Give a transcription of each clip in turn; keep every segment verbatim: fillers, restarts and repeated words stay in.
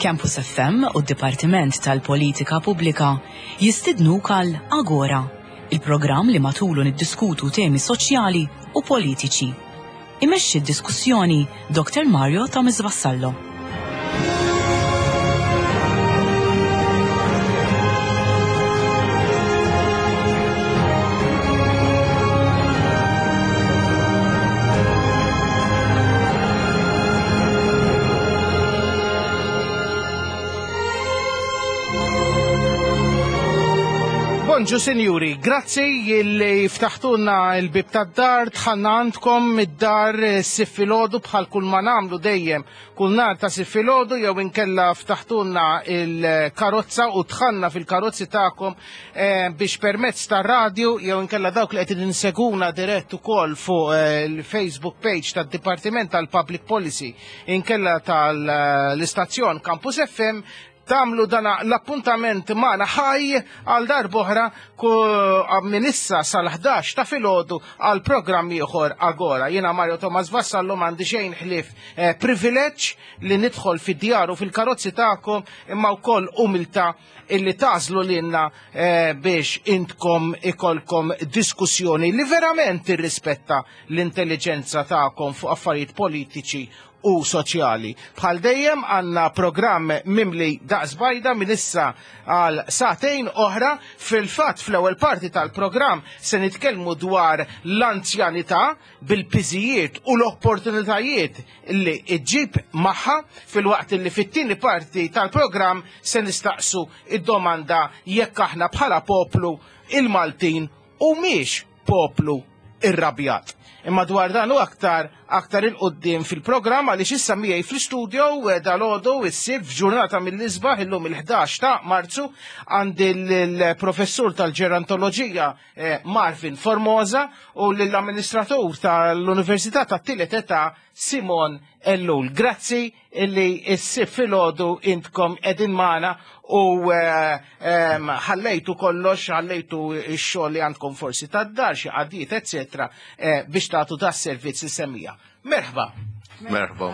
Campus F M u d-Dipartiment tal-Politika Pubblika jistidnuk għal Agora, il-programm li matulu niddiskutu temi soċjali u politiċi. Imexxi d-diskussjoni Doktor Mario Thomas Vassallo. Bonġu sinjuri, grazzi li ftaħtulna l-bib tad-dar, dħalna għandkom id-dar s-Sibt filgħodu bħal kull ma nagħmlu dejjem kull nhar ta' Sibt filgħodu, jew inkella ftaħtulna il-karozza u dħalna fil-karozzi tagħkom, eh, biex permezz tar-radju jew inkella dawk li qed inseguna dirett ukoll fuq, eh, il-Facebook page tad-Dipartiment tal-Public Policy inkella tal-istazzjon Campus F M tamlu dana l-appuntament magħna ħaj għal darb'oħra minn issa sal-ħdax ta' filgħodu għal programm ieħor Agora. Jiena Mario Thomas Vassallo m'għandi xejn ħlief, eh, privileġġ li nidħol fid-djar u fil-karozzi tagħkom, imma wkoll umiltà illi tażlu lilna, eh, biex intkom ikolkom diskussjoni li verament tirrispetta l-intelligenza tagħkom fuq affarijiet politiċi u soċjali. Bħal dejjem għandna programm mimli daqs bajda minn issa għal sagħtejn oħra. Fil-fatt fl-ewwel parti tal-programm se nitkellmu dwar l-anzjanità bil-piżijiet u l-opportunitajiet li ġġib magħha, filwaqt li fit-tieni parti tal-programm se nistaqsu id-domanda jekk aħna bħala poplu il-Maltin u miex poplu irrabjat. Imma dwar dan u aktar, aktar il-qoddim fil-programm, għaliex issa miegħi fl-istudio, eh, dal-għodu is-Sibt f'ġurnata mill-isbaħ illum il-ħdax ta' Marzu għandi l-professur tal-ġerontoloġija, eh, Marvin Formosa u l-amministratur tal-Università tat-Tielet Età Simon Ellul. Grazzi illi s-Sibt filgħodu intkom qegħdin magħna u, eh, em, ħallejtu kollox, ħallejtu x-xogħol li għandkom forsi tad-dar, xi qadiet, eccetera, eh, biex tagħtu da servizz is-semija. Merħba. Merħba.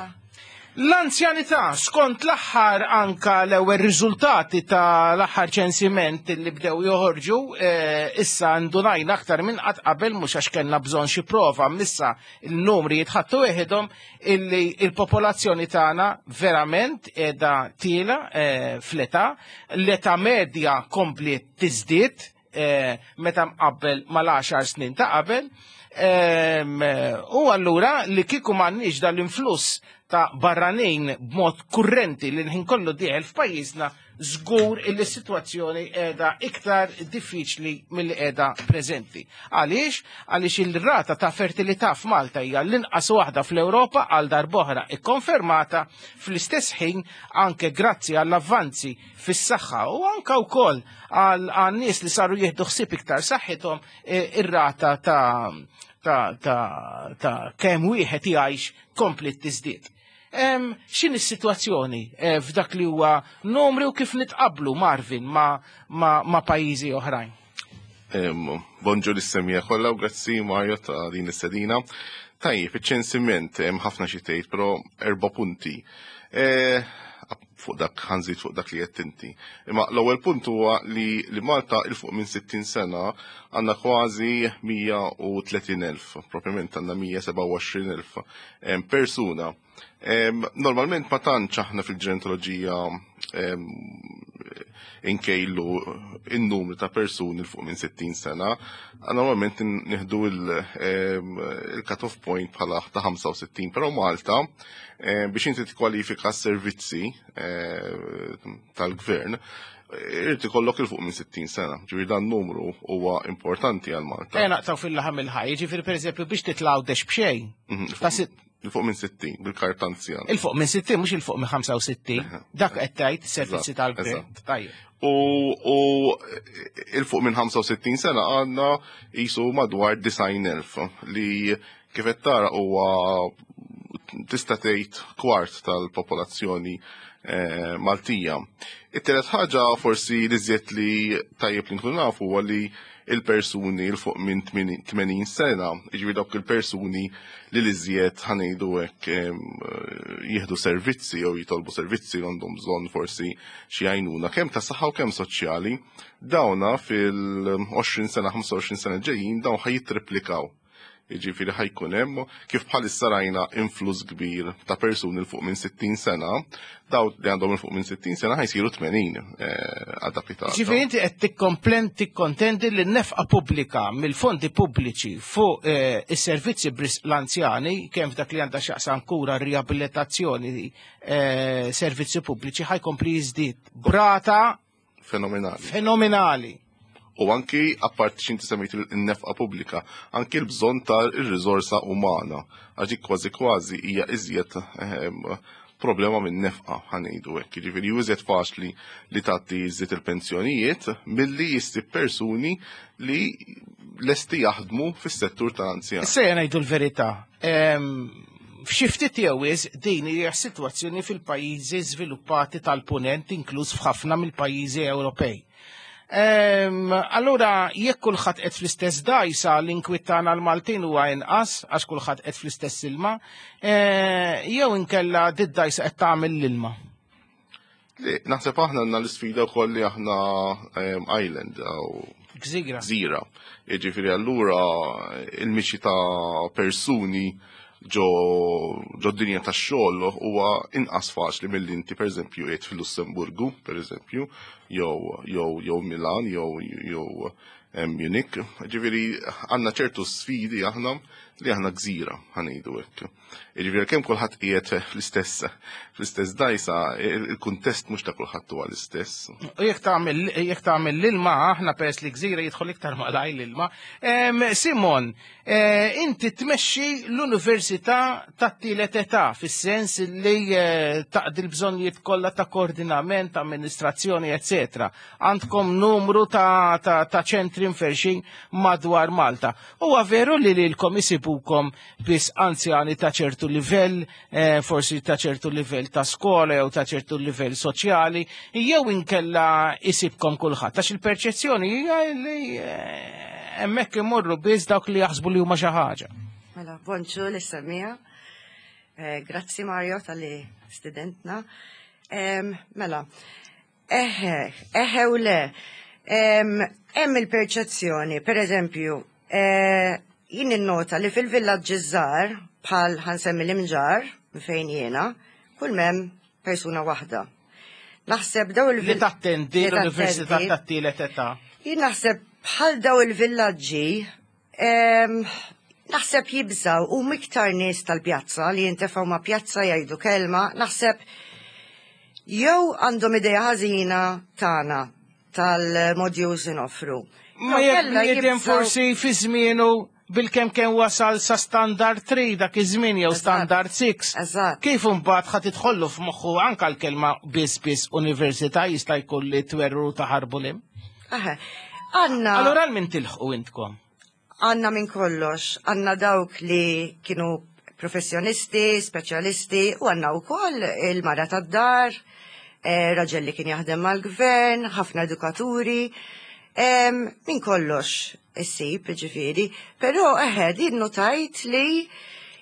L-anzjanità, skont l-aħħar anka l-ewwel riżultati ta' l-aħħar ċensiment li bdew joħorġu, eh, issa ndunajna aktar minn qatt qabel, mhux għax kellna bżonn xi prova, missa l-numri jitħattu weħidhom illi il-popolazzjoni tagħna verament qiegħda tiela, eh, fl-età, l-età medja kompli tiżdied, eh, meta mqabbel mal-għaxar snin ta' qabel. Ehm, u allura li kieku m'għandniex dal-influss ta' barranin b'mod kurrenti li l-ħin kollu dieħel f'pajjiżna, żgur illi s-sitwazzjoni qiegħda iktar diffiċli milli qiegħda preżenti. Għaliex? Għaliex il-rata ta' fertilità f'Malta hija l-inqas waħda fl-Ewropa għal darb'oħra ikkonfermata, fl-istess ħin anke grazzi għall-avvanzi fis-saħħa u anke wkoll għal nies li saru jieħdu ħsieb iktar saħħithom, e, ir-rata ta' ta', ta', ta' kemm wieħed jgħix kompli tiżdied. Em, x'inhi s-sitwazzjoni, eh, f'dak li huwa numri u kif nitqablu, Marvin, ma, ma, ma' pajjiżi oħrajn? Em, bonġu lis-semija kollha u grazzi Mario ta' din is-sedina. Tajjeb, iċ-ċensiment hemm ħafna xi tgħid, però erba' punti. Eh, fuq dak ħanżid fuq dak li qed inti. Imma l-ewwel punt huwa li, li Malta il fuq minn sittin sena għandna kważi mija u tletin elf, propjament għandna mija seba' u għoxrin elf, em, persuna. Em, normalment ma tantx aħna fil-ġerontoloġija, em, inkejlu in-numru ta' persuni fuq minn sittin sena, normalment nieħdu il-, em, il-cut-off point bħala ta' ħamsa u sittin, però Malta, em, biex inti tikkwalifika s-servizzi, em, tal-gvern, irid ikollok il fuq minn sittin sena. Ġifieri dan numru huwa importanti għal Malta. Ejja naqtaw fil-laħam il-ħaj, ġifieri pereżempju biex titlaw dex b'xejn. Mhm. Ta' sit- Il fuq minn sittin, bil-karta anzjan. Il fuq minn sittin, mhux il fuq minn ħamsa u sittin. Eħe. Dak qed tgħid servizzi Eżatt, tal-gvern. eżatt. Tajjeb. U, u il fuq minn ħamsa u sittin sena għandna jisu madwar disgħin elf li kif qed tara huwa tista' tgħid kwart tal-popolazzjoni eh, Maltija. It-tielet ħaġa forsi li żjed li tajjeb li nkunu nafu huwa li il-persuni 'l fuq minn tmenin sena, jiġifieri dawk il-persuni li l-iżjed, ħa ngħidu hekk, jieħdu servizzi jew jitolbu servizzi, għandhom bżonn forsi xi għajnuna kemm ta' saħħa u kemm soċjali, dawna fil-għoxrin sena, ħamsa u għoxrin sena ġejjin, dawn ħa jittriplikaw. Jiġifieri ħa jkun hemm, kif bħalissa rajna influss kbir ta' persuni 'l fuq minn sittin sena, daw li għandhom 'l fuq minn sittin sena ħa jsiru tmenin eh, għal dak li ta' Ġifieri inti qed tikkomplen tikkontendi li n-nefqa pubblika mill-fondi pubbliċi fuq eh, is-servizzi bris l-anzjani, kemm f'dak li għandha x'jaqsam kura, riabilitazzjoni, eh, servizzi pubbliċi, ħa jkompli jiżdied b'rata fenomenali. Fenomenali. U anki, apart x'inti semmejt il-nefqa pubblika, anki l-bżonn tal-riżorsa umana. Għax dik kważi kważi hija iżjed ehm, problema minn nefqa, ħa ngħidu hekk. Jiġifieri iżjed faċli li tagħti iżjed il-pensjonijiet milli issib persuni li lesti jaħdmu fis-settur tal-anzjan. Issa ngħidu l-verità. F'xi ftit jew din hija sitwazzjoni fil-pajjiżi żviluppati tal-punent, inkluż f'ħafna mill-pajjiżi Ewropej. Allura, jekk kulħadd qed fl-istess dajsa, l-inkwiet tagħna l-Maltin huwa inqas għax kulħadd qed fl-istess ilma, eh, jew inkella did-dajsa qed tagħmel l-ilma? Naħseb aħna għandna l-isfida wkoll li aħna island jew Gżira. Gżira. Jiġifieri allura il-mixi ta' persuni ġo ġo dinja ta' xogħol huwa inqas faċli milli inti, pereżempju, qiegħed fil-Lussemburgu, pereżempju, jew jew jew Milan jew jew Munich. Ġifieri għandna ċertu sfidi aħna li aħna gżira, ħa ngħidu hekk. Ġifieri kemm kulħadd qiegħed fl-istess fl-istess dajsa, il-kuntest mhux ta' kulħadd huwa l-istess. U jekk tagħmel jekk tagħmel l-ilma, aħna peress li gżira jidħol iktar malaj l-ilma. Simon, eh, inti tmexxi l-Università tat-tielet età fis-sens li eh, taqdi l-bżonnijiet kollha ta' koordinament, amministrazzjoni, eccetera. Għandkom numru ta' ta' ta' ċentri mferxin madwar Malta. Huwa veru li lilkom isibukom biss anzjani ta' ċertu livell, eh, forsi ta' ċertu livell ta' skola jew ta' ċertu livell soċjali, jew inkella isibkom kulħadd? Għax il-perċezzjoni hija li eh, hemmhekk imorru biss dawk li jaħsbu li huma xi ħaġa. Mela, bonġu lis-semmiegħa. Eh, grazzi Mario talli stidentna. Mela, eħe, eħe u le. Hemm il-perċezzjoni, per eżempju, eh, jien innota li fil-villaġġi żgħar, bħal ħa nsemmi l-Imġarr, fejn jiena, kull m'hemm persuna waħda. Naħseb daw il Li tattendi l-Università tat-tielet età. Jien naħseb bħal daw il-villaġġi, naħseb jibżaw u miktar nies tal-pjazza li jintefgħu ma' pjazza jgħidu kelma, naħseb jew għandhom idea ħażina tagħna tal-modules noffru. Ma jekk bniedem forsi fi żmienu bil-kem kien wasal sa standard tlieta dak iż-żmien jew standard sitta. Eżatt. Kif imbagħad ħa tidħollu f'moħħu anka l-kelma biss biss università, jista' jkun li twerru taħarbu lim? Aha. Għanna. Allura għal min tilħqu intkom? Għanna minn kollox, għanna dawk li kienu professjonisti, speċjalisti, u għanna u koll il-mara tad-dar, eh, raġel li kien jaħdem mal-gvern, ħafna edukaturi, em, minn kollox issib, ġifieri, pero eħe, din notajt li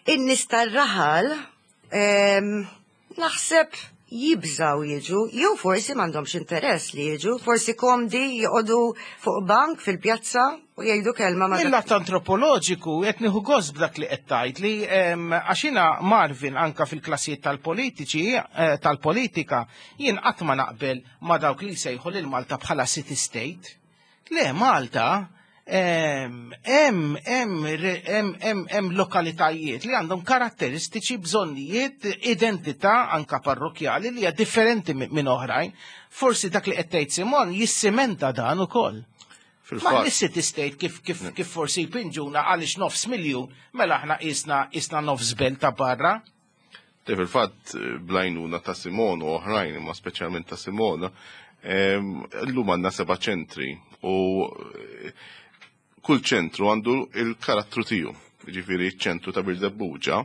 in-nies tar-raħal em, naħseb jibżaw jiġu, jew forsi m'għandhomx interess li jiġu, forsi komdi joqogħdu fuq bank fil-pjazza u jgħidu kelma ma' Mill-lat antropoloġiku qed nieħu gost b'dak li qed tgħid li em, għax jiena, Marvin, anka fil-klassijiet tal-politiċi eh, tal-politika jien qatt ma naqbel ma dawk li jsejħu lil Malta bħala city state. Le, Malta hemm hemm hemm hemm hemm lokalitajiet li għandhom karatteristiċi, bżonnijiet, identità anka parrokjali li hija differenti minn oħrajn. Forsi dak li qed tgħid Simon jissimenta dan ukoll. Ma Fil-fatt, l-city state kif kif kif forsi jpinġuna għaliex nofs miljun, mela aħna qisna qisna nofs belt ta' barra. Te fil-fatt bl-għajnuna ta' Simon u oħrajn, imma speċjalment ta' Simon, em, llum għandna seba' ċentri u eh, kull ċentru għandu il-karattru tiegħu. Ġifieri ċentru ta' Birżebbuġa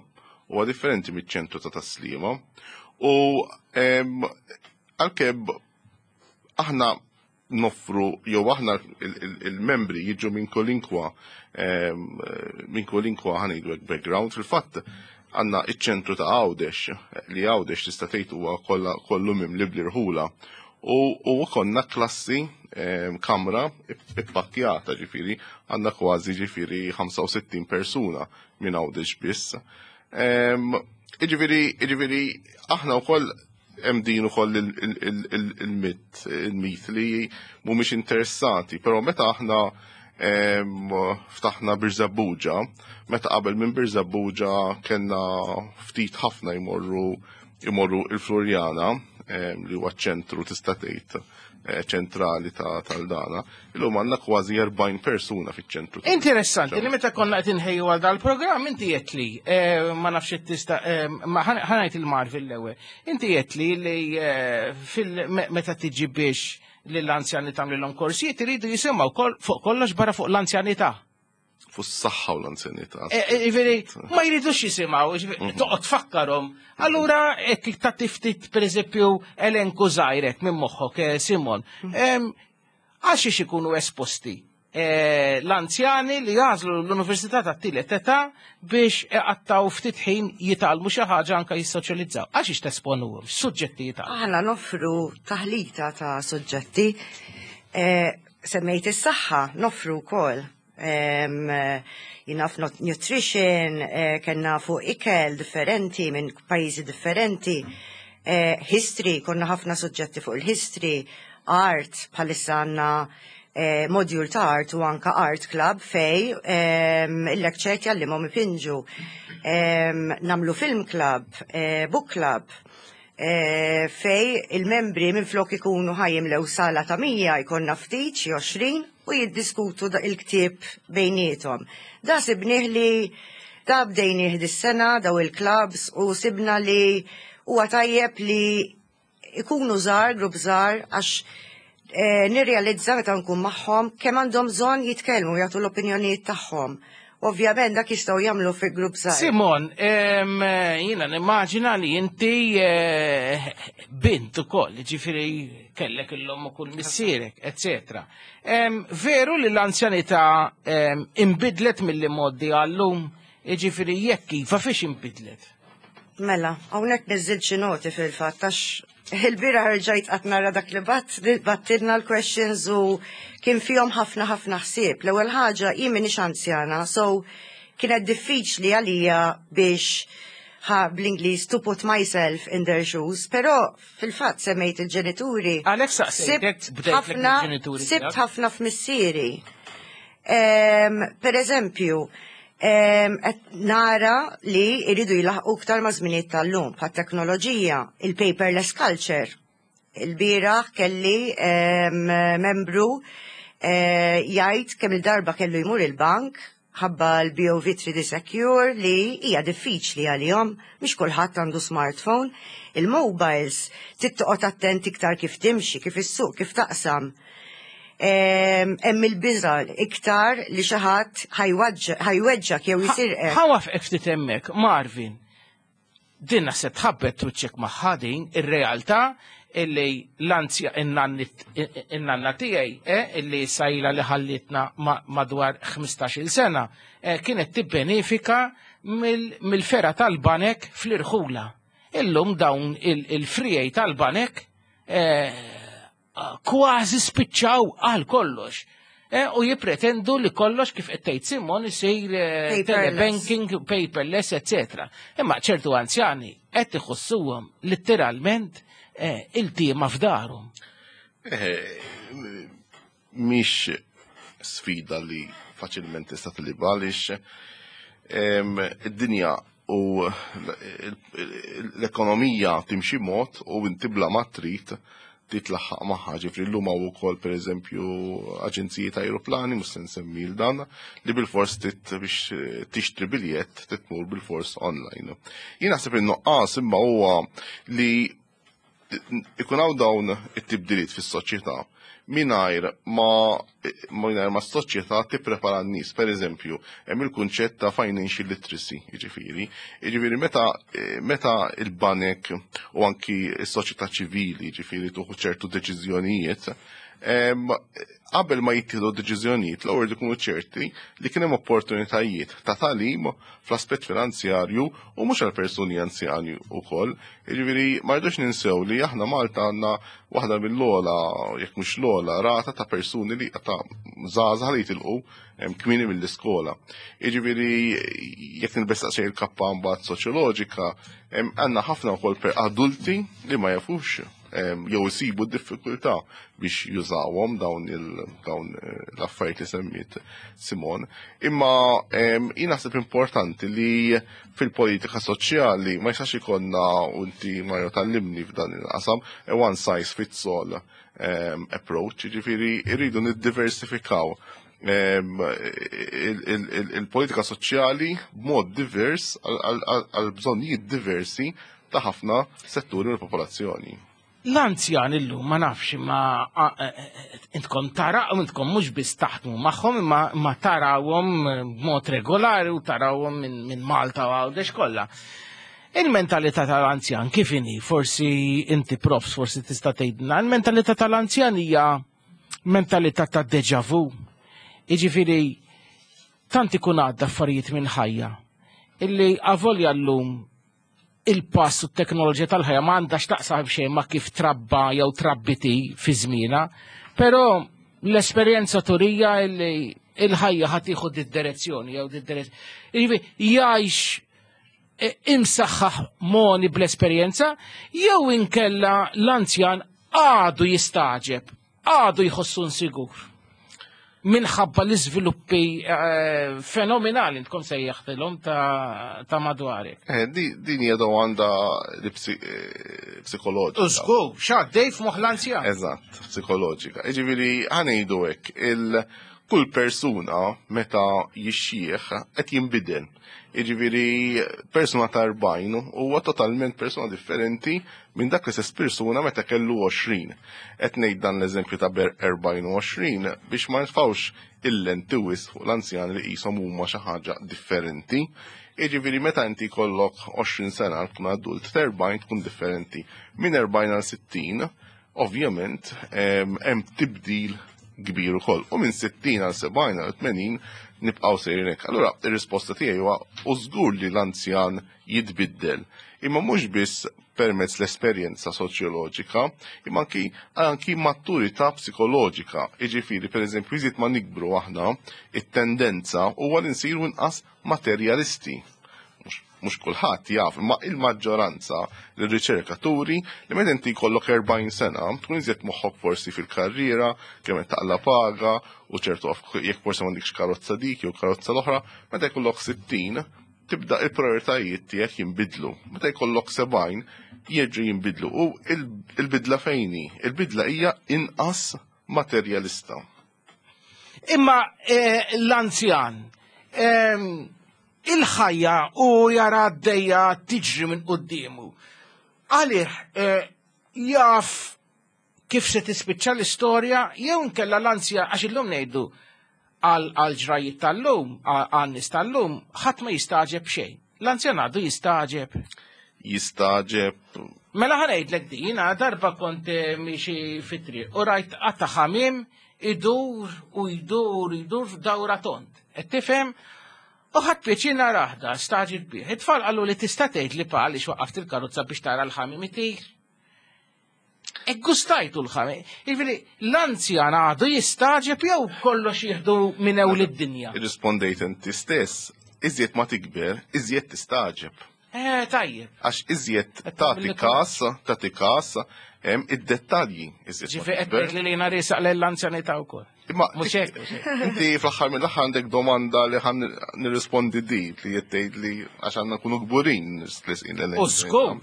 huwa differenti miċ-ċentru ta' Tas-Sliema. U għalkemm aħna noffru jew aħna il-membri jiġu minn kolinkwa minn kolinkwa, ħa ngħidu, background. Fil-fatt għandna iċ-ċentru ta' Għawdex, li Għawdex tista' tgħid huwa kollu mimli bl-irħula. U konna klassi, kamra ippakkjata, ġifieri għandna kważi ġifieri ħamsa u sittin persuna minn Għawdex biss. Ġifieri, ġifieri aħna wkoll hemm din ukoll il-mit, il-mit li mhumiex interessati, però meta aħna ftaħna Birżebbuġa, meta qabel minn Birżebbuġa kellna ftit ħafna jmorru jmorru il-Floriana, li huwa ċentru, tista' tgħid, eh, ċentrali ta' tal-dana, illum għandna kważi erbgħin persuna fiċ-ċentru. Interessanti li meta konna qed inħejju għal dal-programm inti qed li eh, ma nafx tista', eh, ma ħa ngħid il-Marvin l-ewwel. Inti qed li li fil meta tiġi biex lill-anzjani tagħmlilhom korsijiet iridu jisimgħu fuq kollox barra fuq l-anzjanità. Fuq s-saħħa u l-anzjanità. Ġifieri, ma jridux jisimgħu, mhm. toqgħod tfakkarhom. Allura hekk ta' tiftit, pereżempju, elenku żgħirek minn moħħok, eh, Simon. Mhm. Għax ikunu esposti eh, l-anzjani li jagħżlu l-Università ta' Tielet Età biex iqattaw ftit ħin jitgħallmu xi ħaġa, anke jissoċjalizzaw? Għax tesponuhom, suġġetti jitgħallmu? Aħna noffru taħlita ta' suġġetti. Eh, semmejt is-saħħa, noffru wkoll jien naf nutrition, eh, kellna fuq ikel differenti minn pajjiżi differenti, eh, history, konna ħafna suġġetti fuq il-history, art, bħalissa għandna eh, module ta' art u anka art club fej il-lecture jgħallimhom ipinġu. Nagħmlu film club, book club, fej il-membri minn flok ikunu ħa jimlew sala ta' mija jkollna ftit, xi għoxrin, u jiddiskutu il-ktieb bejniethom. Da sibnieh li da bdejnieh dis-sena daw il-clubs u sibna li huwa tajjeb li ikunu żgħar, grupp żgħar, għax eh, nirrealizza meta nkun magħhom kemm għandhom bżonn jitkellmu, jagħtu l-opinjonijiet tagħhom. Ovvjament dak jistgħu jagħmlu fi grupp żgħar. Simon, jiena nimmaġina li inti eh, bint ukoll, ġifieri kellek l-omm u kull missierek, eccetera. Veru li l-anzjanità imbidlet mill-modi għallum, ġifieri jekk iva, fiex imbidlet? Mela, hawnhekk niżżilt xi noti fil-fatt, għax il-bieraħ rġajt qatt nara dak li bat, bgħattilna l-questions u kien fihom ħafna ħafna ħsieb. L-ewwel ħaġa, jien m'iniex anzjana, so kienet diffiċli għalija biex, ħa bl-Ingliż, to put myself in their shoes, però fil-fatt semmejt il-ġenituri. Għalhekk saqsejtek, Sibt bdejtlek ħafna, il-ġenituri sibt tiegħek. ħafna f'missieri. Em, Per eżempju, em, qed nara li jridu jilaħqu iktar ma' żminijiet tal-lum, bħat teknoloġija, il-paperless culture. Il-bieraħ kelli em, membru eh, jgħid kemm il-darba kellu jmur il-bank ħabba l-B O V three D Secure li hija diffiċli għalihom, mhix kulħadd għandu smartphone. Il-mobiles, trid toqgħod attent iktar kif timxi, kif issuq, kif taqsam. Em, Hemm il-biża iktar li xi ħadd ħa jweġġgħek jew jisirqek. Ħa nwaqqfek ftit hemmhekk, Marvin. Din naħseb tħabbet wiċċek magħha din ir-realtà illi l-anzja in-nanna tiegħi eh, illi sajla li ħallitna ma- madwar ħmistax-il sena, eh, kienet tibbenefika mill- mill-fergħa tal-banek fl-irħula. Illum dawn il- il-friegħi tal-banek eh, kważi spiċċaw għal kollox. Eh, u jipretendu li kollox, kif qed tgħid Simon, isir eh, Paperless. telebanking, paperless, eccetera. Imma ċertu anzjani qed iħossuhom letteralment eh, iltiema f'darhom. Eh, Mhix sfida li faċilment tista' tilibha għaliex em, id-dinja u l-ekonomija timxi mod u inti bla ma trid titlaħħaq magħha. Ġifieri llum hawn ukoll, pereżempju, aġenziji ta' aeroplani, mhux se nsemmi l dan, li bilfors tit biex tixtri biljett titmur bilfors online. Jien naħseb in-nuqqas imma huwa li ikun hawn dawn it-tibdiliet fis-soċjetà. mingħajr ma mingħajr ma s-soċjetà tipprepara n-nies. Per eżempju, hemm il-kunċett ta' financial literacy, jiġifieri. Jiġifieri meta meta il-banek u anki s-soċjetà ċivili, jiġifieri tieħu ċertu deċiżjonijiet, qabel ma jittieħdu deċiżjonijiet l-ewwel ikunu ċerti li kien hemm opportunitajiet ta' tagħlim fl-aspett finanzjarju u mhux għal persuni anzjani wkoll. Jiġifieri ma rridux ninsew li aħna Malta għandna waħda mill-ogħla, jekk mhux l-ogħla, rata ta' persuni li ta' żgħażagħ li jitilqu kmieni mill-iskola. Jiġifieri jekk nilbes daqsxejn il-kappa mbagħad soċjoloġika, għandna ħafna wkoll per adulti li ma jafux jew isibu diffikultà biex jużawhom dawn dawn l-affarijiet li semmiet Simon. Imma jien naħseb importanti li fil-politika soċjali ma jistax ikollna, u inti Mario tgħallimni f'dan il-qasam, one size fits all approach, jiġifieri rridu niddiversifikaw il-politika soċjali b'mod divers għal bżonnijiet diversi ta' ħafna setturi mill-popolazzjoni. L-anzjan illum ma nafx, ma intkom tara, intkom mhux biss taħdmu magħhom imma ma tarawhom b'mod regolari u tarawhom minn Malta u Għawdex kollha. Il-mentalità tal-anzjan kif inhi? Forsi inti profs, forsi tista' tgħidilna. Il-mentalità tal-anzjan hija mentalità ta' deja vu. Jiġifieri tant ikun għadda affarijiet minn ħajja illi avolja llum il-pass u t-teknoloġija tal-ħajja ma għandax taqsam xejn ma kif trabba jew trabbiti fi żmiena, però l-esperjenza turija illi il-ħajja ħa tieħu d-direzzjoni jew d-direzzjoni. Jiġifieri jgħix imsaħħaħ moni bl-esperjenza jew inkella l-anzjan għadu jistaġeb, għadu jħossu nsigur. Minħabba l-iżviluppi eh, fenomenali tkun sejjaħtilhom ta', ta madwarek. Eh, din hija domanda li eh, psikoloġika. Użgur, x'għaddej f'moħħ l-anzjan. Eżatt, psikoloġika. Jiġifieri ħa ngħidu hekk, il kull persuna meta jixxieħ qed jinbidel. Jiġifieri persuna ta' erbgħin huwa totalment persuna differenti minn dak l-istess persuna meta kellu għoxrin. Qed ngħid dan l-eżempju ta' erbgħin u għoxrin biex ma nitfgħux il-lenti wisq fuq l-anzjan li qishom huma xi ħaġa differenti. Jiġifieri meta inti jkollok għoxrin sena tkun adult, ta' erbgħin tkun differenti. Minn erbgħin għal sittin, ovvjament, hemm tibdil kbir ukoll. U minn sittin għal sebgħin għal tmenin nibqgħu sejrin hekk. Allura ir-risposta tiegħi huwa u żgur li l-anzjan jitbiddel. Imma mhux biss permezz l-esperjenza soċjoloġika, imma anki anki maturità psikoloġika. Jiġifieri, pereżempju, iżjed ma nikbru aħna, it-tendenza huwa li nsiru inqas materjalisti. Mhux kulħadd jaf, imma il-maġġoranza l-riċerkaturi li meta inti jkollok erbgħin sena, tkun iżjed moħħok forsi fil-karriera, kemm qed taqla paga, u ċertu jekk forsi m'għandikx karozza dik jew karozza l-oħra, meta jkollok sittin, tibda il-prioritajiet tiegħek jinbidlu. Meta jkollok sebgħin, jerġgħu jinbidlu. U il-bidla fejn hi? Il-bidla hija inqas materjalista. Imma eh, l-anzjan, ehm, il-ħajja u jara għaddejja tiġri minn quddiemu. Għalih eh, jaf kif se tispiċċa l-istorja jew inkella l-anzja, għax illum ngħidu għal ġrajiet tal-lum, għal nies tal-lum, ħadd ma jistaġeb xejn. L-anzjan għadu jistaġeb. Jistaġeb. Mela ħa ngħidlek din, jiena darba kont miexi fit-triq u rajt qatta ħamiem idur u jdur jdur dawra tond. Qed tifhem? U ħadt pjaċir narah da, stagħġibt bih. It-tfal qalu li tista' tgħid li pa għaliex waqqaft il-karozza biex tara l-ħamiem itir. E gustajtu l-ħamiem. Jiġifieri l-anzjan għadu jistaġeb jew kollox jieħdu minn ewl id-dinja. Irrispondejt inti stess, iżjed ma tikber, iżjed tistaġeb. Eh, tajjeb. Għax iżjed Qed tagħti tagħmel kas, tagħti kas, hemm id-dettalji iżjed ma Ġifieri qed tikber. tgħid li jiena riesaq lill-anzjanità wkoll. Imma Mhux hekk, mhux hekk. Inti fl-aħħar mill-aħħar għandek domanda li ħan nirrispondi di li qed tgħid li għax għandna nkunu kburin nisqin l U żgur.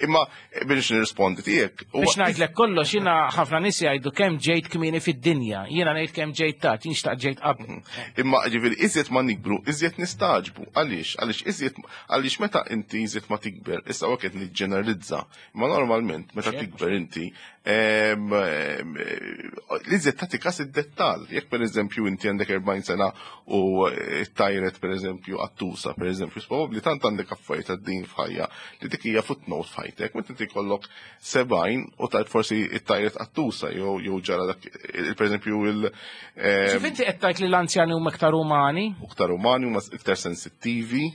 Imma biex nirrispondi tiegħek. huwa- Biex ngħidlek kollox, jiena ħafna nies jgħidu kemm ġejt kmieni fid-dinja, jiena ngħid kemm ġejt tard, jien xtaqt ġejt qabel. Imma ġifieri iżjed ma nikbru, iżjed nistaġbu. Għaliex? Għaliex iżjed għaliex meta inti iżjed ma tikber, issa qed niġġeneralizza. Imma normalment meta Xejn. tikber inti Li żed tagħti kas id-dettall. Jekk pereżempju inti għandek erbgħin sena u tajret pereżempju qattusa, pereżempju, probabbli tant għandek affarijiet għaddejjin f'ħajja li dik hija footnote f'ħajtek, meta inti jkollok sebgħin u tajt forsi tajret qattusa jew jew ġara dak pereżempju il Ġifieri qed tgħid li l-anzjani huma iktar umani? Iktar umani, huma iktar sensittivi.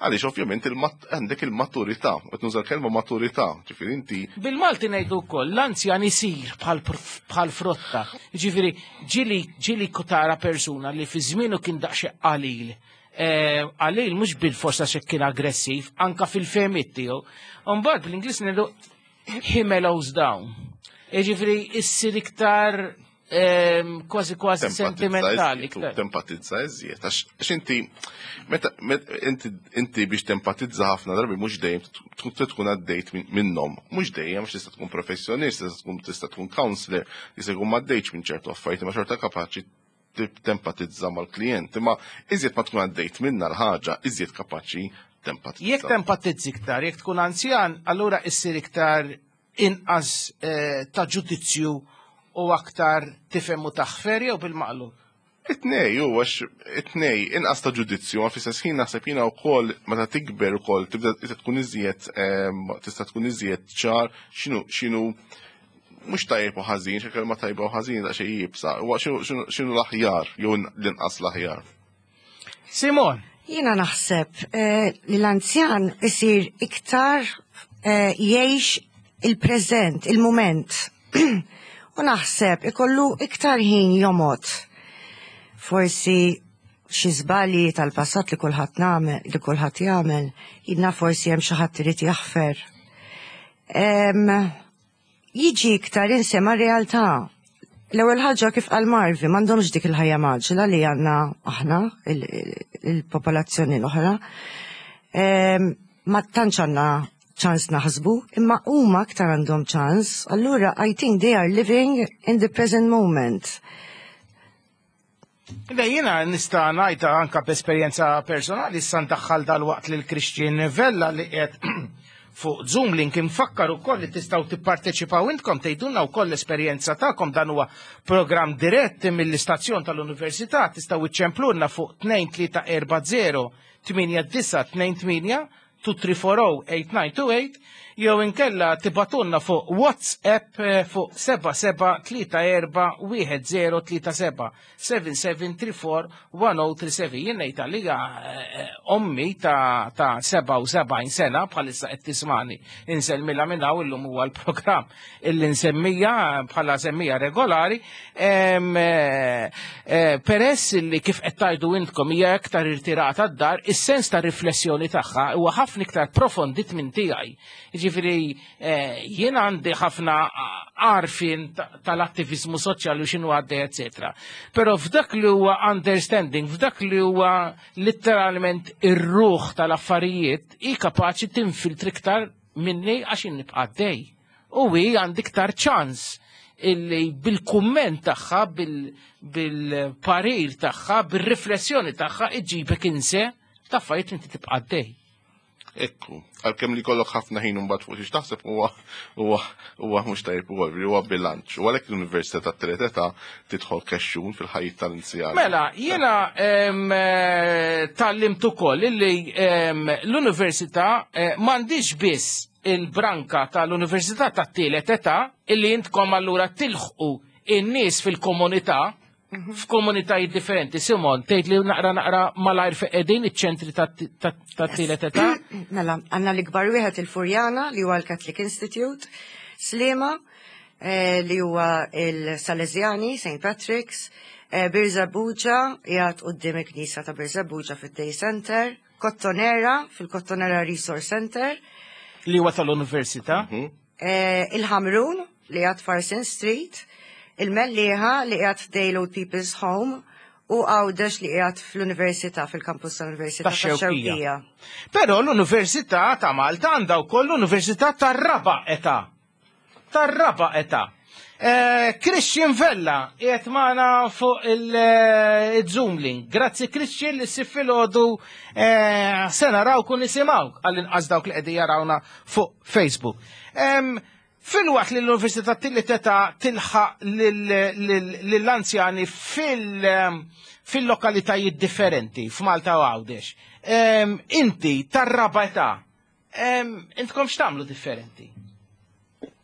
Għaliex ovvjament għandek il-maturità, u nuża l-kelma maturità, ġifieri inti. Bil-Malti ngħidu wkoll, l-anzjan isir bħal frotta. Ġifieri ġieli ġieli tara persuna li fi żmienu kien daqsxejn qalil. Qalil mhux bil-forsa xi kien aggressiv, anka fil-fehmiet tiegħu. Mbagħad bl-Ingliż ngħidu he mellows down. Ġifieri issir iktar kważi kważi sentimentali. Tempatizza iżjed, għax inti, meta inti biex tempatizza ħafna drabi mhux dejjem tkun għaddejt minnhom, mhux dejjem, għax tista' tkun professjonist, tista' tkun tista' tkun counselor, jista' jkun m'għaddejtx minn ċertu affarijiet, ma xorta kapaċi tempatizza mal-klient, imma iżjed ma tkun għaddejt minna l-ħaġa, iżjed kapaċi tempatizza. Jekk tempatizzi iktar, jekk tkun anzjan, allura issir iktar inqas ta' ġudizzju u aktar tifhem u taħfer jew bil-maqlub? It-tnej, u għax it-tnej, inqas ta' ġudizzju, ma fl-istess ħin naħseb jiena wkoll meta tikber ukoll tibda tkun iżjed tista' tkun iżjed ċar x'inhu x'inhu mhux tajjeb u ħażin, xi kelma tajba u ħażin daqsxejn jibsa, huwa x'inhu l-aħjar jew l-inqas l-aħjar. Simon. Jiena naħseb li l-anzjan isir iktar jgħix il-preżent, il-mument. U naħseb ikollu iktar ħin jomgħod. Forsi xi żbalji tal-passat li kulħadd nagħmel, li kulħadd jagħmel, jidna forsi hemm xi ħadd irid jaħfer. Jiġi iktar insema realtà. L-ewwel ħaġa, kif qal Marvi, m'għandhomx dik il-ħajja mgħaġġla li għandna aħna il-popolazzjoni l-oħra. Ma tantx għandna ċans naħsbu, imma huma aktar għandhom ċans, allura I think they are living in the present moment. Le, jiena nista' ngħidha anka b'esperjenza personali, issa ndaħħal dal-waqt lil Christian Vella li qed fuq Zoom link. Infakkar ukoll li tistgħu tipparteċipaw intkom, tgħidulna wkoll l-esperjenza tagħkom. Dan huwa programm dirett mill-istazzjon tal-Università. Tistgħu iċċemplulna fuq tnejn tlieta erba' żero tmienja disgħa tnejn tmienja, tnejn tlieta erba' żero tmienja disgħa tnejn tmienja, jew inkella tibagħtulna fuq WhatsApp eh, fuq seba' seba' tlieta erba' wieħed żero tlieta seba', seba' seba' tlieta erba' wieħed żero tlieta seba'. Jien ngħid għalija eh, ommi ta' ta' sebgħa u sebgħin sena bħalissa qed tismani, insellmilha minn hawn. Illum huwa l-programm illi nsemmija bħala semmija regolari. em, eh, eh, peress li kif qed tgħidu intkom hija aktar irtirata d-dar, is-sens ta' riflessjoni tagħha huwa ħafna iktar profondit minn tiegħi. Ġifieri eh, jien għandi ħafna għarfien tal-attivizmu soċjali u x'inhu għaddej, eċetera. Però f'dak li huwa understanding, f'dak li huwa letteralment ir-ruħ tal-affarijiet, hi kapaċi tinfiltri iktar minni għax jien nibqa' għaddej. U hi għandi iktar ċans illi bil-kumment tagħha, bil-parir tagħha, bil-riflessjoni tagħha iġibek inse ta' affarijiet inti tibqa' għaddej. Ekku, għalkemm li kollok ħafna ħin mbagħad fuq xiex taħseb huwa huwa huwa mhux tajjeb ukoll, huwa bilanċ. U għalhekk l-Università tat-Tielet Età tidħol kexxun fil-ħajja tal-anzjani. Mela, jiena em, eh, tgħallimt ukoll illi em, l-università eh, m'għandix biss il-branka tal-Università tat-Tielet Età illi intkom allura tilħqu in-nies fil-komunità, f'komunitajiet differenti. Simon, tgħid li naqra naqra malajr fejn qegħdin iċ-ċentri tat-tielet età? Mela, għandna l-ikbar wieħed il-Furjana li huwa l-Catholic Institute, Sliema eh, li huwa il-Salesiani, Saint Patrick's, eh, Birżebbuġa, qiegħed quddiem il-Knisja ta' Birżebbuġa fid-Day Center, Kottonera, fil-Kottonera Resource Center, Li huwa tal-Università. eh, il-Ħamrun li qiegħed Farson Street, il-Mellieħa li qiegħed Dale Old People's Home u Għawdex li qiegħed fl-Università, fil-kampus tal-Università Tax-Xewkija. Tax-Xewkija. Però l-Università ta' Malta għandha wkoll l-Università tar-Raba' Età. Tar-raba' età. Eh, Christian Vella qiegħed magħna fuq il-Zoom link. Grazzi, Christian, li s filgħodu eh, se narawk u nisimgħuk, għall-inqas dawk li qegħdin jarawna fuq Facebook. Em, Filwaqt li l-Università tat-Tielet Età tilħaq lill-anzjani fil-lokalitajiet differenti f'Malta u Għawdex. Inti tar-raba' età, intkom x'tagħmlu differenti?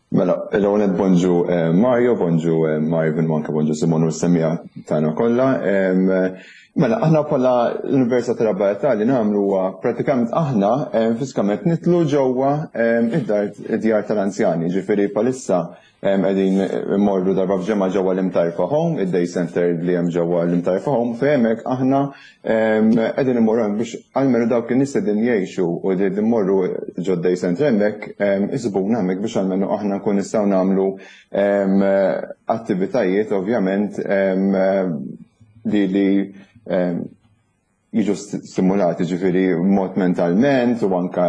Mela, l-ewwel bonġu eh, Mario, bonġu eh, Marvin, anke bonġu Simon u s-semmiegħa tagħna kollha. Mela, aħna bħala l-Università tar-Raba' Età li nagħmlu huwa pratikament aħna fiżikament nidħlu ġewwa id-dar id-djar tal-anzjani, ġifieri bħalissa qegħdin immorru darba f'ġimgħa ġewwa l-Imtarfa Home, id-day center li hemm ġewwa l-Imtarfa Home, fejn hemmhekk aħna qegħdin immorru hemm biex almenu dawk in-nies qegħdin jgħixu u qegħdin immorru ġo day center hemmhekk isibuna hemmhekk biex almenu aħna nkun nistgħu nagħmlu attivitajiet, ovvjament, li li jiġu stimulati, ġifieri mod mentalment u anka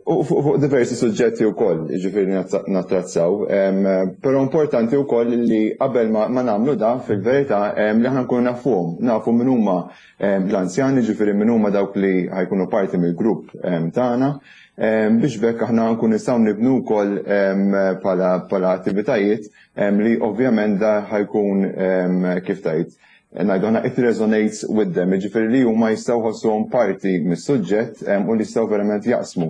u fuq diversi suġġetti wkoll, ġifieri nattrazzaw. Però importanti wkoll li qabel ma nagħmlu da, fil-verità, li aħna nkunu nafuhom, nafu min huma l-anzjani, ġifieri min huma dawk li ħa jkunu parti mill-grupp tagħna, biex bekk aħna nkunu nistgħu nibnu wkoll bħala attivitajiet li ovvjament da ħa jkun, kif tajt, ngħidu aħna, it resonates with them, ġifieri li huma jistgħu jħossuhom parti mis-suġġett u li jistgħu verament jaqsmu.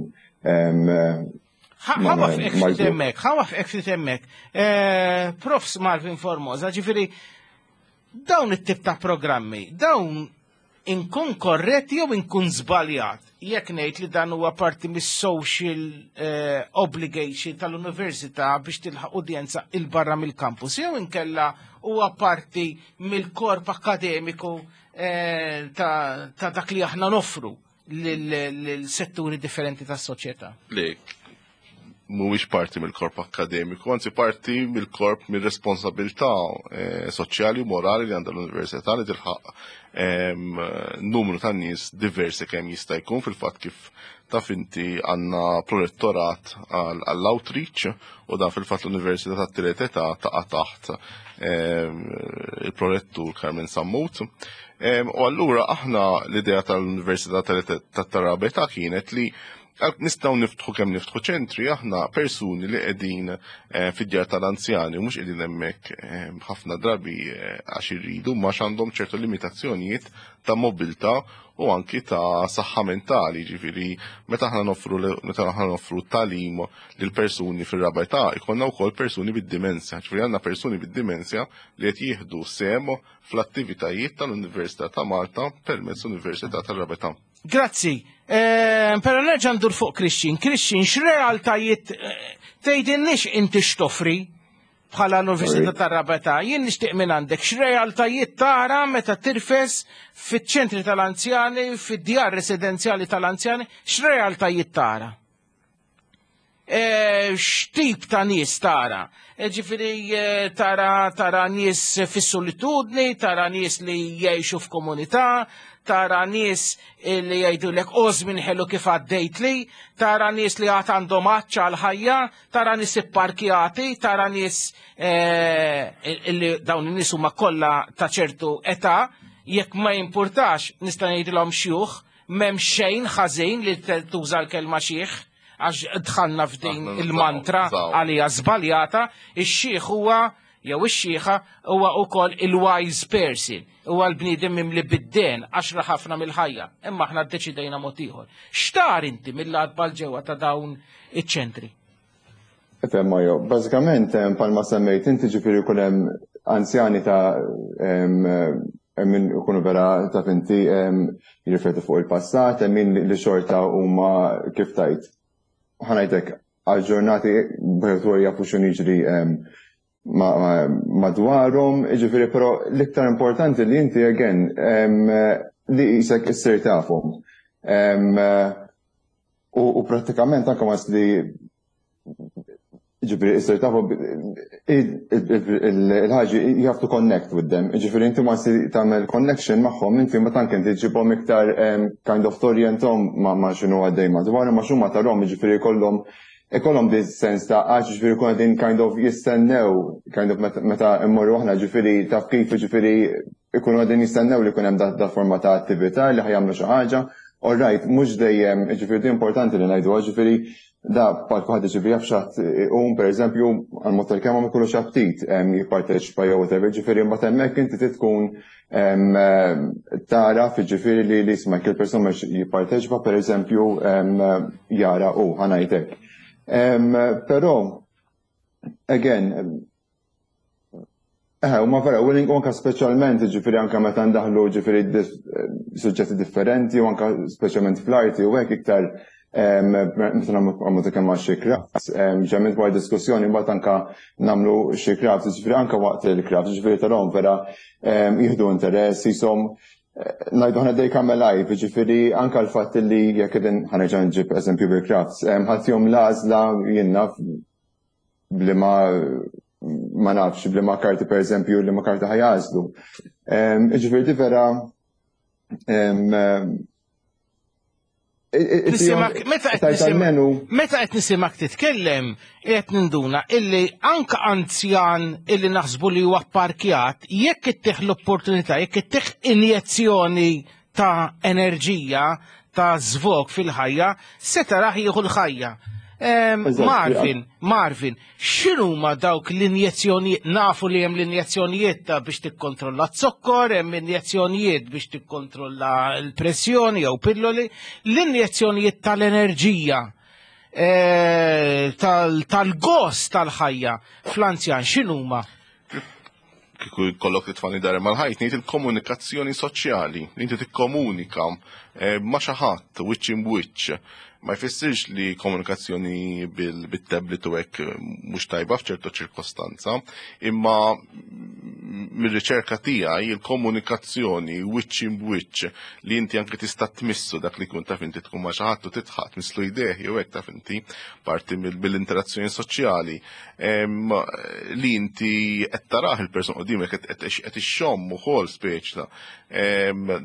Ħa nwaqqfek ftit hemmhekk, ħa nwaqqfek ftit hemmhekk. Profs Marvin Formosa, ġifieri, dawn it-tip ta' programmi, dawn inkun korrett jew inkun żbaljat jekk ngħid li dan huwa parti mis-social eh, obligation tal-università biex tilħaq udjenza 'il barra mill-campus jew inkella huwa parti mill-korp akademiku eh, ta' ta' dak li aħna noffru lil-setturi differenti tas-soċjetà? Le, mhuwiex parti mill-korp akademiku, anzi parti mill-korp mill-responsabilità eh, soċjali u morali li għandha l-università li tilħaq em, numru ta' nies diversi kemm jista' jkun. Fil-fatt, kif taf inti, għandna prorettorat għall-outreach u dan fil-fatt l-Università tat-Tielet Età taqa' taħt em, il-prorettur Carmen Sammut. Em, U allura aħna l-idea tal-Università tat-Raba' Età kienet li nistgħu niftħu kemm niftħu ċentri, aħna persuni li qegħdin eh, fid-djar tal-anzjani u mhux qegħdin hemmhekk eh, ħafna drabi eh, għax irridu, ma għandhom ċertu limitazzjonijiet ta' mobilità u anki ta' saħħa mentali. Ġifieri meta aħna noffru meta aħna noffru tagħlim lil persuni fir-raba' età, ikollna wkoll persuni bid-dimensja, ġifieri għandna persuni bid-dimensja li qed jieħdu sehem fl-attivitajiet tal-Università ta' Malta permezz Università tar-Raba' Età. Grazzi. Eh, Pero nerġa' ndur fuq Christian. Christian, x'realtajiet eh, tgħidilniex inti x'toffri bħala l-Università tar-Raba' Età? Jien nixtieq minn għandek x'realtajiet tara meta tirfes fiċ-ċentri tal-anzjani, fid-djar residenzjali tal-anzjani, x'realtajiet tara? Eh, x'tip ta' nies tara? Eh, Ġifieri eh, tara tara nies fis-solitudni, tara nies li jgħixu f'komunità, tara nies li jgħidulek "O żmien ħelu kif għaddejt li", tara nies li għad għandhom għatx għal-ħajja, tara nies ipparkjati, tara nies eh, li dawn in-nies huma kollha ta' ċertu età, jekk ma jimpurtax nista' ngħidilhom xjuħ, m'hemm xejn ħażin li tuża l-kelma xiħ, għax dħalna f'din Aħna nużaw, il-mantra nużaw. għalija żbaljata, ix-xiħ huwa jew ix-xiħa huwa wkoll il-wise person, huwa l-bniedem mimli bid-dehen għax ra ħafna mill-ħajja, imma aħna ddeċidejna mod ieħor. X'tara inti mill-għatba 'l ġewwa ta' dawn iċ-ċentri? Ifhem, Mario, bażikament em, bħalma semmejt inti, ġifieri jkun hemm anzjani ta' em, em, min ikunu vera, taf inti, em, jirriflettu fuq il-passat, hemm min li xorta huma, kif tajt, ħa ngħidlek, aġġornati b'ħetur, jafu x'inhu jiġri em, ma- ma- madwarhom, ġifieri però l-iktar importanti li inti again em, li jisek issir tafhom. Em, U u prattikament anke mas li ġifieri issir tafu il-ħaġa, you have to connect with them. Ġifieri inti ma si tagħmel connection magħhom, inti ma tank inti ġibhom iktar em, kind of torjentom ma ma x'inhu għaddej madwar, ma x'huma tarhom, ġifieri jkollhom ikollhom this sens ta' għax ġifieri kun qegħdin kind of jistennew kind of meta- meta immorru aħna, ġifieri taf kif, ġifieri ikunu qegħdin jistennew li jkun hemm da, da forma ta' attività li ħa jagħmlu xi ħaġa. All right, mhux dejjem, ġifieri di importanti li ngħidu, ġifieri Da bħal kulħadd, ġifieri jaf xi ħadd iqum, pereżempju, għal-mod tal-kelma ma jkollux aptit jipparteċipa jew whatever, ġifieri mbagħad hemmhekk inti tkun tara, ġifieri li li isma' kull persuna jipparteċipa, pereżempju, jara u ħa ngħidlek. Però again, Eh, u ma vera, willing u anka speċjalment, ġifieri anka meta ndaħlu ġifieri suġġetti differenti u anka speċjalment fl-arti u hekk iktar, meta nagħmlu kemm xi crafts, ġeneralment wara diskussjoni mbagħad anka nagħmlu xi crafts, ġifieri anka waqt il-crafts, ġifieri tarahom vera jieħdu interess, jisom ngħidu aħna they come alive, ġifieri anka l-fatt li jekk qegħdin, ħa nerġa' nġib eżempju bil-crafts, ħadd jom l-għażla jiena bli ma ma nafx bli ma karti, per eżempju, li ma karti ħa jagħżlu. Ġifieri di vera Meta qed nisimak titkellem, qed ninduna illi anka anzjan illi naħsbu li huwa parkjat, jekk ittih l-opportunità, jekk ittih injezzjoni ta' enerġija, ta' żvog fil-ħajja, se taraħ jieħu l-ħajja. Marvin, Marvin, x'inhuma dawk l-injezzjonijiet? Nafu li hemm l-injezzjonijiet ta' biex tikkontrolla z-zokkor, hemm injezzjonijiet biex tikkontrolla l-pressjoni jew pilloli, l-injezzjonijiet tal-enerġija, tal-gost tal-ħajja fl-anzjan x'inhuma? Kieku jkollok titfagħni dar mal-ħajt, ngħid il-komunikazzjoni soċjali, li inti tikkomunika ma' xi ħadd wiċċ imwiċċ. Ma jfissirx li komunikazzjoni bil-tablet u hekk mhux tajba f'ċertu ċirkostanza, imma mir-riċerka tiegħi il-komunikazzjoni wiċċ imwiċċ, li inti anke tista' tmissu dak li kun, taf inti, tkun ma' xi ħadd u tidħaq, tmisslu jdejh jew hekk, taf inti, parti mill-interazzjoni soċjali li inti qed tarah il-person qudiemek, qed ixxomm ukoll speċi ta'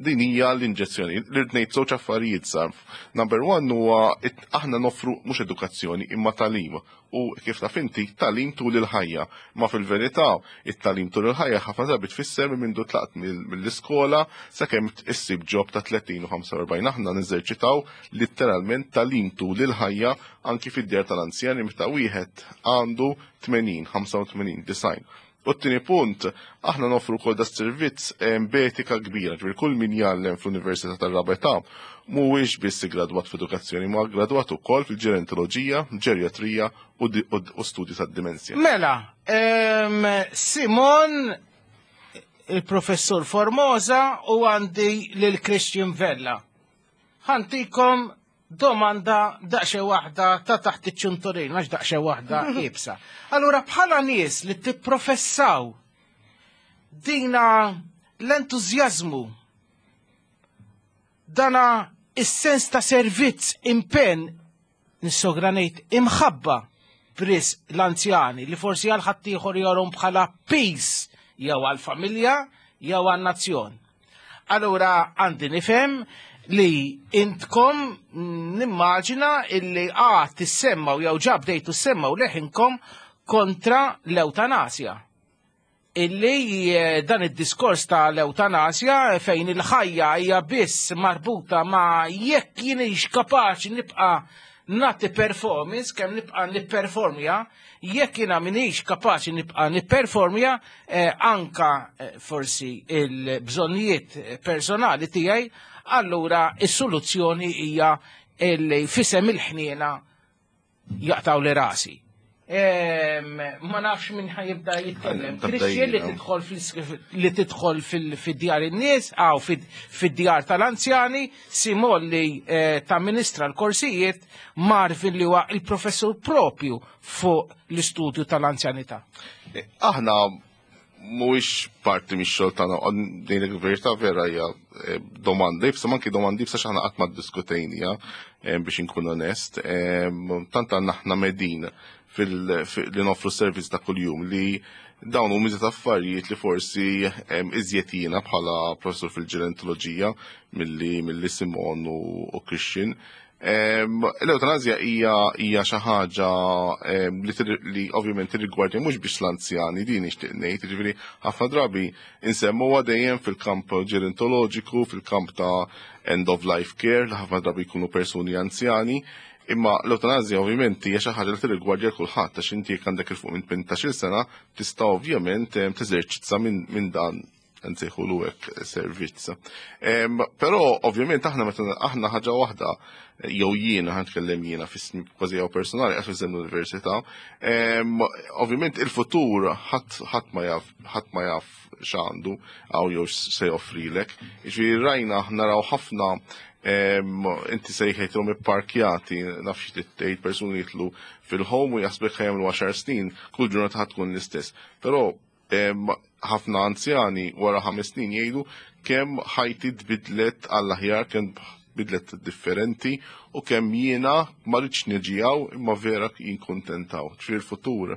din hija l-inġezzjoni. Li ngħid żewġ affarijiet sar. Number one huwa aħna noffru mhux edukazzjoni imma tagħlim, u kif taf inti, tagħlim tul il-ħajja. Ma fil-verità it-tagħlim tul il-ħajja ħafna drabi tfisser minn mindu tlaqt mill-iskola sakemm issib job ta' tletin u ħamsa u erbgħin. Aħna neżerċitaw litteralment tagħlim tul il-ħajja anki fid-djar tal-anzjani meta wieħed għandu tmenin, ħamsa u tmenin, disgħin. U t-tieni punt, aħna noffru wkoll da servizz b'etika kbira, ġifieri kull min jgħallem fl-Università tar-Raba' Età mhuwiex biss gradwat f'edukazzjoni, ma gradwat ukoll fil-ġerontoloġija, ġerjatrija u studji tad-dimensja. Mela, Simon, il-professur Formosa, u għandi lil Christian Vella. Ħa ntikom domanda daqsxejn waħda ta' taħt iċ-ċunturin, għax daqsxejn waħda iebsa. Allura bħala nies li tipprofessaw dina l-entużjażmu, dana is-sens ta' servizz, impenn, nissogra ngħid imħabba bris l-anzjani li forsi għal ħaddieħor jorhom bħala piż jew għal-familja jew għal-nazzjon. Allura għandi nifhem li intkom nimmaġina illi għad tissemmaw jew ġa bdejtu ssemmaw leħinkom kontra l-eutanasja. Illi eh, dan id-diskors ta' l-eutanasja fejn il-ħajja hija biss marbuta ma' jekk jienix kapaċi nibqa' nagħti performance, kemm nibqa' nipperformja, jekk jiena minix kapaċi nibqa' nipperformja eh, anka eh, forsi il-bżonnijiet personali tiegħi, allura is-soluzzjoni hija illi f'isem il-ħniena jaqtgħuli rasi. Ma nafx minn ħa jibda jitkellem. Christian, li tidħol li tidħol fid-djar in-nies, għaw fid-djar tal-anzjani, Simon li eh, tamministra l-korsijiet, Marvin li huwa il-professur propju fuq l-istudju tal-anzjanità. Eh, aħna mhuwiex parti mix-xogħol tagħna, din il-verità vera hija eh, domanda iebsa, anki domanda iebsa x'aħna qatt ma ddiskutejnija, biex inkun onest. Tant għandna aħna medin fil-li noffru servizz ta' kuljum li dawn huma miżet affarijiet li forsi iżjed jiena bħala professur fil-ġerontoloġija milli milli Simon u Christian. L-eutanazja hija hija xi ħaġa li ovvjament tirrigwardja mhux biex l-anzjani, din nixtieq ngħid, jiġifieri ħafna drabi insemmuha dejjem fil-kamp ġerontoloġiku, fil-kamp ta' end of life care, li ħafna drabi jkunu persuni anzjani. Imma l-eutanazja ovvjament hija xi ħaġa li tirrigwardja kulħadd, għax inti jekk għandek 'il fuq minn tmintax-il sena tista' ovvjament teżerċizza minn dan, nsejħulu hekk, servizz. Però ovvjament aħna meta aħna ħaġa waħda, jew jiena ħa nitkellem jiena f'ismi kważi jew personali għax fis l-università, ovvjament il-futur ħadd ma jaf ħadd ma jaf x'għandu għaw jew se joffrilek. Jiġifieri rajna, naraw ħafna, inti sejħejthom ipparkjati, naf xi tgħid, persuni jidħlu fil-home u jaħsbek ħa jagħmlu għaxar snin, kull ġurnata ħadd tkun l-istess. Però ħafna anzjani wara ħames snin jgħidu kemm ħajti tbidlet għall-aħjar, kemm bidlet differenti u kemm jiena ma rridx niġi hawn imma vera jien kuntentaw. Ġifieri il-futur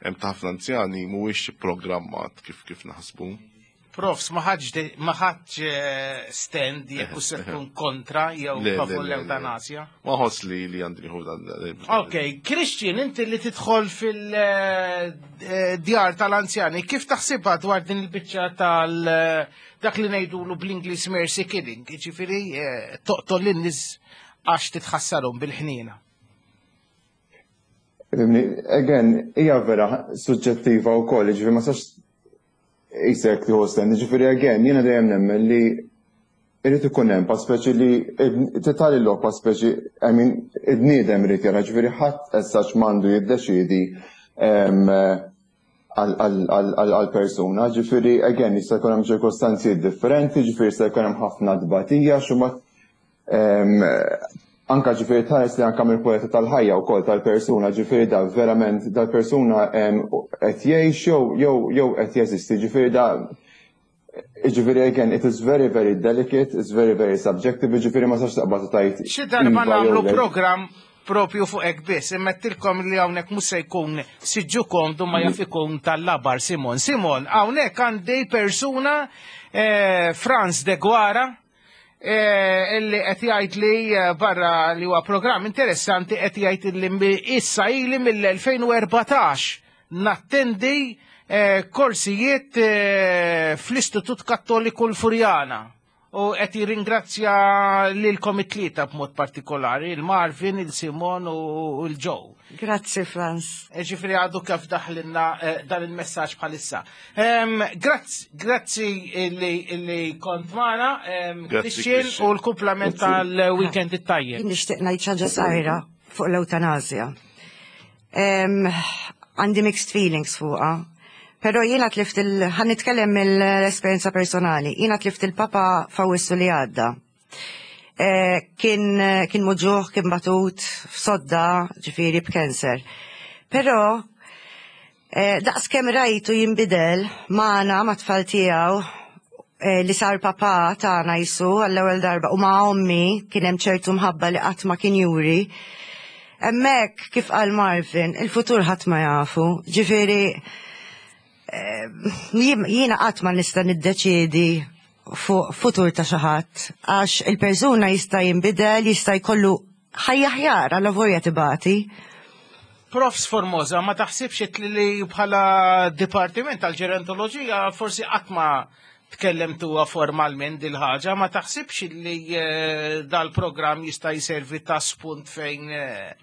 hemm ta' ħafna anzjani mhuwiex programmat kif kif naħsbu. Profs, ma ħadx stand jekk se tkun kontra jew favur l-eutanasja? Ma ħoss li li għandi nieħu dan. Ok, Christian, inti li tidħol fil-djar tal-anzjani, kif taħsibha dwar din il-biċċa tal dak li ngħidulu bl-Ingliż mercy killing, jiġifieri toqtol lin-nies għax titħassarhom bil-ħniena? Again, hija vera suġġettiva wkoll, ġifieri ma sax jisek tieħu stand, ġifieri again, jiena dejjem nemmen li irid ikun hemm pa speċi li titali lok pa speċi, I mean, id-bniedem irid jara, ġifieri ħadd essaċ m'għandu jiddeċiedi għal persuna, ġifieri again jista' jkun hemm ċirkostanzi differenti, ġifieri jista' jkun hemm ħafna tbatija, xumma anka ġifieri tħares li anka mill-kwalità tal-ħajja wkoll tal-persuna, ġifieri da verament dal-persuna qed jgħix jew jew jew qed jeżisti, ġifieri da ġifieri again, it is very, very delicate, it's very, very subjective, ġifieri ma sax taqbad tajt. Xi darba iva nagħmlu program propju fuq hekk biss, immettilkom li hawnhekk mhux se jkun siġġu komdu ma jaf ikun tal-labar Simon. Simon, hawnhekk għandi persuna, eh, Franz de Guara, eh, illi qed jgħid li eh, barra li huwa programm interessanti, qed jgħid li issa ili mill-elfejn u erbatax nattendi korsijiet fl-Istitut Kattoliku l-Furjana u qed jirringrazzja lilkom it-tlieta b'mod partikolari, il-Marvin, il-Simon u l-Joe. Grazzi, Franz. E, ġifieri għadu kif daħlinna eh, dan il-messaġġ bħalissa. Grazzi, grazzi li kont magħna, Christian, u l-kumplament tal-weekend it-tajjeb. Nixtieq ngħid ħaġa żgħira fuq l-eutanasja. Għandi mixed feelings fuqha. Pero jiena tlift il ħa nitkellem mill-esperjenza personali. Jiena tlift il-papa f'Awwissu li għadda. Eh, kien kien muġugħ, kien batut f'sodda, ġifieri b'kanser. Pero eh, daqs kemm rajtu jinbidel magħna, ma' tfal tiegħu, eh, li sar papa tagħna jisu għall-ewwel darba u ma' ommi kien hemm ċertu mħabba li qatt ma kien juri. Hemmhekk, kif qal Marvin, il-futur ħadd ma jafu. Ġifieri jiena qatt ma nista' niddeċiedi fuq futur ta' xi ħadd għax il-persuna jista' jinbidel, jista' jkollu ħajja ħjar għal avolja tibati. Profs Formosa, ma taħsibx li bħala Dipartiment tal-Ġerontoloġija forsi qatt ma tkellemtuha formalment dil-ħaġa, ma taħsibx li eh, dal-programm jista' jservi ta' spunt fejn eh,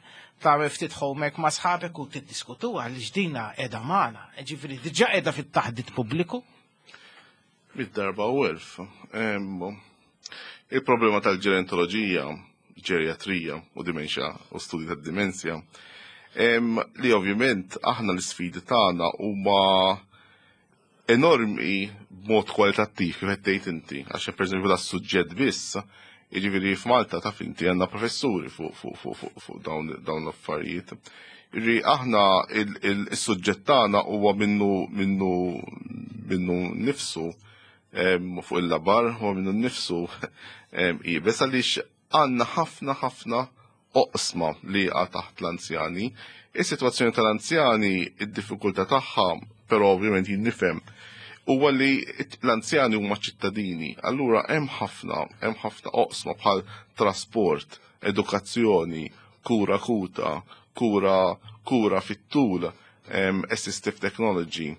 ta' ftit homework ma' sħabek u tiddiskutu għaliex dina qiegħda magħna, ġifieri diġà qiegħda fit-taħdit pubbliku? Mid-darba u elf. Il-problema tal-ġerontoloġija, ġeriatrija u dimensja u studi tad-dimensja, li ovvjament aħna l-sfidi tagħna huma enormi b'mod kwalitattiv, kif qed tgħid inti, għax pereżempju da suġġett biss, jiġifieri f'Malta taf inti għandna professuri fuq fuq fuq fuq fuq dawn dawn l-affarijiet. Jiġifieri aħna il-suġġett tagħna huwa minnu minnu minnu nifsu fuq il-labar, huwa minnu nifsu iebes għaliex għandna ħafna ħafna oqsma li għa taħt l-anzjani. Is-sitwazzjoni tal-anzjani, id-diffikultà tagħha, però ovvjament jien nifhem, huwa li l-anzjani huma ċittadini. Allura hemm ħafna, hemm ħafna oqsma bħal trasport, edukazzjoni, kura akuta, kura kura fit-tul, assistive technology.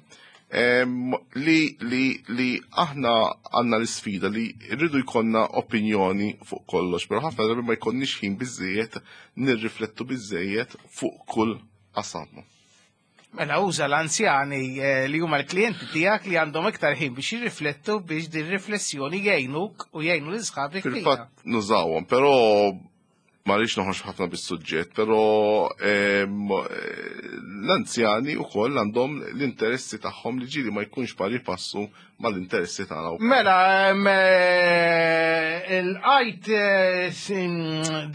Li, li, li aħna għandna l-sfida li rridu jkollna opinjoni fuq kollox, pero ħafna drabi ma jkollniex ħin biżejjed nirriflettu biżejjed fuq kull qasam. Mela uża l-anzjani eh, li huma l-klijenti tiegħek li għandhom iktar ħin biex jirriflettu, biex din riflessjoni jgħinuk u jgħinu lil sħabek. Fil-fatt nużawhom, però ma rridx noħroġ ħafna bis-suġġett, però l-anzjani wkoll għandhom l-interessi tagħhom li ġieli ma jkunx pari passu mal-interessi tagħna. Mela, il-għajt eh,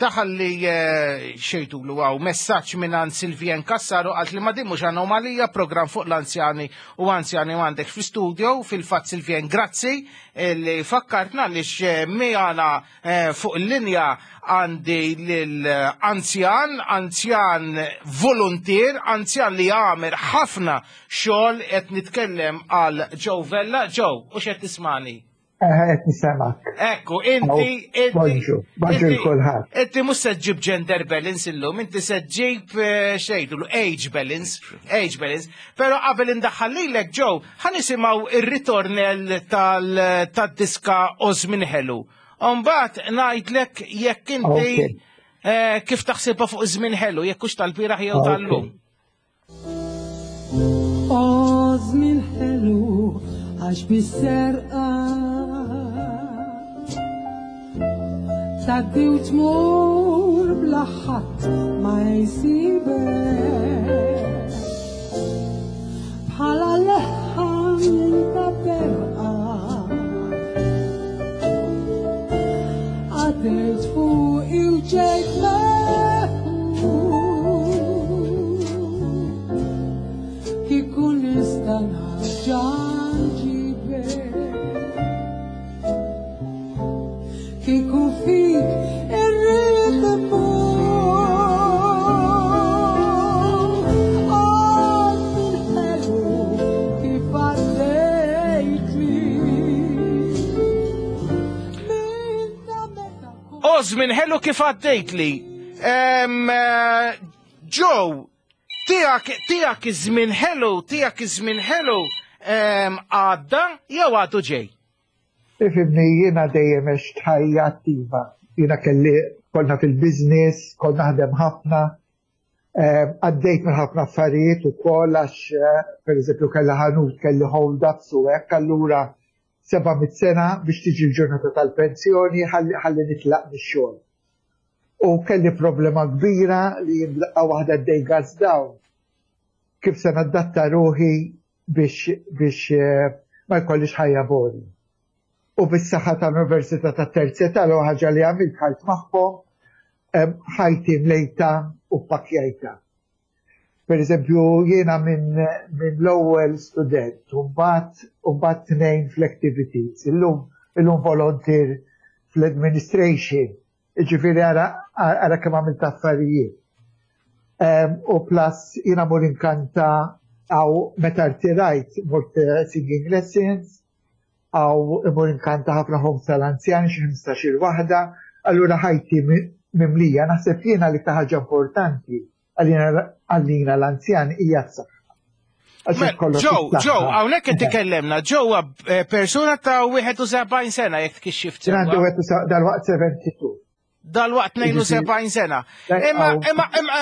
daħal li eh, xejtu l għaw messaġġ minn Silvien Kassaru, għalt li ma din mhux anomalija, program fuq l-anzjani u anzjani għandek fi studio. Fil-fatt, Silvien, grazzi li fakkartna li miegħna eh, fuq il-linja għandi l-anzjan, anzjan volunteer, anzjan li għamel ħafna xogħol, qed nitkellem għal Joe Vella. Joe, u x'qed tismani? Qed nismgħek. Ekku, inti, inti. Bonġu, bonġu kulħadd. Inti mhux se ġġib gender balance illum, inti se ġġib eh, xejdu, age balance, age balance. Pero qabel indaħħal lilek, Joe, ħa nisimgħu ir-ritornell tal-diska O Żmien Ħelu. Umbagħad ngħidlek jekk inti eh, kif taħsibha fuq żmien ħelu, jekk hux tal-bieraħ jew tal-lum. O żmien ħelu, għax bis-serqa tgħaddi u tmur bla ħadd ma jsibek, bħala leħħa minn ta' berqa għaddejt fuqi u ġejt meħud. Kieku nista' nerġa' nġibek, kieku fik irrid immur. O żmien ħelu kif għaddejt li minn ta' meta O żmien ħelu kif għaddejt li. Em, eh, Joe, tiegħek tiegħek iż-żmien ħelu, tiegħek iż-żmien ħelu em, għadda jew għadu ġej? Ifhimni, jiena dejjem għext ħajja attiva. Jiena kelli konna fil-biznis, konna naħdem ħafna, eh, għaddejt minn ħafna affarijiet u koll għax, eh, per eżempju, kelli ħanut, kelli hold-ups u hekk, allura seba' mit sena biex tiġi l-ġurnata tal-pensjoni ħalli ħalli nitlaq mix-xogħol. U kelli problema kbira li jimlaqqa waħda d-day goes down. Kif se nadatta ruħi biex biex eh, ma jkollix ħajja boring? U bis-saħħa tal-Università ta' Terza l ħaġa li għamilt, ħalt magħhom, em, ħajti mlejta u pakjajta. Per eżempju, jiena minn min l-ewwel student, u mbagħad u mbagħad tnejn fl-activities, illum illum volunteer fl-administration, ġifieri ara ara kemm għamilt affarijiet. Em, U plus jiena mur inkanta għaw meta rtirajt, mort eh, singing lessons, għaw imur inkanta ħafna homes tal-anzjani, xi ħmistax-il waħda, allura ħajti mi- mimlija. Naħseb jiena li ħaġa importanti għalina għalina l-anzjan hija s-saħħa. Għax Mela, kollox Joe, is-saħħa. Joe, hawnhekk qed tikellemna, Joe huwa eh, persuna ta' wieħed u sebgħin sena, jekk tkixxift Jien għandi sewwa. wieħed u sa- dal-waqt sebgħa u sebgħin. Dal-waqt tnejn u sebgħin sena. Imma, imma, imma,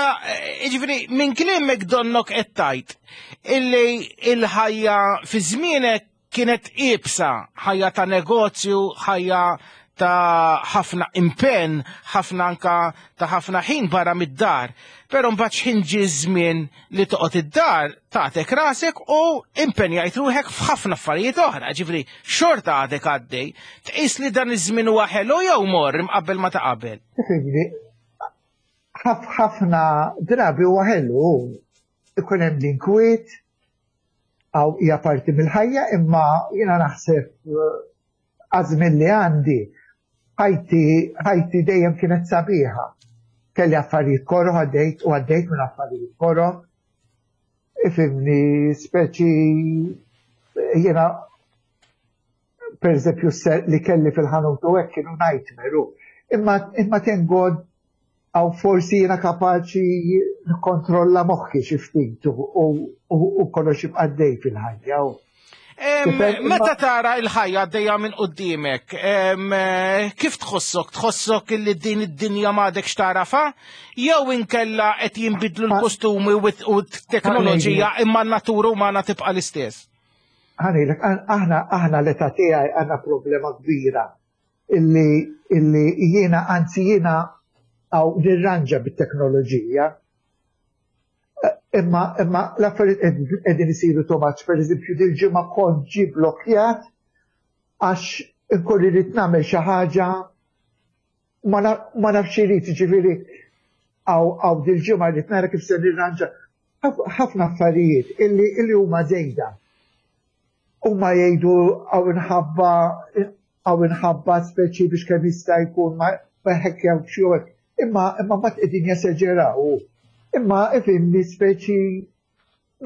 ġifieri, minn kliemek donnok qed tgħid illi il-ħajja fi żmienek kienet iebsa, ħajja ta' negozju, ħajja ta' ħafna impenn, ħafna anka ta' ħafna ħin barra mid-dar. Però mbagħad x'ħin ġie żmien li toqgħod id-dar, tagħtek rasek u impenjajt ruħek f'ħafna affarijiet oħra, ġifieri xorta għadek għaddej. Tqis li dan iż-żmien huwa ħelu jew mor imqabbel ma ta' qabel? Tifhimni, ħaf- ħafna drabi huwa ħelu, ikun hemm l-inkwiet, għaw hija parti mill-ħajja, imma jiena naħseb eh, għaż-żmien li għandi, ħajti ħajti dejjem kienet sabiħa. Kelli affarijiet koroh, għaddejt u għaddejt minn affarijiet koroh. Ifhimni, speċi jiena per eżempju li kelli fil-ħanut u hekk kienu nightmare. u. Imma imma thank God għaw forsi jiena kapaċi nikkontrolla moħħi xi ftit u, u, u kollox jibqa' għaddej fil-ħajja. u. Meta tara il-ħajja għaddejja minn qudiemek, kif tħossok? Tħossok illi din id-dinja m'għadekx tarafa? Jew inkella qed jinbidlu l-kostumi u t-teknoloġija imma n-natura umana tibqa' l-istess? Ħa ngħidlek, aħna aħna l-età tiegħi għandna problema kbira illi illi jiena, anzi, jiena għaw nirranġa bit-teknoloġija. Imma imma l-affarijiet qegħdin isiru too much. Per eżempju, dil-ġimgħa kont ġi blokkjat għax inkun irrid nagħmel xi ħaġa, ma nafx irid, ġifieri għaw għaw dil-ġimgħa rrid nara kif se nirranġa ħafna affarijiet illi illi huma żejda. Huma jgħidu għaw inħabba għaw inħabba speċi biex kemm jista' jkun ma jħekkjaw xi, imma imma ma qegħdin jeseġeraw. Imma ifhimni, speċi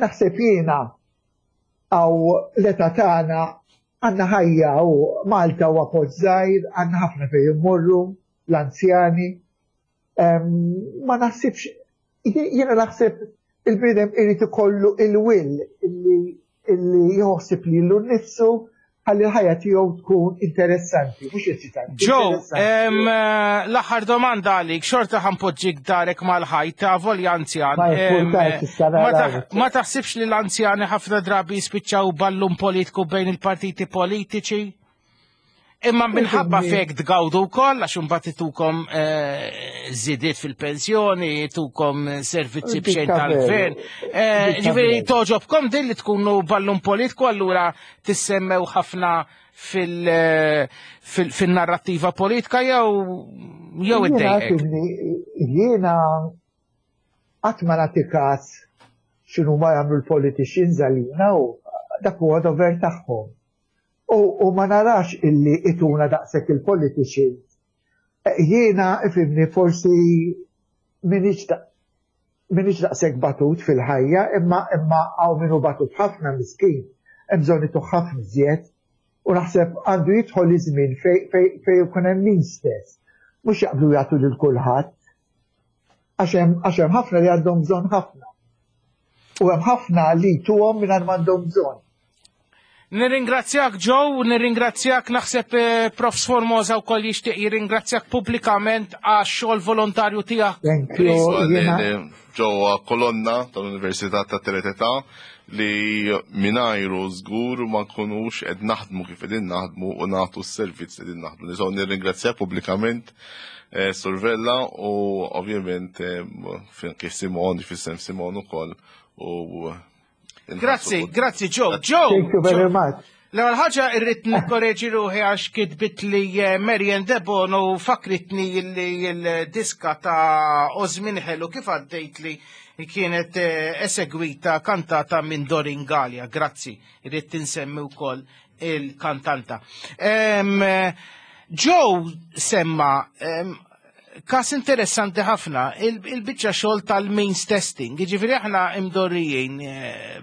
naħseb jiena għaw l-età tagħna għandna ħajja u Malta huwa post żgħir, għandna ħafna fejn immorru l-anzjani. Ma naħsibx, jiena naħseb il-bniedem irid ikollu il-will illi illi jħossib lilu nnifsu ħalli l-ħajja tiegħu tkun interessanti, mhux eċitanti. Joe, l-aħħar domanda għalik, xorta ħa npoġġik darek mal-ħajt, volja anzjan. Ma taħsibx li l-anzjani ħafna drabi jispiċċaw ballun politiku bejn il-partiti politiċi? Imma minħabba fek tgawdu wkoll, għax imbagħad itukom żidiet fil-pensjoni, itukom servizzi b'xejn tal-gvern. Ġifieri togħġobkom din li tkunu ballun politiku, allura tissemmew ħafna fil-narrattiva politika jew jew iddejqek? Jiena qatt ma nagħti każ x'inhu ma jagħmlu l-politicians għalina u dak huwa dover tagħhom. U ma narax illi ituna daqshekk il-politicians. Jiena, ifhimni, forsi minix daqshekk batut fil-ħajja, imma imma hawn minnu batut ħafna miskin, hemm bżonn ituh ħafna iżjed, u naħseb għandu jidħol iż-żmien fej ikun hemm min stess. Mhux jaqblu jagħtu lil kulħadd. Għax hemm ħafna li għandhom bżonn ħafna. U hemm ħafna li tuhom mingħajr m'għandhom bżonn. Nirringrazzjak, Joe, nirringrazzjak, naħseb eh, Profs Formosa u koll jixtieq jirringrazzjak pubblikament għax xogħol volontarju tiegħek. Thank you. Ġewwa kolonna tal-Università ta' Teletà li mingħajru żgur ma nkunux qed naħdmu kif qegħdin naħdmu u nagħtu s-servizz qegħdin naħdmu. Nistgħu nirringrazzjak pubblikament, eh, Sur Vella, u ovvjament eh, kif Simon, f'isem Simon ukoll u Grazzi, grazzi, Joe. Joe. Thank you very much. L-ewwel ħaġa, irrid nikkoreġi ruħi għax kitbit li eh, Marian Debono u fakritni li l-diska ta' Żmien Ħelu kif għaddejt li kienet eh, esegwita, kantata minn Doreen Galea. Grazzi, irrid tinsemmi wkoll il-kantanta. Em, Joe semma em, kas interessanti ħafna, il-biċċa xogħol tal-means testing. Jiġifieri aħna imdorrijin eh,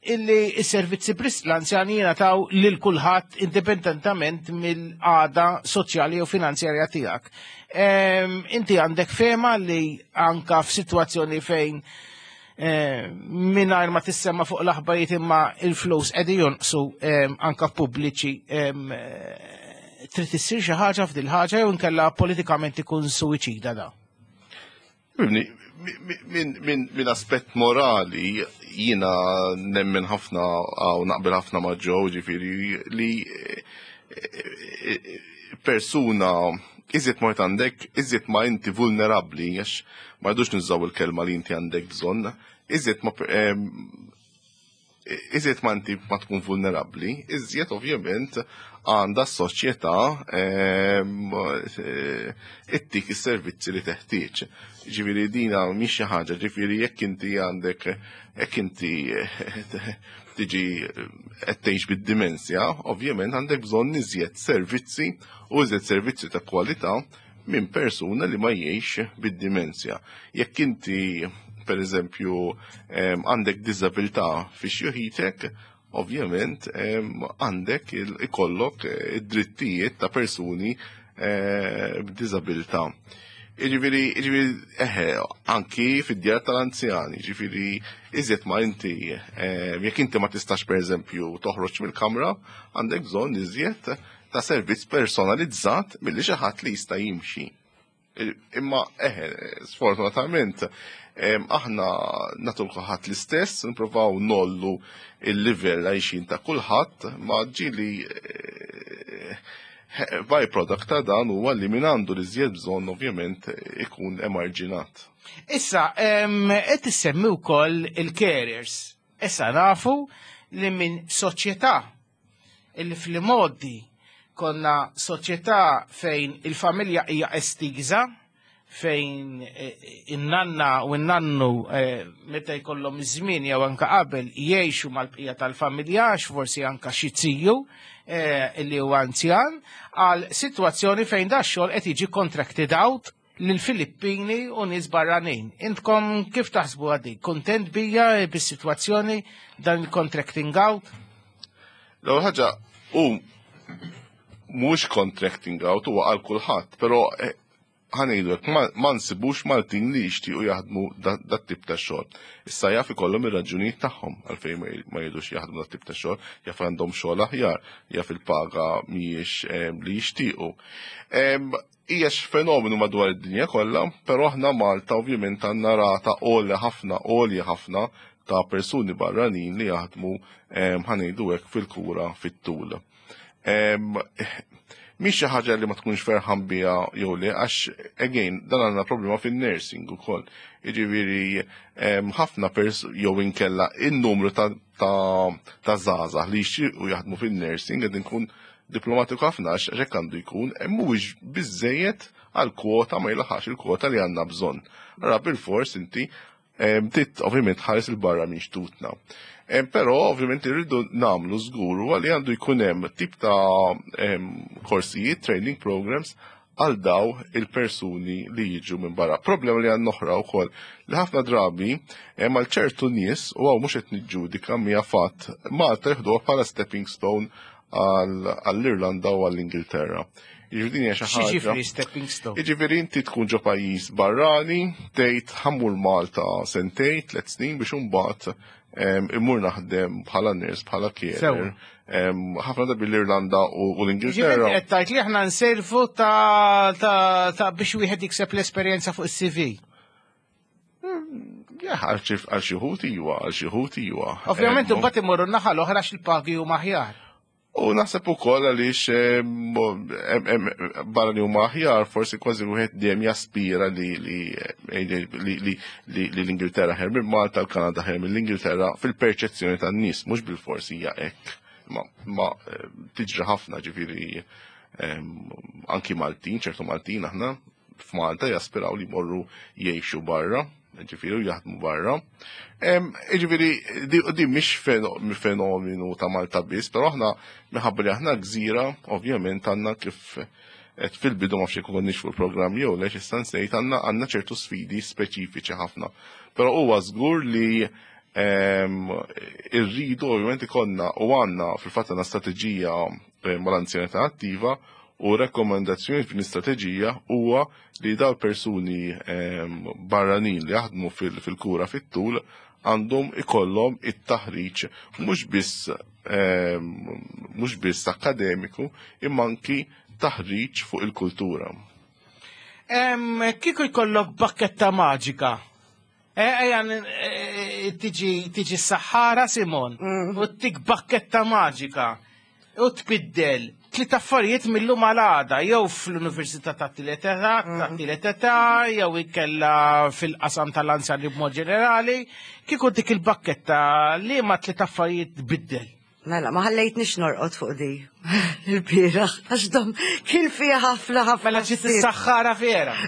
illi s-servizzi l-anzjani jingħataw lil kulħadd indipendentament mill-qagħda soċjali u finanzjarja tiegħek. Em, Inti għandek fehma li anka f'sitwazzjoni fejn eh, mingħajr ma tissemma fuq l-aħbarijiet imma il-flus qegħdin jonqsu em, anka pubbliċi, em, eh, trid issir xi ħaġa f'dil ħaġa jew inkella politikament ikun suwiċida da? Minn min, min, min aspett morali jina nemmen ħafna u naqbel ħafna ma' Joe, ġifieri li eh, eh, persuna iżjed mort għandek, iżjed ma inti vulnerabli, għax ma rridux nużaw il-kelma li inti għandek bżonn, iżjed ma em, iżjed ma inti ma tkun vulnerabli, iżjed ovvjament għandha s-soċjetà em, eh, ittik is-servizzi li teħtieġ. Ġifieri dina mhix xi ħaġa, ġifieri jekk inti għandek, jekk inti eh, tiġi qed tgħix bid-dimensja, ovvjament għandek bżonn iżjed servizzi u iżjed servizzi ta' kwalità minn persuna li ma jgħix bid-dimensja. Jekk inti, per eżempju, em, għandek diżabilità fi xjuħitek, ovvjament em, għandek il- ikollok eh, id-drittijiet ta' persuni eh, b'diżabilità. Jiġifieri, jiġifieri, eħe, anki fid-djar tal-anzjani, jiġifieri, iżjed ma inti, eh, jekk inti ma tistax, per eżempju, toħroġ mill-kamra, għandek bżonn iżjed ta' servizz personalizzat milli xi ħadd li jista' jimxi. Imma eħe, sfortunatament, aħna nagħtu kulħadd l-istess, nipprovaw ngħollu il-livell għajxin ta' kulħadd, ma ġieli eh, byproduct ta' dan huwa li min għandu l-iżjed bżonn ovvjament ikun emarġinat. Issa, qed issemmi wkoll il-carers. Issa nafu li minn soċjetà illi fl-modi konna soċjetà fejn il-familja hija estiża, fejn eh, in-nanna u n-nannu eh, meta jkollhom iż-żmien jew anka qabel jgħixu mal-bqija tal-familja, għax forsi anka xi ziju eh, li huwa anzjan, għal sitwazzjoni fejn da xogħol qed jiġi contracted out lil Filippini u nies barranin. Intkom kif taħsbu għadi? Kontent bija bis-sitwazzjoni dan il-contracting out? L-ewwel ħaġa hu mhux contracting out, huwa għal kulħadd, però eh, ħa ngħidu hekk, ma nsibux Maltin li jixtiequ jaħdmu dat tip ta' xogħol. Issa jaf ikollhom ir-raġunijiet tagħhom għalfejn ma jridux jaħdmu dat tip ta' xogħol, jaf għandhom xogħol aħjar, jaf il-paga mhijiex eh, li jixtiequ. Hija fenomenu madwar id-dinja kollha, però aħna Malta ovvjament għandna rata għolja ħafna, għolja ħafna ta' persuni barranin li jaħdmu, ħa ngħidu hekk, fil-kura fit-tul. Mhix xi ħaġa li ma tkunx ferħan biha jew le, għax again dan għandna problema fin-nursing ukoll. Jiġifieri ħafna pers jew inkella in-numru ta' ta' żgħażagħ li jixtiequ jaħdmu fin-nursing, qed inkun diplomatiku ħafna għax hekk għandu jkun, mhuwiex biżejjed għal kwota, ma jilaħax il-kwota li għandna bżonn. Ara bil-fors inti tit ovvjament ħares il-barra minn xtutna. Però ovvjament irridu nagħmlu żgur li għandu jkun hemm tip ta' korsijiet, training programs għal daw il-persuni li jiġu minn barra. Problema li għandna oħra wkoll li ħafna drabi għal ċertu nies, u hawn mhux qed niġġudika, mija fatt, Malta jieħduha bħala stepping stone għall-Irlanda u għall-Ingilterra. Jiġifieri hija xi ħaġa. Jiġifieri stepping stone? Jiġifieri inti tkun ġo pajjiż barrani, tgħid ħa mmur Malta sentejn, tliet snin biex imbagħad immur naħdem bħala nurse, bħala carer. Ħafna drabi l-Irlanda u l-Ingilterra. Qed tgħid li aħna nservu ta' ta' biex wieħed jikseb l-esperjenza fuq is-C V. Għal xi wħud iwa, għal xi wħud iwa. Ovvjament imbagħad imorru naħa l-oħra il-pagi huma aħjar. U naħseb ukoll għaliex barra li huma aħjar, forsi kważi wieħed dejjem jaspira li li li l-Ingilterra ħer minn Malta, l-Kanada ħer mill-Ingilterra fil-perċezzjoni tan-nies, mhux bil-forsi hija hekk. Ma tiġri ħafna, ġifieri anki Maltin, ċertu Maltin aħna f'Malta jaspiraw li jmorru jgħixu barra, ġifieri jaħdmu barra. Ġifieri, di mhix fenomenu ta' Malta biss, però aħna minħabba li aħna gżira, ovvjament għandna, kif qed fil-bidu, ma fxie konniex fuq il-programm jew le, issa nsejt, għandna għandna ċertu sfidi speċifiċi ħafna. Però huwa żgur li irridu ovvjament ikollna u għandna fil-fatt għandna strateġija mal-anzjanità attiva u rekomendazzjoni f'din l-istrateġija huwa li daw persuni barranin li jaħdmu fil-kura fit-tul għandhom ikollhom it-taħriġ mhux biss mhux biss akademiku imma anki taħriġ fuq il-kultura. Kieku jkollok bakketta maġika, ejja tiġi tiġi s-saħħara Simon mm. u tik bakketta maġika u tbiddel tliet affarijiet mill-lum għal għada, jew fl-Università ta' tielet età, ta' tielet età, jew ikella fil-qasam tal-anzjani b'mod ġenerali, kieku dik il-bakketta li ma tliet affarijiet tbiddel? Mela, ma ħallejtnix norqod fuq di il-bieraħ, għax dom kien fija ħafna ħafna. Mela ġiet is-saħħara vera.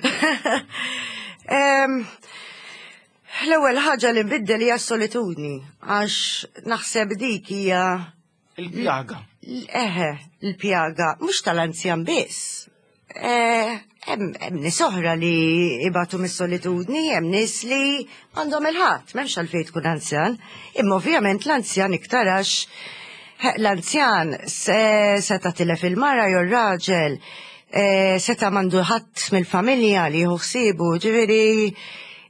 Em, L-ewwel ħaġa li nbiddel hija s-solitudni, għax naħseb dik hija Il-pjaga. Eħe, l-pjaga, mhux tal-anzjan biss. Eh, Hemm hemm nies oħra li ibatu mis-solitudni, hemm nies li għandhom il-ħadd, m'hemmx għalfejn tkun anzjan. Imma ovvjament l-anzjan iktar għax eh, l-anzjan se seta tilef il-mara jew raġel Eh, seta m'għandu ħadd mill-familja li jieħu ħsiebu, ġifieri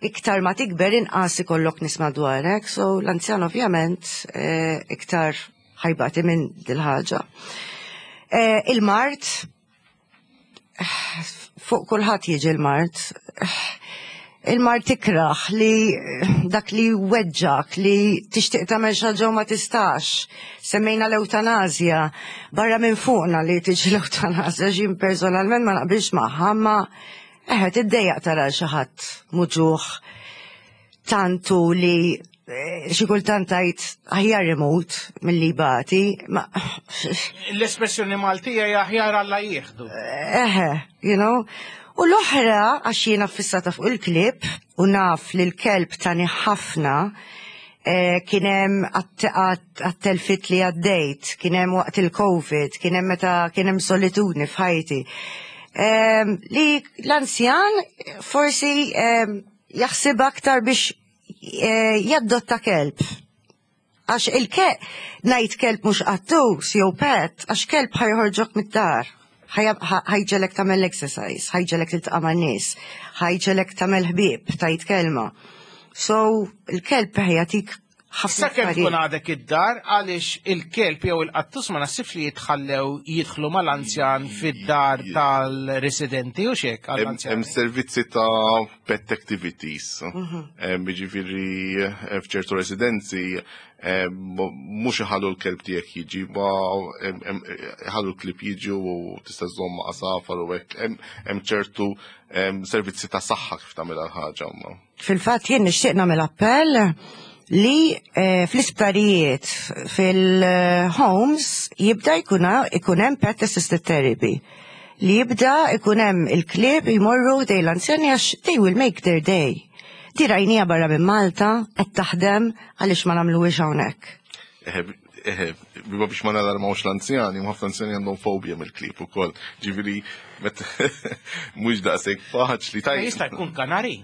iktar ma tikber inqas ikollok nies madwarek, so l-anzjan ovvjament eh, iktar ħa jbati minn dil-ħaġa. Eh, il-mard, fuq kulħadd jiġi l-mard. Il-mard tikraħ li dak li weġġak, li tixtieq tagħmel xi ħaġa u ma tistax. Semmejna l-ewtanazja, barra minn fuqna li tiġi l-ewtanazja, jien personalment ma naqbilx magħha, ma eħe tiddejjaq tara xi ħadd muġugħ tantu li eh, xi kultant tgħid aħjar imut milli jbati, ma L-espressjoni Maltija hija aħjar Alla jieħdu. Eħe, you know. U l-oħra, għax jiena fissata fuq il-klieb, u naf li l-kelb tani ħafna, eh, kien hemm għat-telfiet li għaddejt, kien hemm waqt il-Covid, kien hemm meta kien hemm solitudni f'ħajti. Eh, li l-anzjan forsi eh, jaħseb aktar biex eh, jaddotta kelb. Għax il-kelb, ngħid kelb mhux qattus jew pet, għax kelb ħa joħorġok mid-dar. Ħa jġegħlek tagħmel exercise, ħa jġegħlek tiltaqa' man-nies, ħa jġegħlek tagħmel ħbieb, tgħid kelma. So, il-kelb ħa jagħtik ħafna Sakemm tkun affarijiet. għadek id-dar għaliex il-kelb jew il-qattus ma naħsibx li jitħallew jidħlu mal-anzjan fid-dar tal-residenti u xek Hemm għall-anzjan. hemm servizzi ta' pet activities. Hemm Jiġifieri eh, f'ċertu residenzi em, mhux iħallu l-kelb tiegħek jiġi, ma hemm- hemm- iħallu l-klieb jiġu u tista' żomm għasafar u hekk. Hemm hemm ċertu em, servizzi ta' saħħa kif tagħmel ħaġa ma. Fil-fatt jien nixtieq nagħmel appell li eh, fl-isptarijiet, fil-homes, jibda jkun ikun hemm pet assisted therapy. Li jibda ikun hemm il-klieb jmorru dej l-anzjani għax they will make their day. Di rajnieha barra minn Malta, qed taħdem għaliex ma nagħmluhiex hawnhekk. Eħe, eħe, biba biex ma nalarmawx l-anzjani, ħafna anzjani għandhom fobja mill-klieb ukoll. Ġifieri, met mhux daqshekk faċli. Ma Jista' jkun kanari.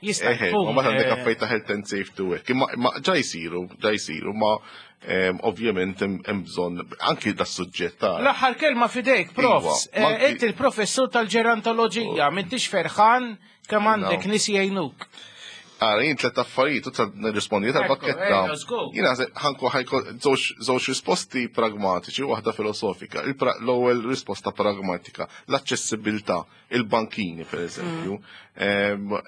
Jista' Eħe, jkun. ma mbagħad għandek eh, affarijiet ta' health and safety u hekk. Imma imma ġa jsiru, ġa jsiru, ma em, ovvjament hemm hemm bżonn anki da suġġett ta' L-aħħar kelma fidejk, profs. Iva, ma Eh, anki- Inti il-professur tal-ġerontoloġija, m'intix ferħan kemm għandek No. nies jgħinuk. Ara, jien tlet affarijiet, u ta' nirrispondi tal-pakketta. Ekku, eh, let's go. Jiena ħa nkun ħa jkun żewġ żewġ risposti pragmatiċi u waħda filosofika. Il-pra- L-ewwel risposta pragmatika, l-aċċessibilità, il-bankini per eżempju. Em,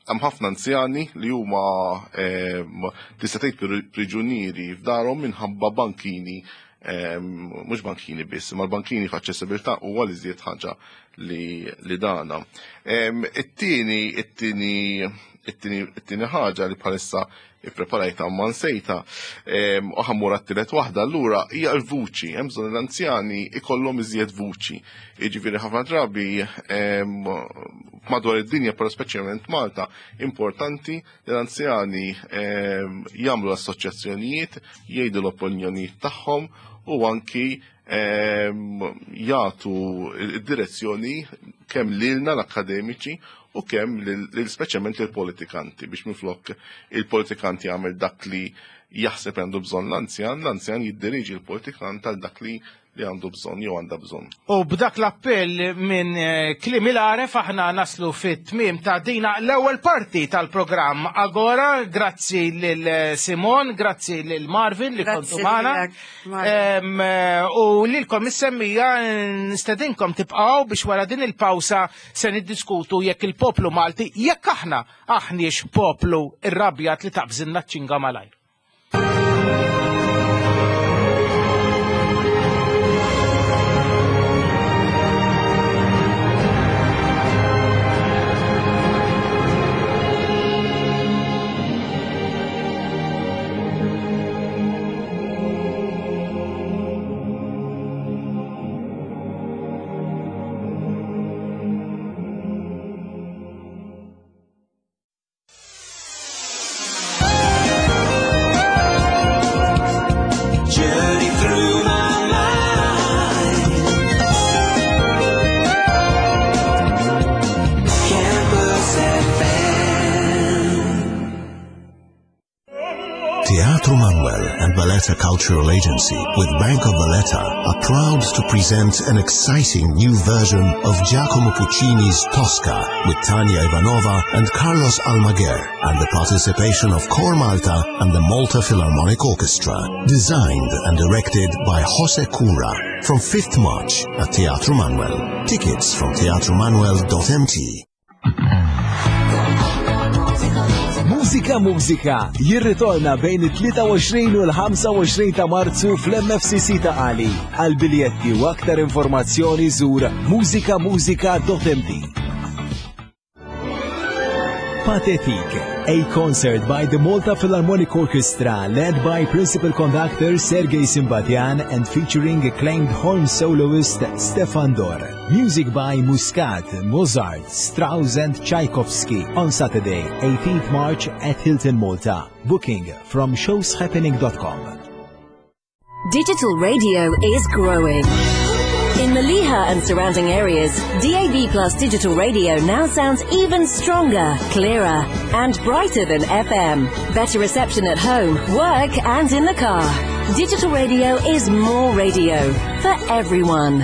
Hemm ħafna anzjani li huma em, tista' tgħid pri- priġunieri f'darhom minħabba bankini em, mhux bankini biss, ma l-bankini f'aċċessibilità huwa li żied ħaġa li, li dana. Em, It-tieni, it-tieni, it-tieni, it-tieni ħaġa li bħalissa ippreparajta ma nsejta em, u ħa mmur għat-tielet waħda, allura hija l-vuċi, hemm bżonn l-anzjani ikollhom iżjed vuċi. Jiġifieri ħafna drabi em, madwar id-dinja, però speċjalment Malta, importanti li l-anzjani em, jagħmlu assoċjazzjonijiet, jgħidu l-opinjonijiet tagħhom u anki em, jagħtu id-direzzjoni kemm lilna l-akademiċi u kemm lil lil- speċjalment lill-politikanti biex minflok il-politikanti jagħmel dak li jaħseb għandu bżonn l-anzjan, l-anzjan jiddiriġi l-politikant għal dak li li għandu bżonn jew għandha bżonn. U b'dak l-appell minn eh, kliem il-għaref aħna naslu fit-tmiem ta' dina l-ewwel parti tal-programm Agora, grazzi lil eh, Simon, grazzi lil Marvin li Grazzi kontu magħna. lilek, Marvin. Em, eh, U lilkom is-semmiegħa nistedinkom tibqgħu biex wara din il-pawsa se niddiskutu jekk il-poplu Malti jekk aħna aħniex poplu irrabjat li taqbżilna ċinga malajr. Valletta Cultural Agency with Bank of Valletta are proud to present an exciting new version of Giacomo Puccini's Tosca with Tanya Ivanova and Carlos Almaguer and the participation of Cor Malta and the Malta Philharmonic Orchestra. Designed and directed by Jose Cura from fifth March at Teatro Manuel. Tickets from teatromanuel dot m t. Mużika Mużika jirritorna bejn it-tlieta u għoxrin u l-ħamsa u għoxrin ta' Marzu fl-M F C C ta' Qali. Għal biljetti u aktar informazzjoni żur mużika mużika dot m t. Pathetique, a concert by the Malta Philharmonic Orchestra led by principal conductor Sergei Simbatian and featuring acclaimed horn soloist Stefan Dor. Music by Muscat, Mozart, Strauss and Tchaikovsky on Saturday, eighteenth March at Hilton Malta. Booking from shows happening dot com. Digital radio is growing. In Mellieħa and surrounding areas, D A B Plus digital radio now sounds even stronger, clearer, and brighter than F M. Better reception at home, work, and in the car. Digital radio is more radio for everyone.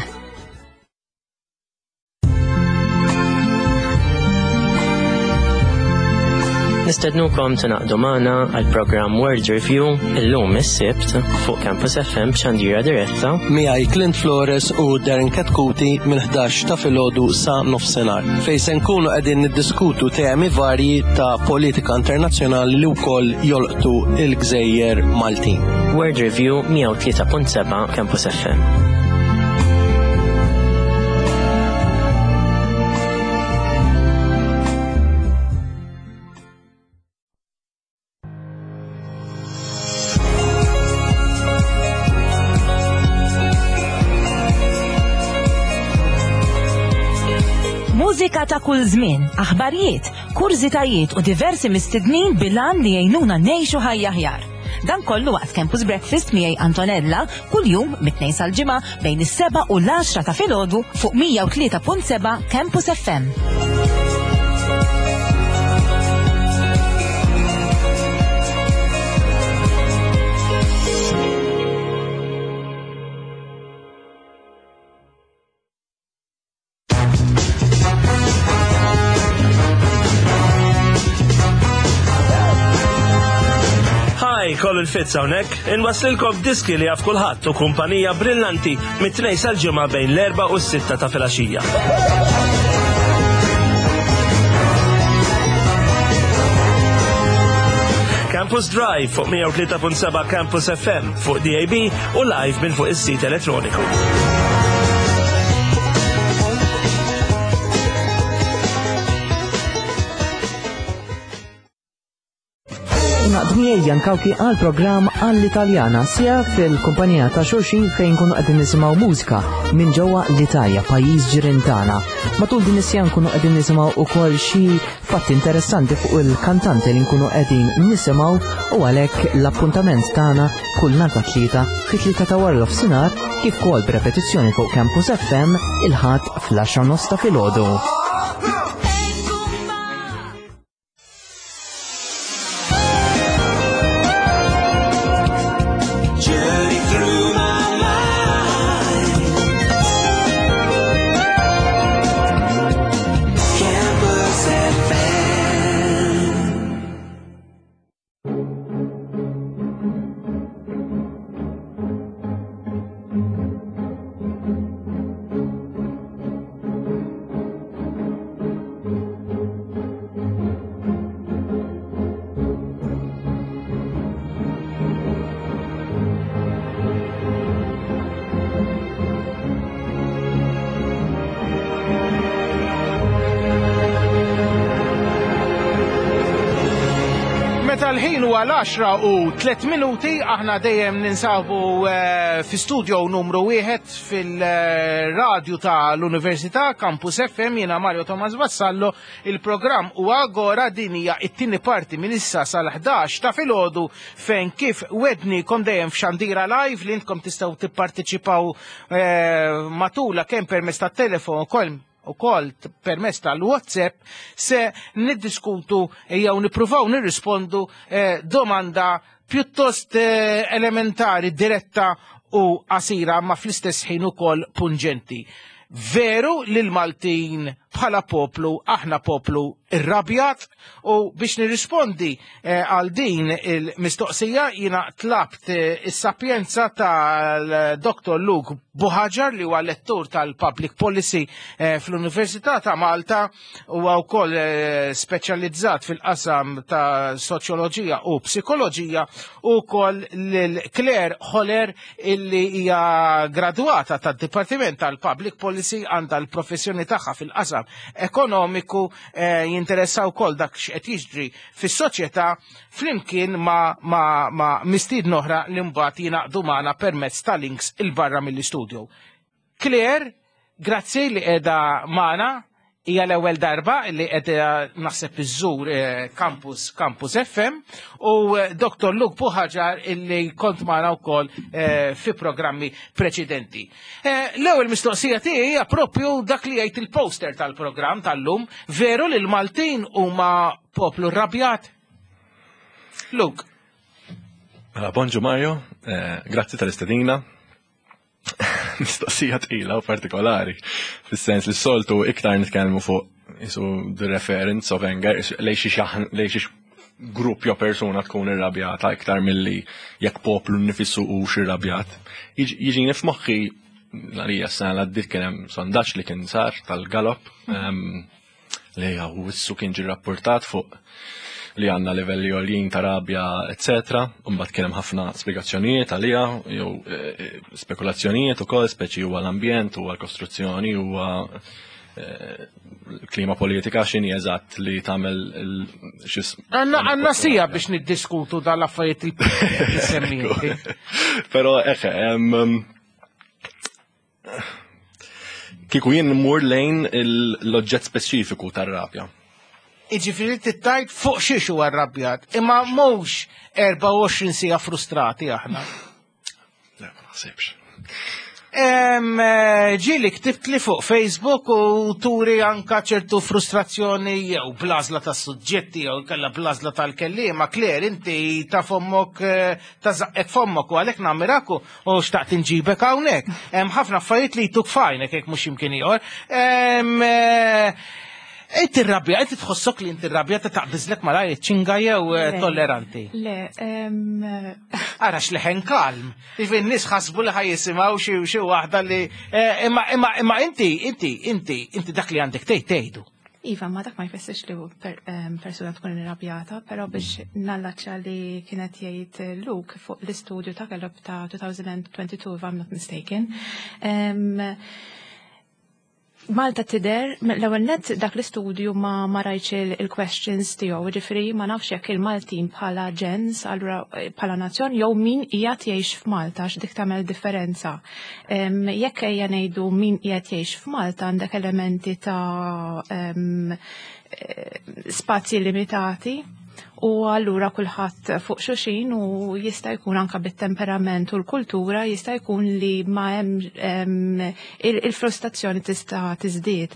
Nistednukom tingħaqdu magħna għal programm World Review illum is-Sibt fuq Campus F M b'xandira diretta miegħi Clint Flores u Darren Katkuti minn ħdax ta' filgħodu sa nofsinhar fejn se nkunu qegħdin niddiskutu temi varji ta' politika internazzjonali li wkoll jolqtu il-Gżejjer Maltin. World Review mija u tlieta punt seba' Campus F M. Mużika ta' kull żmien, aħbarijiet, kurżitajiet u diversi mistednin bilan li jgħinuna ngħixu ħajja aħjar. Dan kollu waqt Campus Breakfast miegħi Antonella kuljum mit-tnejn sal-ġimgħa bejn is-seba' u l-għaxra ta' filgħodu fuq mija u tlieta punt seba' Campus F M. Colin Fitz hawnhekk, inwaslilkom diski li jaf kulħadd u kumpanija brillanti mit-tnejn sal-ġimgħa bejn l-erba' u s-sitta ta' filgħaxija. Campus Drive fuq mija u tlieta punt seba' Campus F M fuq D A B u live minn fuq is-sit elettroniku. Naqdmi Jan Kawki għal programm għall-Italjana sija fil-kumpanija ta' xulxin fejn kunu qegħdin nisimgħu mużika minn ġewwa l-Italja, pajjiż ġirien tagħna. Matul din is-sija nkunu qegħdin nisimgħu wkoll xi fatti interessanti fuq il-kantanti li nkunu qegħdin nisimgħu u għalhekk l-appuntament tagħna kull nhar ta' tlieta fit-tlieta ta' wara nofsinhar kif ukoll b'repetizzjoni fuq Campus F M il-Ħadd fl-għaxra nofs ta' filgħodu. L-ħin huwa l-għaxra u tliet minuti, aħna dejjem ninsabu, eh, fi studio numru wieħed fil-radju tal-Università Campus F M, jiena Mario Thomas Vassallo. Il-programm huwa Agora, din hija t-tieni parti minn issa sal-ħdax ta' filgħodu fejn kif wednikom dejjem f'xandira live li intkom tistgħu tipparteċipaw, eh, matula kemm permezz tat-telefon ukoll ukoll permezz tal-WhatsApp se niddiskutu jew nippruvaw nirrispondu, eh, domanda pjuttost eh, elementari, diretta u qasira, ma fl-istess ħin ukoll pungenti. Veru li l-Maltin bħala poplu, aħna poplu irrabjat? U biex nirrispondi eh, għal din il-mistoqsija jina tlabt eh, is-sapjenza tal-Dottor Luke Buhagiar, li huwa lettur tal-Public Policy eh, fl-Università ta' Malta u wkoll eh, speċjalizzat fil-qasam ta' soċjoloġija u psikoloġija, u wkoll lil Claire Holler, illi hija gradwata tad-Dipartiment tal-Public Policy, għandha l-professjoni tagħha fil-qasam ekonomiku, eh, jinteressaw wkoll dak x'qed jiġri fis-soċjetà, flimkien ma, ma, ma mistiedna oħra li mbagħad jingħaqdu magħna permezz ta' links 'il barra mill-istudio. Claire, grazzi li qiegħda magħna, hija l-ewwel darba li qiegħda naħseb iżżur eh, Campus Campus F M, u eh, Dottor Luke Buhagiar, illi kont magħna wkoll eh, fi programmi preċedenti. Eh, L-ewwel mistoqsija tiegħi hija propju dak li jgħid il-poster tal-programm tal-lum: veru li l-Maltin huma poplu rrabjat? Luke. Mela, bonġu Mario, eh, grazzi tal-istedina. Mistoqsija tqila u partikolari, fis-sens li s-soltu iktar nitkellmu fuq isu the reference of anger, isu lej xi xaħn- lej xi grupp jew persuna tkun irrabjata iktar milli jekk poplu nifissu u irrabjat. Jiġini f'moħħi l-għalija s-sena l-għaddit kien hemm sondaġġ li kien sar tal-Gallup em, li għaw issu kien ġi rapportat fuq li għanna livelli għoljin ta' rabja, et cetera. Mbagħad kien hemm ħafna spjegazzjonijiet għalija, jew eh, spekulazzjonijiet ukoll, speċi huwa l-ambjent, huwa l-kostruzzjoni, huwa eh, klima politika, x'inhi eżatt li tagħmel il- xis- Għanna għanna sija biex niddiskutu dal-affarijiet il semmieti. Pero eħe, em, em, kieku jien mmur lejn il- l-oġġett speċifiku tar-rabja. Iġifiri tittajt fuq xiex huwa rrabjat, imma mhux erbgħa u għoxrin sija frustrati aħna. Le, ma naħsibx. Em, eh, Ġieli ktibt li fuq Facebook u turi anka ċertu frustrazzjoni jew bl-għażla ta' suġġetti jew kella bl-għażla tal-kellima. Claire, inti ta' fommok, eh, ta' zaqqek fommok, u għalhekk nammiraku u xtaqt inġibek hawnhekk. Hemm ħafna affarijiet li jtuk fajnek jekk mhux imkien ieħor. Em, eh, Inti irrabja, inti tħossok li inti irrabja ta' taqbiżlek malajr ċinga jew eh, Le. tolleranti? Le, em, Ara x'leħen kalm. Ifi n-nies ħasbu li ħa jisimgħu xi xi waħda li eh, imma imma imma inti inti inti inti dak li għandek tgħid tgħidu. Iva, ma dak ma jfissirx li per, em, persuna tkun irrabjata, pero biex nallaċċa li kienet jgħid Luke fuq l-istudju ta' Gallup ta' twenty twenty-two, if I'm not mistaken. Em, Malta tidher, l-ewwel net dak l-istudju ma ma rajtx il- il-questions tiegħu, ġifieri ma nafx jekk il-Maltin bħala ġens, allura eh, bħala nazzjon jew min qiegħed jgħix f'Malta, għax dik tagħmel differenza. Em, Jekk ejja ngħidu min qiegħed jgħix f'Malta, għandek elementi ta' em, eh, spazji limitati u allura kulħadd fuq xulxin u jista' jkun anka bit-temperament u l-kultura jista' jkun li ma hemm em, il- il-frustrazzjoni tista' tiżdied.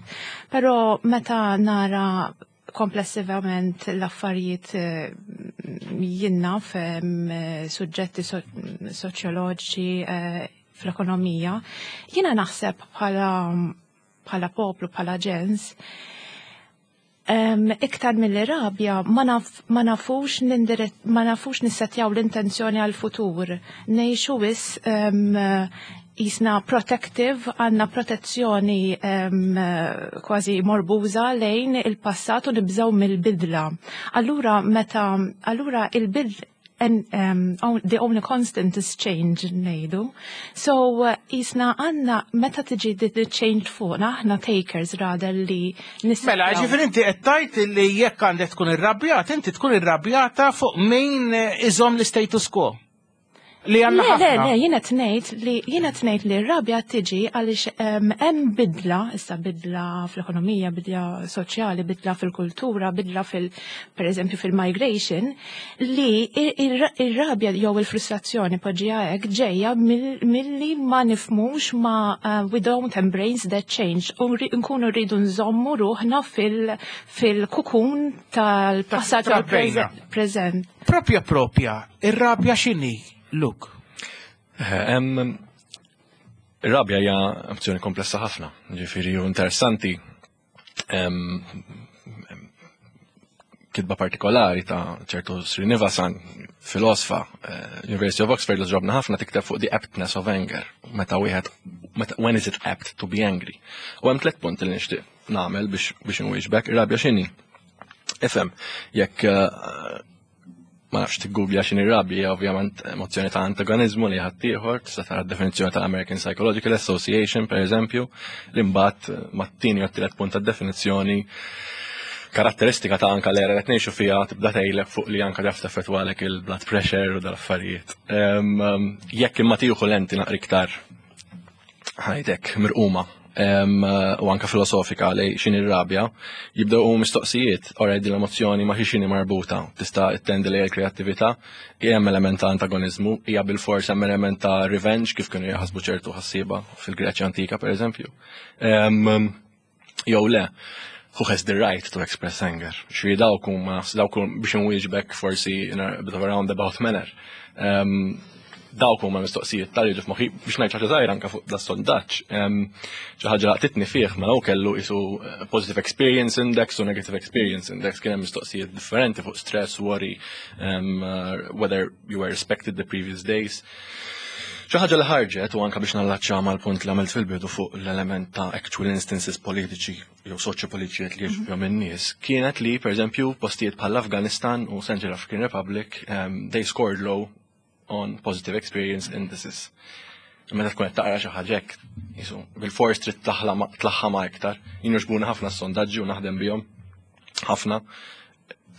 Però meta nara komplessivament l-affarijiet, eh, jiena f'em, suġġetti so soċjoloġiċi, eh, fl-ekonomija, jiena naħseb bħala bħala poplu, bħala ġens, Um, iktar mill rabja ma, naf, ma nafux nindiret, ma nafux nissetjaw l-intenzjoni għal-futur. Ngħixu wisq um, jisna protective, għanna protezzjoni um, kważi morbuża lejn il-passat u nibżaw mill-bidla. Allura meta, allura il-bidla and um, the only constant is change, ngħidu. So uh, jisna għanna meta tiġi the, the change fuqna, aħna takers rather li nissetjaw. Mela, ġifieri inti qed tgħid li jekk għandek tkun irrabjat, inti tkun irrabjata fuq min iżomm l-status quo. Li għandna Le, le, ħafna. le, jiena ngħid li jiena ngħid li r-rabja tiġi għaliex em, hemm bidla, issa bidla fl-ekonomija, bidla soċjali, bidla fil-kultura, bidla fil per eżempju fil-migration, li ir- ir-rabja jew il-frustrazzjoni poġġiha hekk ġejja mill- milli ma nifhmux ma uh, we don't embrace that change u ri- nkunu rridu nżommu ruħna fil- fil-kukun tal-passat u Trabbejna. l-preżent. Propja propja, ir-rabja x'inhi, Luke? Em, Ir-rabja hija emozzjoni komplessa ħafna, ġifieri u interessanti. Em, em, Kitba partikolari ta' ċertu Srinivasan, filosofa, eh, University of Oxford li ġobna ħafna tikteb fuq the aptness of anger, meta wieħed meta when is it apt to be angry. U hemm tliet punti li nixtieq nagħmel biex biex inwieġbek, ir-rabja x'inhi? Ifhem, jekk eh, ma nafx tiggooglja x'inhi rabja, ovvjament emozzjoni ta' antagonizmu li ħaddieħor, tista' tara d-definizzjoni tal-American Psychological Association, per eżempju, li mbagħad eh, mat-tieni u t-tielet punt tad-definizzjoni karatteristika ta' anka l-era li qed ngħixu fiha tibda tgħidlek fuq li anka taf teffettwalek il-blood pressure u dal-affarijiet. Em, em, Jekk imma tieħu lenti naqra iktar ħajtek mirquma em, u anka filosofika li x'inhi r-rabja, jibdew u mistoqsijiet, already l-emozzjoni ma' xi xini marbuta, tista' ittendi li l-kreattività, hemm element ta' antagonizmu, hija bil-fors hemm element ta' revenge kif kienu jaħsbu ċertu ħassieba fil-Greċja antika per eżempju. Em, Jew le, who has the right to express anger? Xi dawk huma dawk huma biex inwieġbek forsi in a bit of a roundabout manner. Um, dawk huma mistoqsijiet tal jiġu f'moħħi biex ngħid ħaġa żgħira anke fuq da sondaġġ. Em, Xi ħaġa laqtitni fih mela hu kellu isu eh, positive experience index u negative experience index kien hemm mistoqsijiet differenti fuq stress, worry, um, uh, whether you were respected the previous days. Xi ħaġa li ħarġet u anka biex nallaċċa mal-punt li għamilt fil-bidu fuq l-element ta' actual instances politiċi jew soċjopolitiċi li jiġu fihom in-nies, kienet li pereżempju postijiet bħal Afghanistan u Central African Republic um, they scored low on positive experience indices. Meta tkun qed taqra xi ħaġa hekk, jisu, bil-fors trid tlaħħa ma' iktar. Jien jogħġbuni ħafna s-sondaġġi u naħdem bihom ħafna.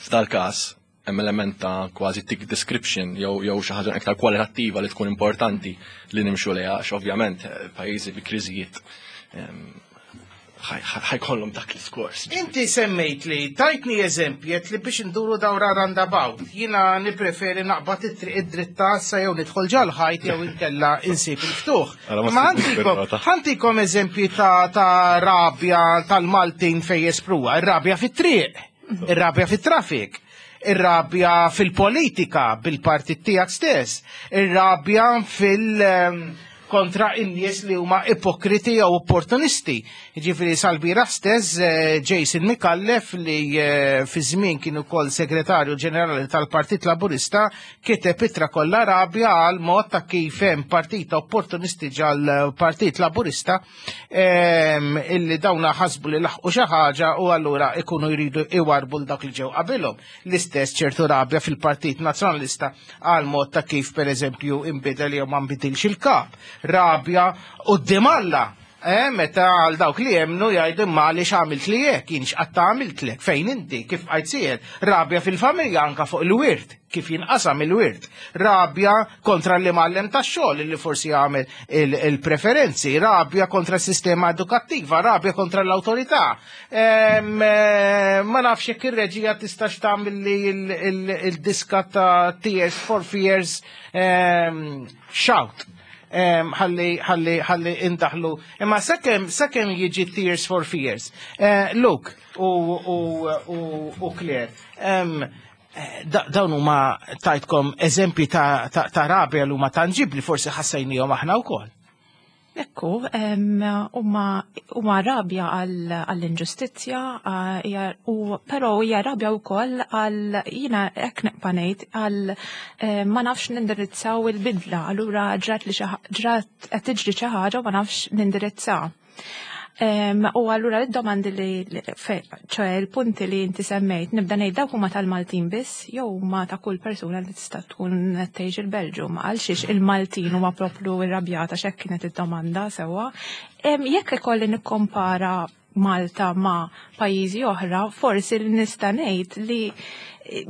F'dal każ hemm element ta' kważi thick description jew jew xi ħaġa iktar kwalitattiva li tkun importanti li nimxu lejha għax ovvjament eh, pajjiżi bi kriżijiet em, ħajkollhom dak l-iskors. Inti semmejt li tajtni eżempji li biex nduru dawra roundabout. Jina nipreferi naqbad it-triq id-dritta sa jew nidħol ġol-ħajt jew inkella insib il-ftuħ. Ara ma Ma ssibx ħantikom bir-rota. ħantikom eżempji ta' ta' rabja tal-Maltin fej jespruha. Ir-rabja fit-triq, ir-rabja fit-traffic, ir-rabja fil-politika bil-partit tiegħek stess, ir-rabja fil- ehm, kontra in-nies li huma ipokriti jew opportunisti. Ġifieri sal-bieraħ stess eh, Jason Micallef li eh, fi żmien kien ukoll segretarju ġenerali tal-Partit Laburista kiteb ittra kollha rabja għal mod ta' kif hemm partita opportunisti ġal-Partit Laburista ehm, illi dawna ħasbu li laħqu xi ħaġa u allura ikunu jridu iwarbu l dak li ġew qabilhom. L-istess ċertu rabja fil-Partit Nazzjonalista għal mod ta' kif pereżempju inbidel jew ma nbidilx il-kap. Rabja quddiem Alla. Eh, meta għal dawk li jemnu jgħidu ma li x'għamilt li hekk, jien x'qatt għamiltlek, fejn inti, kif għajt sier. Rabja fil-familja anka fuq il-wirt, kif jinqasam il-wirt. Rabja kontra l-imgħallem tax-xogħol li forsi jagħmel il- il-preferenzi, rabja kontra s-sistema edukattiva, rabja kontra l-awtorità. Em, eh, Ma nafx jekk ir-reġija tistax tagħmel li il- il- il-diska ta' Tears for Fears em, Shout. Em, ħalli ħalli ħalli indaħlu. Imma sakemm sakemm jiġi Tears for Fears. Eh, Luke u u u u Claire. em, eh, da- dawn huma tajtkom eżempji ta' ta' ta' rabja li huma tangibli forsi ħassejnihom aħna wkoll. Ekku, em, huma huma rabja għall-inġustizzja, ah, hija- u però hija rabja wkoll għal jiena hekk nibqa' ngħid għal eh, ma nafx nindirizzaw il-bidla, allura ġrat li xi ħa- ġrat qed tiġri xi ħaġa u ma nafx nindirizzaw. Em, U allura id-domandi li, li- fe- ċoè il-punti li inti semmejt, nibda ngħid dawk huma tal-Maltin biss, jew huma ta' kull persuna li tista' tkun qed tgħix il-Belġu, ma għal xiex il-Maltin huma propju irrabjata x'hekk kienet id-domanda sewwa. Em, Jekk ikolli nikkompara Malta ma' pajjiżi oħra, forsi li nista' ngħid li eh,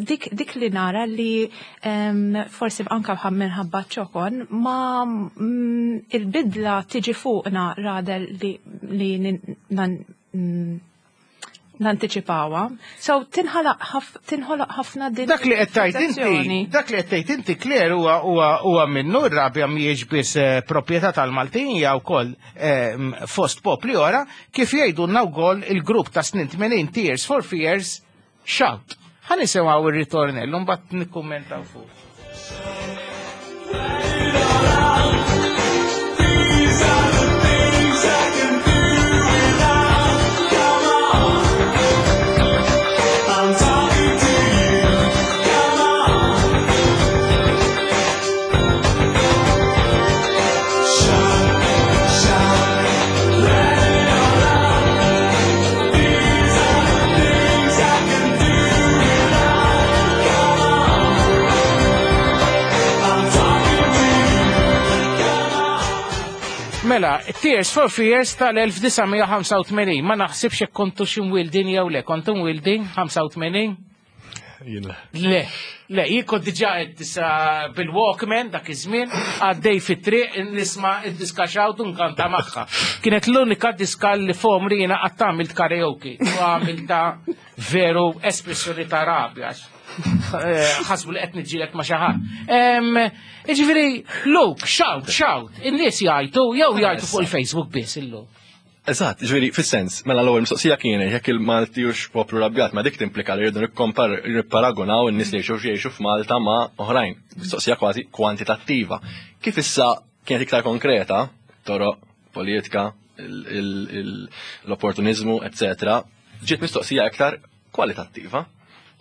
dik, dik li nara li em, forsi anka bħal minħabba ċokon ma mm, il-bidla tiġi fuqna rather li, li nin- nan, mm, nantiċipawha. So tinħalaq ħaf- tinħolaq ħafna din Dak li qed tgħid inti, sensazzjoni. dak li qed tgħid inti Claire huwa huwa huwa minnu r-rabja mhijiex biss eh, proprjetà tal-Maltin hija wkoll eh, fost popli oħra kif jgħidulna wkoll il-grupp ta' snin tmenin Tears for Fears, Shout. Ħa nisimgħu ir-ritornello mbagħad nikkummentaw fuq. These are the things I can do without. Come on, I'm talking to you. Come on. Shout, shout, let it all out. These are the things I can do without. Come on, I'm talking to you. Mela, Tears for Fears tal-elf disa' mija ħamsa u tmenin, ma naħsibx jekk kontu xi mwildin jew le, kontu mwildin ħamsa u tmenin? Jien le. Le, le, jien kont diġà qed tisa bil-Walkman dak iż-żmien, għaddej fit-triq nisma' id-diska Shout u nkanta magħha. Kienet l-unika diska li f'għomri jiena qatt għamilt karaoke. U għamilta veru espressjoni ta' rabja. Eh, ħasbu li qed niġġieled ma' xi ħadd. Em, Jiġifieri, Luke, Shout, Shout, in-nies jgħajtu jew jgħajtu fuq il-Facebook biss illum? Eżatt, ġifieri, fis-sens, mela l-ewwel mistoqsija kienet jekk il-Malti hux poplu rabjat, ma dik timplika li rridu nikkompar nipparagonaw in-nies li jgħixu jgħixu f'Malta ma' oħrajn. Mistoqsija kważi kwantitattiva. Kif issa kienet iktar konkreta, toroq, politika, il- il- il- l-opportunizmu, eccetera, ġiet mistoqsija iktar kwalitattiva.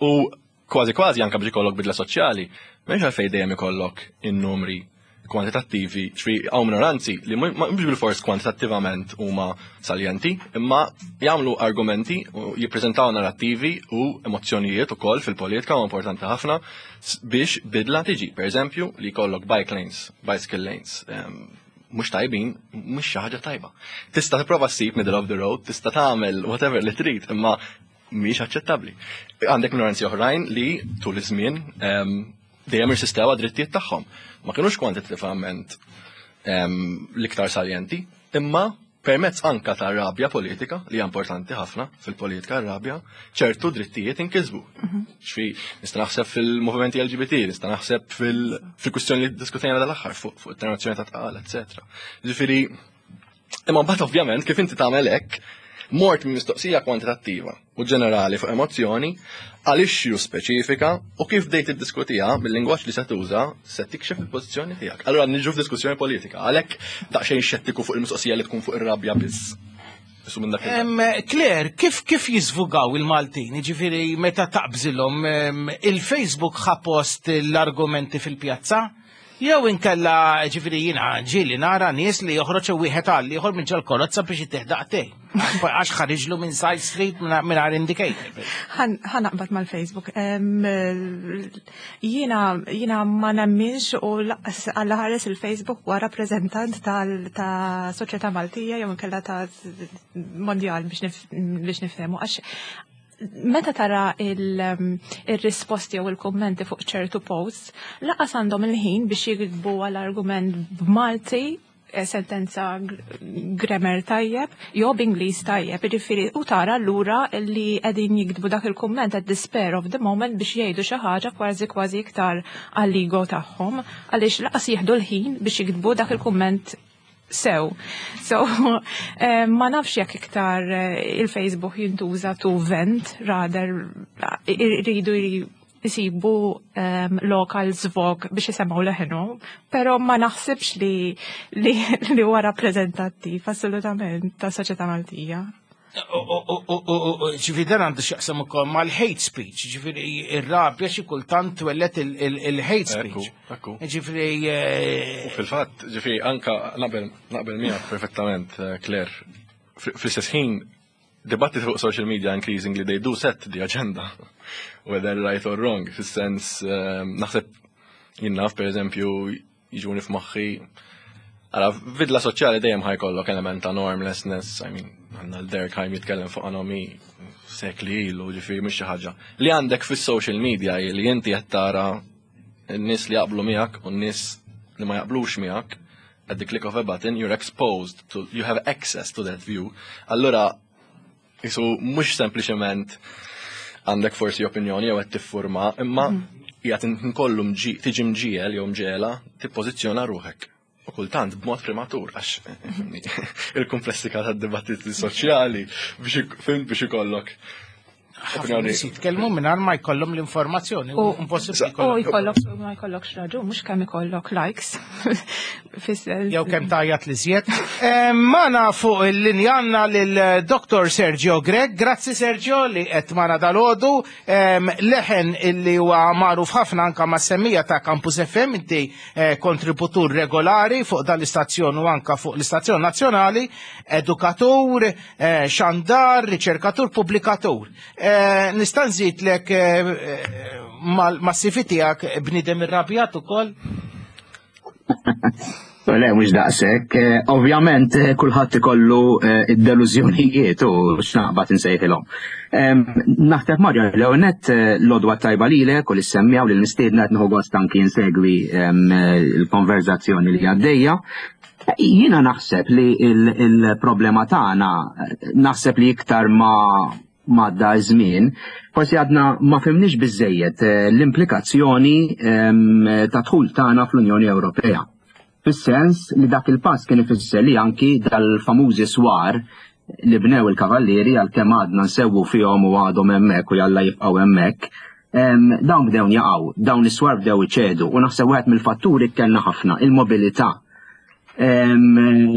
U kważi kważi anka biex ikollok bidla soċjali, m'hemmx għalfejn dejjem ikollok in-numri kwantitattivi, ġifieri hawn minoranzi li mhux bil-fors kwantitattivament huma saljenti, imma jagħmlu argumenti u jippreżentaw narrattivi u emozzjonijiet ukoll fil-politika u importanti ħafna s- biex bidla tiġi. Per eżempju, li jkollok bike lanes, bicycle lanes, em, mhux tajbin, mhux xi ħaġa tajba. Tista' tipprova ssib middle of the road, tista' tagħmel whatever li trid, imma mhix aċċettabbli. Għandek minoranzi oħrajn li tul iż-żmien em, dejjem irsistew għad-drittijiet tagħhom. Ma kinux kwantitattivament em, l-iktar saljenti, imma permezz anka ta' rabja politika, li hija importanti ħafna fil-politika rabja, ċertu drittijiet inkisbu. Ġifieri, nista' naħseb fil-movimenti L G B T, nista' naħseb fil- fil-kwistjoni li diskutejna dal-aħħar fuq fuq it-terminazzjoni ta' tqal, eccetera. Ġifieri, imma mbagħad ovvjament kif inti tagħmel hekk, mort minn mistoqsija kwantitattiva u ġenerali fuq emozzjoni għal issue speċifika u kif bdejt iddiskutiha bil-lingwaġġ li se tuża se tikxef il-pożizzjoni tiegħek. Allura niġu f'diskussjoni politika, għalhekk daqsxejn xettiku fuq il-mistoqsija li tkun fuq ir-rabja biss. Isu minn dak il- Em, Claire, kif kif jizvugaw il-Maltin? Ġifieri meta taqbżilhom em, il-Facebook ħa post l-argumenti fil-pjazza? Jew inkella, ġifieri, jiena ġieli nara nies li joħroġ wieħed għal ieħor minn ġol-karozza biex iteħdaqtej. Għax ħariġlu minn side street minn indicator. Ħa naqbad mal-Facebook. Em, Jiena jiena ma nemminx u lanqas Alla ħares il-Facebook huwa rappreżentant tal- ta' soċjetà Maltija jew inkella ta' mondjal biex nif- biex nifhemu, għax meta tara il- il-risposti jew il-kommenti fuq ċertu posts, lanqas għandhom il-ħin biex jiktbu għal-argument b'Malti eh, sentenza gr- grammar tajjeb, jew b'Ingliż tajjeb, jiġifieri u tara allura li qegħdin jiktbu dak il-kumment at the spur of the moment biex jgħidu xi ħaġa kważi kważi iktar għall-ego tagħhom, għaliex lanqas jieħdu l-ħin biex jiktbu dak il-kumment sew. So, eh, ma nafx jekk iktar eh, il-Facebook jintuża to vent rather iridu jisibu um, local zvog biex jisemgħu leħnu, pero ma naħsibx li li, li huwa rappreżentattiv assolutament ta' soċjetà Maltija. Ġifieri dan għandu x'jaqsam ukoll mal-hate speech, ġifieri ir-rabja xi kultant twellet il-hate speech. Ekku. Ġifieri eh, U fil-fatt, ġifieri, anka naqbel naqbel miegħek perfettament, eh, Claire. Fl-istess ħin, dibattiti fuq social media increasingly they do set the agenda, whether right or wrong. Fis-sens, eh, naħseb jien naf, per eżempju, jiġuni f'moħħi Ara, bidla soċjali dejjem ħa jkollok element ta' normlessness, I mean, għandna l-Durkheim jitkellem fuq anomie sekli ilu, ġifieri mhux xi ħaġa. Li għandek fis-social media hi li inti qed tara n-nies li jaqblu miegħek u n-nies li ma jaqblux miegħek, at the click of a button, you're exposed to, you have access to that view. Allura, jisu mhux sempliċement għandek forsi opinjoni jew qed tiffurma, imma qiegħed nkollu mġi- tiġi mġiegħel jew mġiegħla tippożizzjona ruħek. U kultant b'mod prematur, għax il-komplessità tad-dibattiti soċjali biex ik- fim biex ikollok Ħafna opinjoni. nies jitkellmu mingħajr ma jkollhom l-informazzjoni. U- Impossibbli U jkollok ma jkollokx raġun, mhux kemm ikollok likes. Fis-sens. Jew kemm tajjat li żjed. Eh, Magħna fuq il-linja għandna lil Dottor Sergio Grech. Grazzi, Sergio, li qed magħna dalgħodu. Em, Leħen illi huwa magħruf ħafna anka mas-semmiegħa ta' Campus F M, inti eh, kontributur regolari fuq dan l-istazzjon u anka fuq l-istazzjon nazzjonali, edukatur, eh, xandar, riċerkatur, pubblikatur. Eh, Nista' nżidlek eh, eh, mal- mas-C V tiegħek bniedem irrabjat ukoll? Le, mhux daqshekk. Eh, Ovvjament, eh, kulħadd ikollu eh, id-delużjonijiet u x'naqbad insejħilhom. Em, Naħseb, Mario, l-ewwel l-għodwa tajba lilek u lis-semmiegħa u lill-mistiedna. Qed nieħu gost anki insegwi em, il-konverzazzjoni li għaddejja. Jiena naħseb li il- il-problema tagħna, naħseb li iktar ma għadda żmien, forsi għadna ma fhimniex biżejjed eh, l-implikazzjoni em, ta' dħul tagħna fl-Unjoni Ewropea. Fis-sens li dak il-pass kien ifisser li anki dal-famużi swar li bnew il-kavallieri, għal kemm għadna nsewwu fihom u għadhom hemmhekk u jalla jibqgħu hemmhekk, em, dawn bdew jaqgħu, dawn is-swar bdew iċedu u naħseb wieħed mill-fatturi kellna ħafna il-mobilità. Em,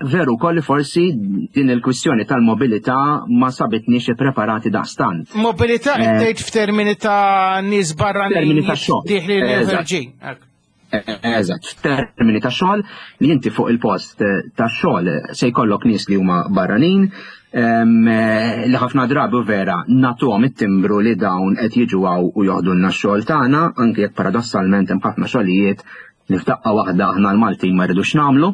veru kolli forsi din il-kwistjoni tal-mobilità ma sabitniex preparati daqstant. Mobilità Eh, qed tgħid f'termini ta' nies barranin Termini ta' xogħol. dieħlin jew Eżatt. ħerġin. Hekk. Eżatt, f'termini ta' xogħol li inti fuq il-post eh, ta' xogħol se jkollok nies li huma barranin em, eh, li ħafna drabi vera nagħtuhom it-timbru li dawn qed jiġu hawn u joħdulna x-xogħol tagħna, anke jekk paradossalment hemm ħafna xogħlijiet li f'daqqa waħda aħna l-Maltin ma rridux nagħmlu.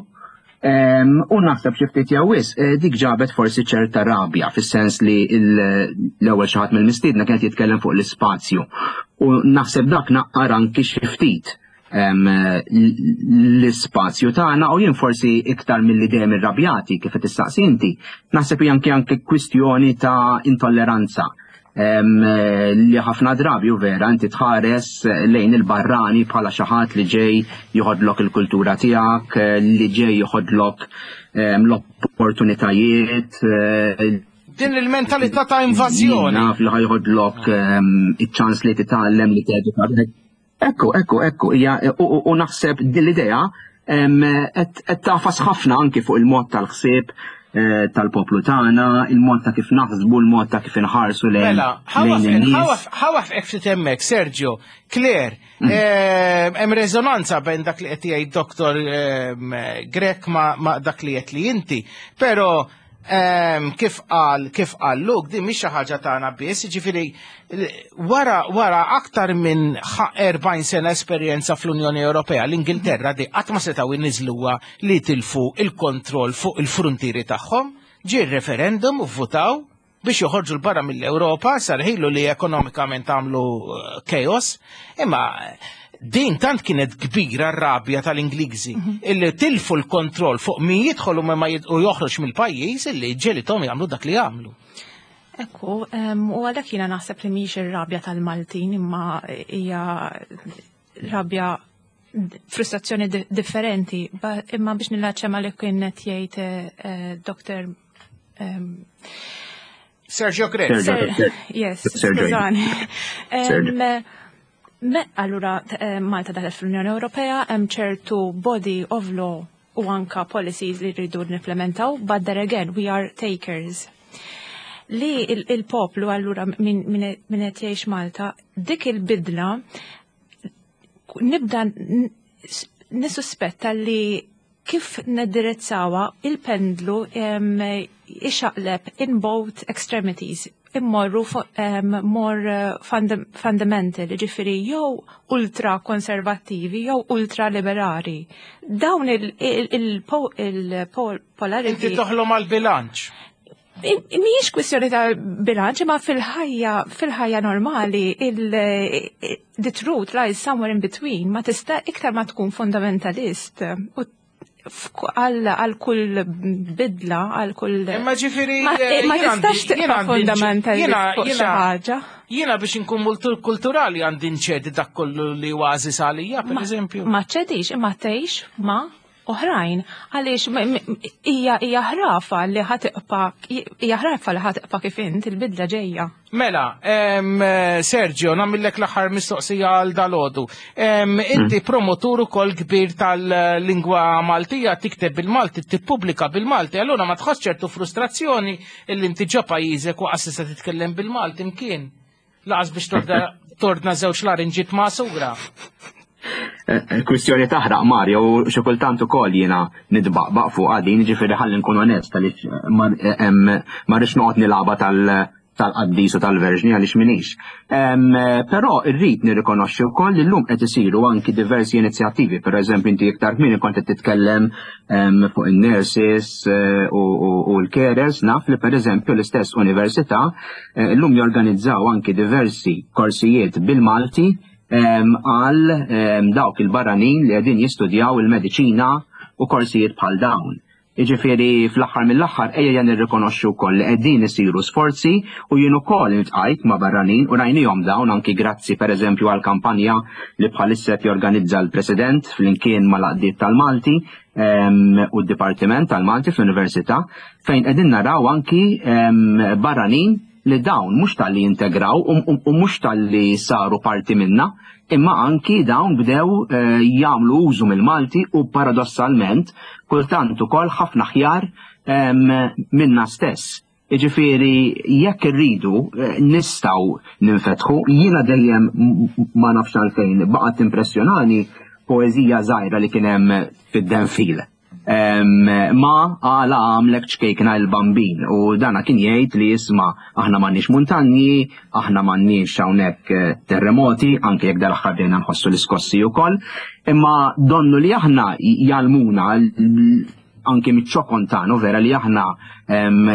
Em, U naħseb xi ftit jew wisq, eh, dik ġabet forsi ċerta rabja, fis-sens li il- l-ewwel xi ħadd mill-mistiedna kienet jitkellem fuq l-ispazju. U naħseb dak naqqar anki xi ftit em, l-ispazju tagħna u jien forsi iktar milli dejjem irrabjati kif qed tistaqsi inti, naħseb hija anke anke kwistjoni ta' intolleranza em, li ħafna drabi u vera inti tħares lejn il-barrani bħala xi ħadd li ġej joħodlok il-kultura tiegħek, li ġej joħodlok em, l-opportunitajiet, eh, Din il-mentalità ta' invażjoni. Naf li ħa joħodlok em, iċ-ċans li titgħallem, li teduka. Ekku, ekku, ekku, hija u, u, u naħseb din l-idea em, qed qed tagħfas ħafna anki fuq il-mod tal-ħsieb eh, tal-poplu tagħna, il-mod ta' kif naħsbu, il-mod ta' kif inħarsu lejn Mela, lejn in-nies. ħa nwaqqfek ftit hemmhekk, Sergio. Claire, eh, hemm rezonanza bejn dak li qed jgħid Doktor ehm, Grech ma, ma dak li qed li inti, però ehm, kif qal kif qal Luke, din mhix xi ħaġa tagħna biss, jiġifieri wara wara aktar minn ħa- erbgħin sena esperjenza fl-Unjoni Ewropea, l-Ingilterra di qatt ma setgħu jniżluha li tilfu il-kontroll fuq il-frontieri tagħhom, ġie referendum u votaw biex joħorġu 'l barra mill-Ewropa, sarħilu li ekonomikament għamlu eh, chaos, imma din tant kienet kbira r-rabja tal-Ingliżi illi tilfu l-kontroll fuq min jidħol u ma jid- u joħroġ mill-pajjiż illi ġegħlithom jagħmlu dak li jagħmlu. Ekku, em, u għalhekk jiena naħseb li mhix ir-rabja tal-Maltin imma hija rabja, frustrazzjoni di- differenti, ba- imma biex nillaċċja ma li kien qed jgħid eh, eh, Doktor em, Sergio Grech. Ser- Yes, Sergio. skużani. Sergio. Em, Me, allura, t- eh, Malta daħlet fl-Unjoni Ewropea, hemm ċertu body of law u anka policies li rridu nimplementaw, but there again, we are takers. Li il- il-poplu allura min min min qed jgħix Malta, dik il-bidla nibda n- s- nissuspetta li kif niddirizzawa il-pendlu em, ixaqleb in both extremities. immorru more fundamental, ġifieri jew ultra konservattivi jew ultra liberali. Dawn il-polarity. Inti toħlom għal-bilanċ. Mhijiex kwistjoni ta' bilanċ, imma fil-ħajja fil-ħajja normali il the truth lies somewhere in between, ma tista' iktar ma tkun fundamentalist u għal kull bidla, għal kull. Imma ġifieri. Ma ma tistax tibqa' fundamentalist fuq xi ħaġa. Jiena biex inkun multikulturali għandi nċedi dak kollu li għażiż għalija, per eżempju. Ma ċedix, imma tgħix ma' oħrajn, għaliex hija hija ħrafa li ħa tibqa' hija ħrafa li ħa tibqa' kif int, il-bidla ġejja. Mela, Sergio, nagħmillek l-aħħar mistoqsija għal dalgħodu. Inti promotur ukoll kbir tal-lingwa Maltija, tikteb bil-Malti, tippubblika bil-Malti, allura ma tħoss ċertu frustrazzjoni illi inti ġo pajjiżek u qas tista' titkellem bil-Malti imkien? Lanqas biex tordna żewġ larinġiet magħsura. Kwistjoni taħraq, Mario, u xi kultant ukoll jiena nitbaqbaq fuq din, ġifieri ħalli nkun onest għaliex ma rridx noqgħod nilgħabha tal-qaddis u tal-verġni għaliex minix. Però rrid nirrikonoxxi wkoll li llum qed isiru anki diversi inizjattivi, per eżempju inti iktar kmieni kont qed titkellem fuq in-nurses u l-carers, naf li per eżempju l-istess università llum jorganizzaw anki diversi korsijiet bil-Malti għal dawk il-barranin li qegħdin jistudjaw il-mediċina u korsijiet bħal dawn. Jiġifieri fl-aħħar mill-aħħar ejja nirrikonoxxu wkoll li qegħdin isiru sforzi u jien ukoll iltqajt ma' barranin u rajnihom dawn anki grazzi pereżempju għal kampanja li bħalissa qed jorganizza l-President flimkien mal-għaqdiet tal-Malti u d-Dipartiment tal-Malti fl-Università, fejn qegħdin naraw anki barranin li dawn mhux talli integraw u mhux talli saru parti minna, imma anki dawn bdew jagħmlu użu mill-Malti u paradossalment kultant ukoll ħafna aħjar minna stess. Jiġifieri jekk irridu nistgħu ninfetħu, jiena dejjem ma nafx għalfejn baqgħet impressjonani poeżija żgħira li kien hemm fid-Denfil. Ma għala għamlek ċkejkna il-bambin, u dana kien jgħid li jisma' aħna m'għandniex muntanji, aħna m'għandniex hawnhekk terremoti, anke jekk dal-aħħar bdejna nħossu l-iskossi wkoll, imma donnu li aħna jgħallmuna anke miċ-ċokon tagħna vera li aħna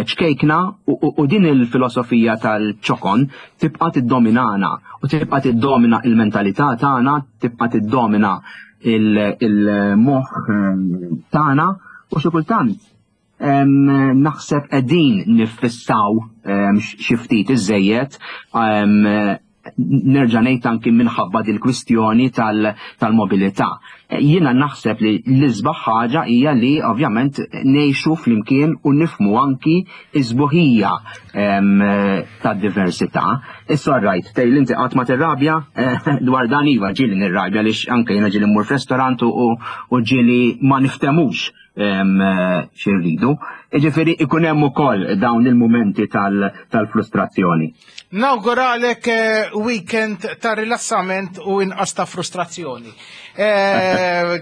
ċkejkna, u din il-filosofija tal-ċokon tibqa' tiddominana u tibqa' tiddomina il-mentalità tagħna, tibqa' tiddomina il-moħħ tagħna, u xi kultant naħseb qegħdin niffissaw xi ftit iżejjed, nerġa' ngħid anki minħabba dil-kwistjoni tal-mobilità. Jiena naħseb li l-isbaħ ħaġa hija li ovvjament ngħixu flimkien u nifhmu anki iż-sbuħija tad-diversità. Issa rajt, tgħid inti qatt ma tirrabja dwar dan, iva ġieli nirrabja għaliex anke jiena ġieli mmur f'restorant u ġieli ma niftemux xi rridu. Jiġifieri ikun hemm ukoll dawn il-mumenti tal-frustrazzjoni. Nawguralek weekend ta' rilassament u inqas ta' frustrazzjoni.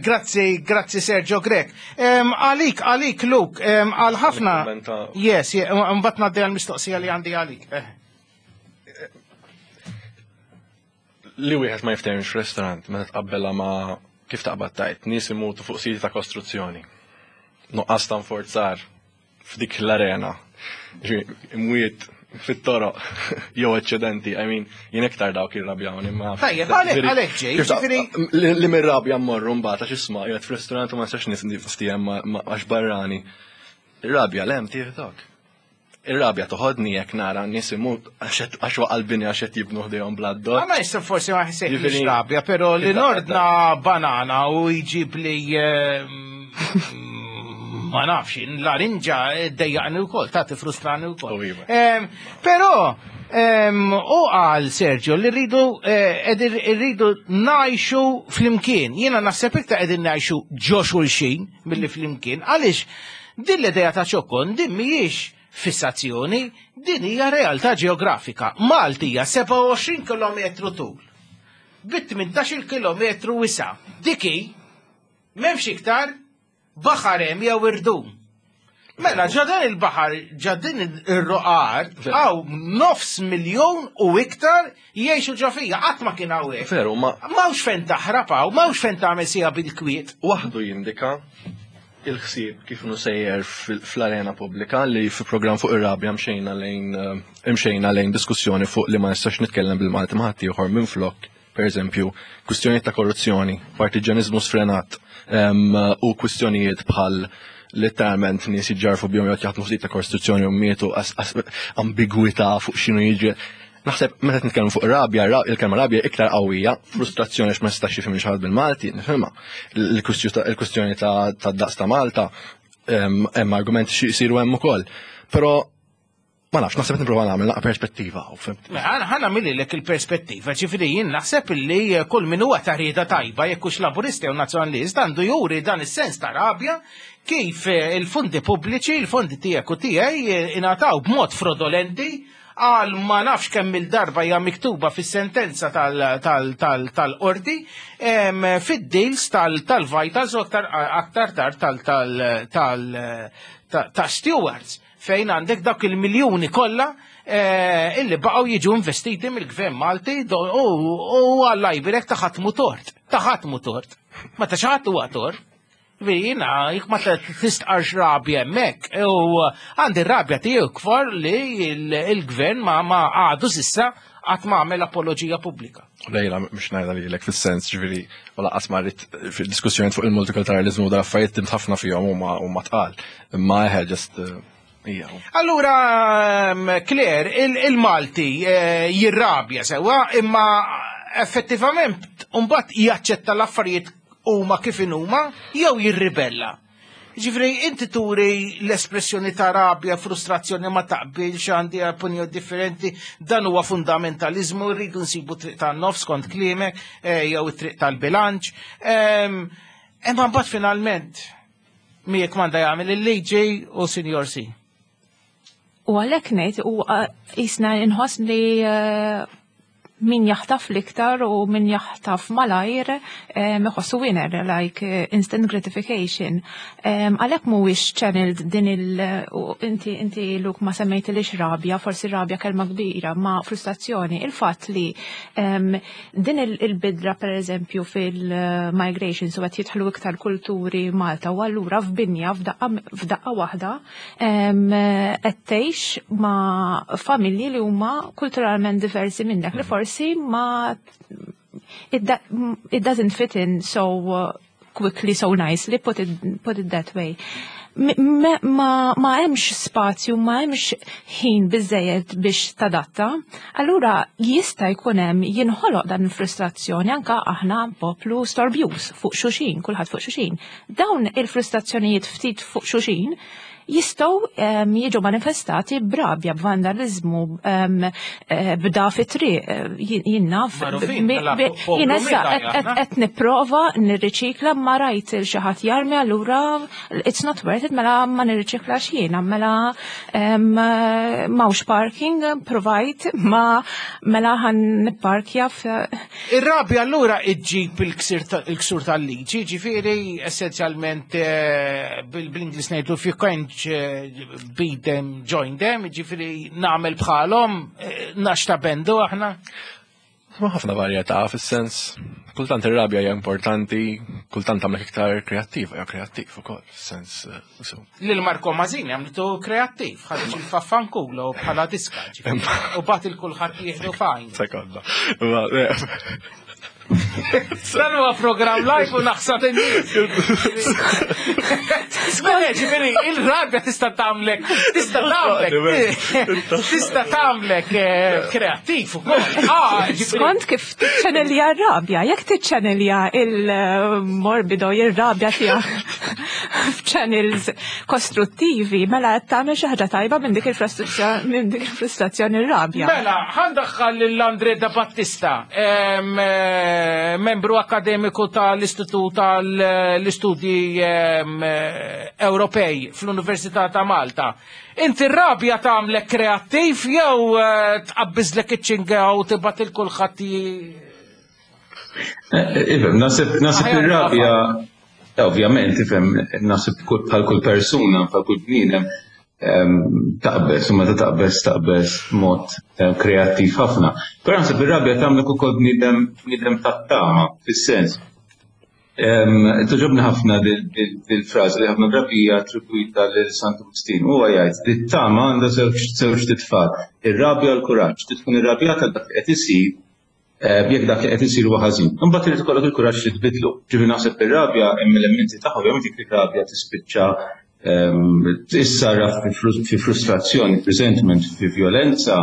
Grazzi, grazzi Sergio Grech. Għalik, għalik Luke, għal ħafna. Yes, mbagħad ngħaddi għall-mistoqsija li għandi għalik. Li wieħed ma jiftehimx f'restorant meta tqabbelha ma' kif taqbad tajt, nies imutu fuq siti ta' kostruzzjoni. Nuqqas ta' nforzar f'dik l-arena. Imwiet fit-toroq jew eċċedenti, I mean, jien iktar dawk irrabjawni ma. Tajjeb, għalhekk għalhekk ġej, ġifieri li mir-rabja mmorru mbagħad għax isma' qiegħed f'restorant u ma nistax niftiehem għax barrani. Ir-rabja l-hemm tieħdok. Ir-rabja toħodni jekk nara nies imut għax waqa' l-bini għax qed jibnu ħdejhom bla d-dor. Ma jista' forsi ma ħsejtx rabja, però li nordna banana u jġib li ma nafx, l-larinġa dejjaqni wkoll, ta' tifrustrani wkoll. Però u qal Sergio li rridu rridu ngħixu flimkien. Jiena naħseb iktar qegħdin ngħixu ġo xulxin milli flimkien, għaliex din l-idea ta' ċokon din mhijiex fissazzjoni, din hija realtà ġeografika. Malti hija sebgħa u għoxrin kilometru tul, bi tmintax-il kilometru wisa'. Diki m'hemmx iktar baħar hemm jew irdum. Mela, ġo dan il-baħar, ġo din ir-roqgħa, hawn nofs miljon u iktar jgħixu ġo fija, qatt ma kien hawnhekk. Veru, ma. M'hawnx fejn taħrab hawn, m'hawnx fejn tagħmel sija bil-kwiet. Waħdu jindika il-ħsieb kif inhu sejjer fl-arena pubblika li fi program fuq ir-rabja mxejna lejn eh, imxejna lejn diskussjoni fuq li ma nistax nitkellem bil-Malti ma' ħaddieħor minn flok, per eżempju, kwistjonijiet ta' korruzzjoni, partiġanizmu sfrenat u kwistjonijiet bħal letteralment nies jiġġarfu bihom jew jaħdmu ftit ta' kostruzzjoni u mietu, ambigwità fuq x'inhu jiġri. Naħseb meta nitkellmu fuq rabja, il-kelma rabja iktar qawwija, frustrazzjoni għax ma nistax jifhem xi ħadd bil-Malti, nifhimha. Il-kwistjoni ta' daqs ta' Malta hemm argumenti xi jsiru hemm ukoll. Però ma nafx, naħseb nipprova nagħmel naqra perspettiva. Ħa nagħmillek il-perspettiva, ġifieri jien naħseb illi kull min huwa ta' rieda tajba, jekk hux laburista jew nazzjonalist, għandu juri dan is-sens ta' rabja kif il-fondi pubbliċi, il-fondi tiegħek u tiegħi ingħataw b'mod frodolenti għal ma nafx kemm il-darba hija miktuba fis-sentenza tal-qorti fid-deals tal-Vitals u aktar tard ta' Stewards, fejn għandek dak il-miljuni kollha eh, illi baqgħu jiġu investiti mill-gvern Malti u għall-lajbirek ta' ħadd tort. Ta' ħadd tort. Ma ta' xi huwa tort. Jiena, jek ma tistqarx rabja hemmhekk, u għandi rabja tiegħu kfor li il-gvern ma ma għadu s'issa qatt ma għamel apoloġija pubblika. Lejla, mhux ngħidha lilek fis-sens, ġifieri, u lanqas ma rrid fil-diskussjoni fuq il-multikulturalizmu da affarijiet timt ħafna fihom huma huma tqal. Imma eħe just eh, ija. Allura, Claire, il-Malti eh, jirrabja sewa, imma effettivament mbagħad jaċċetta l-affarijiet huma kif huma jew jirribella. Ġifieri, inti turi l-espressjoni ta' rabja, frustrazzjoni, ma taqbilx, għandi opinjoni differenti, dan huwa fundamentalizmu, rridu nsibu triq tan-nofs kont kliemek, eh, jew it-triq tal-bilanċ. Imma mbagħad finalment miegħek manda jagħmel il-liġi u sinjor si. U għalhekk ngħid u jisna inħoss li eh, min jaħtaf l-iktar u min jaħtaf malajr iħossu winner, like eh, instant gratification. Għalhekk mhuwiex channeled din il- inti inti Luke ma semmejt li rabja, forsi rabja kelma kbira, ma frustrazzjoni. Il-fatt li din il-bidla per eżempju fil-migration, so qed jidħlu iktar kulturi Malta u allura f'binja f'daqqa waħda qed tgħix ma' familji li huma kulturalment diversi minnek li forsi ma it, it doesn't fit in so uh, quickly, so nicely, put it, put it that way. Ma, ma hemmx spazju, ma hemmx ħin biżejjed biex tadatta, allura jista' jkun hemm jinħoloq dan il-frustrazzjoni anka aħna poplu storbjuż fuq xulxin, kulħadd fuq xulxin. Dawn il-frustrazzjonijiet ftit fuq xulxin jistgħu um, jiġu manifestati b'rabja, b'vandalizmu, um, b'da fit-triq, jien naf. Jien issa qed nipprova nirriċikla ma rajt il xi ħadd jarmi, allura it's not worth it, mela ma nirriċiklax jiena, mela m'hawnx parking provide ma mela ħan nipparkja. Ir-rabja allura iġġib il-ksur tal-liġi, ġifieri essenzjalment eh, bil-Ingliż ngħidu if you can't beat them, join them, ġifieri nagħmel bħalhom, eh, naxta bendu aħna. Ma ħafna varjetà, fis-sens, kultant ir-rabja hija importanti, kultant tagħmlek iktar kreattiva, jew kreattiv ukoll, fis-sens. Eh, so. Lil Marco Mazzini għamlitu kreattiv, ħareġ il-faffankulo bħala diska, u bat il-kulħadd jieħdu fajn. Sekonda. Dan huwa program live u naħsad in-nies. Mela, ġifieri, il-rabja tista' tagħmlek, tista' tagħmlek, tista' tagħmlek eh, kreattiv ukoll. Ah, Skont kif tiċċanelja r-rabja, jekk tiċċanelja il-morbido, il-rabja tiegħek f'channels kostruttivi, mela qed tagħmel xi ħaġa tajba minn dik il-frustrazzjoni minn dik il-frustrazzjoni r-rabja. Mela, ħa ndaħħal lil Andre da Battista, em, eh, membru akademiku tal-Istitut tal-Istudji em, eh, Ewropej fl-Università ta' Malta. Inti r-rabja tagħmlek kreattiv jew eh, tqabbiżlek iċ-ċinga u tibgħat il kulħadd Iva, naħseb naħseb Aħjar ir-rabja Ovvjament, ifhem, naħseb bħal kull persuna, bħal kull bniedem, taqbeż, u meta taqbeż taqbeż mod kreattiv ħafna. Però naħseb ir-rabja tagħmlek ukoll bniedem bniedem tat-tama, fis-sens. Togħġobni ħafna dil-frażi li ħafna drabi hija attribwita lil Santu Wistin. Huwa jgħid li t-tama għandha żewġ titfal, ir-rabja u l-kuraġġ. Trid tkun irrabjata dak li qed isir jekk dak li qed isir huwa ħażin. Imbagħad irid ikollok il-kuraġġ li tbidlu. Ġifieri naħseb ir-rabja hemm elementi tagħha, ovvjament jekk ir-rabja tispiċċa tissarraf fi frustrazzjoni, resentment, fi violenza,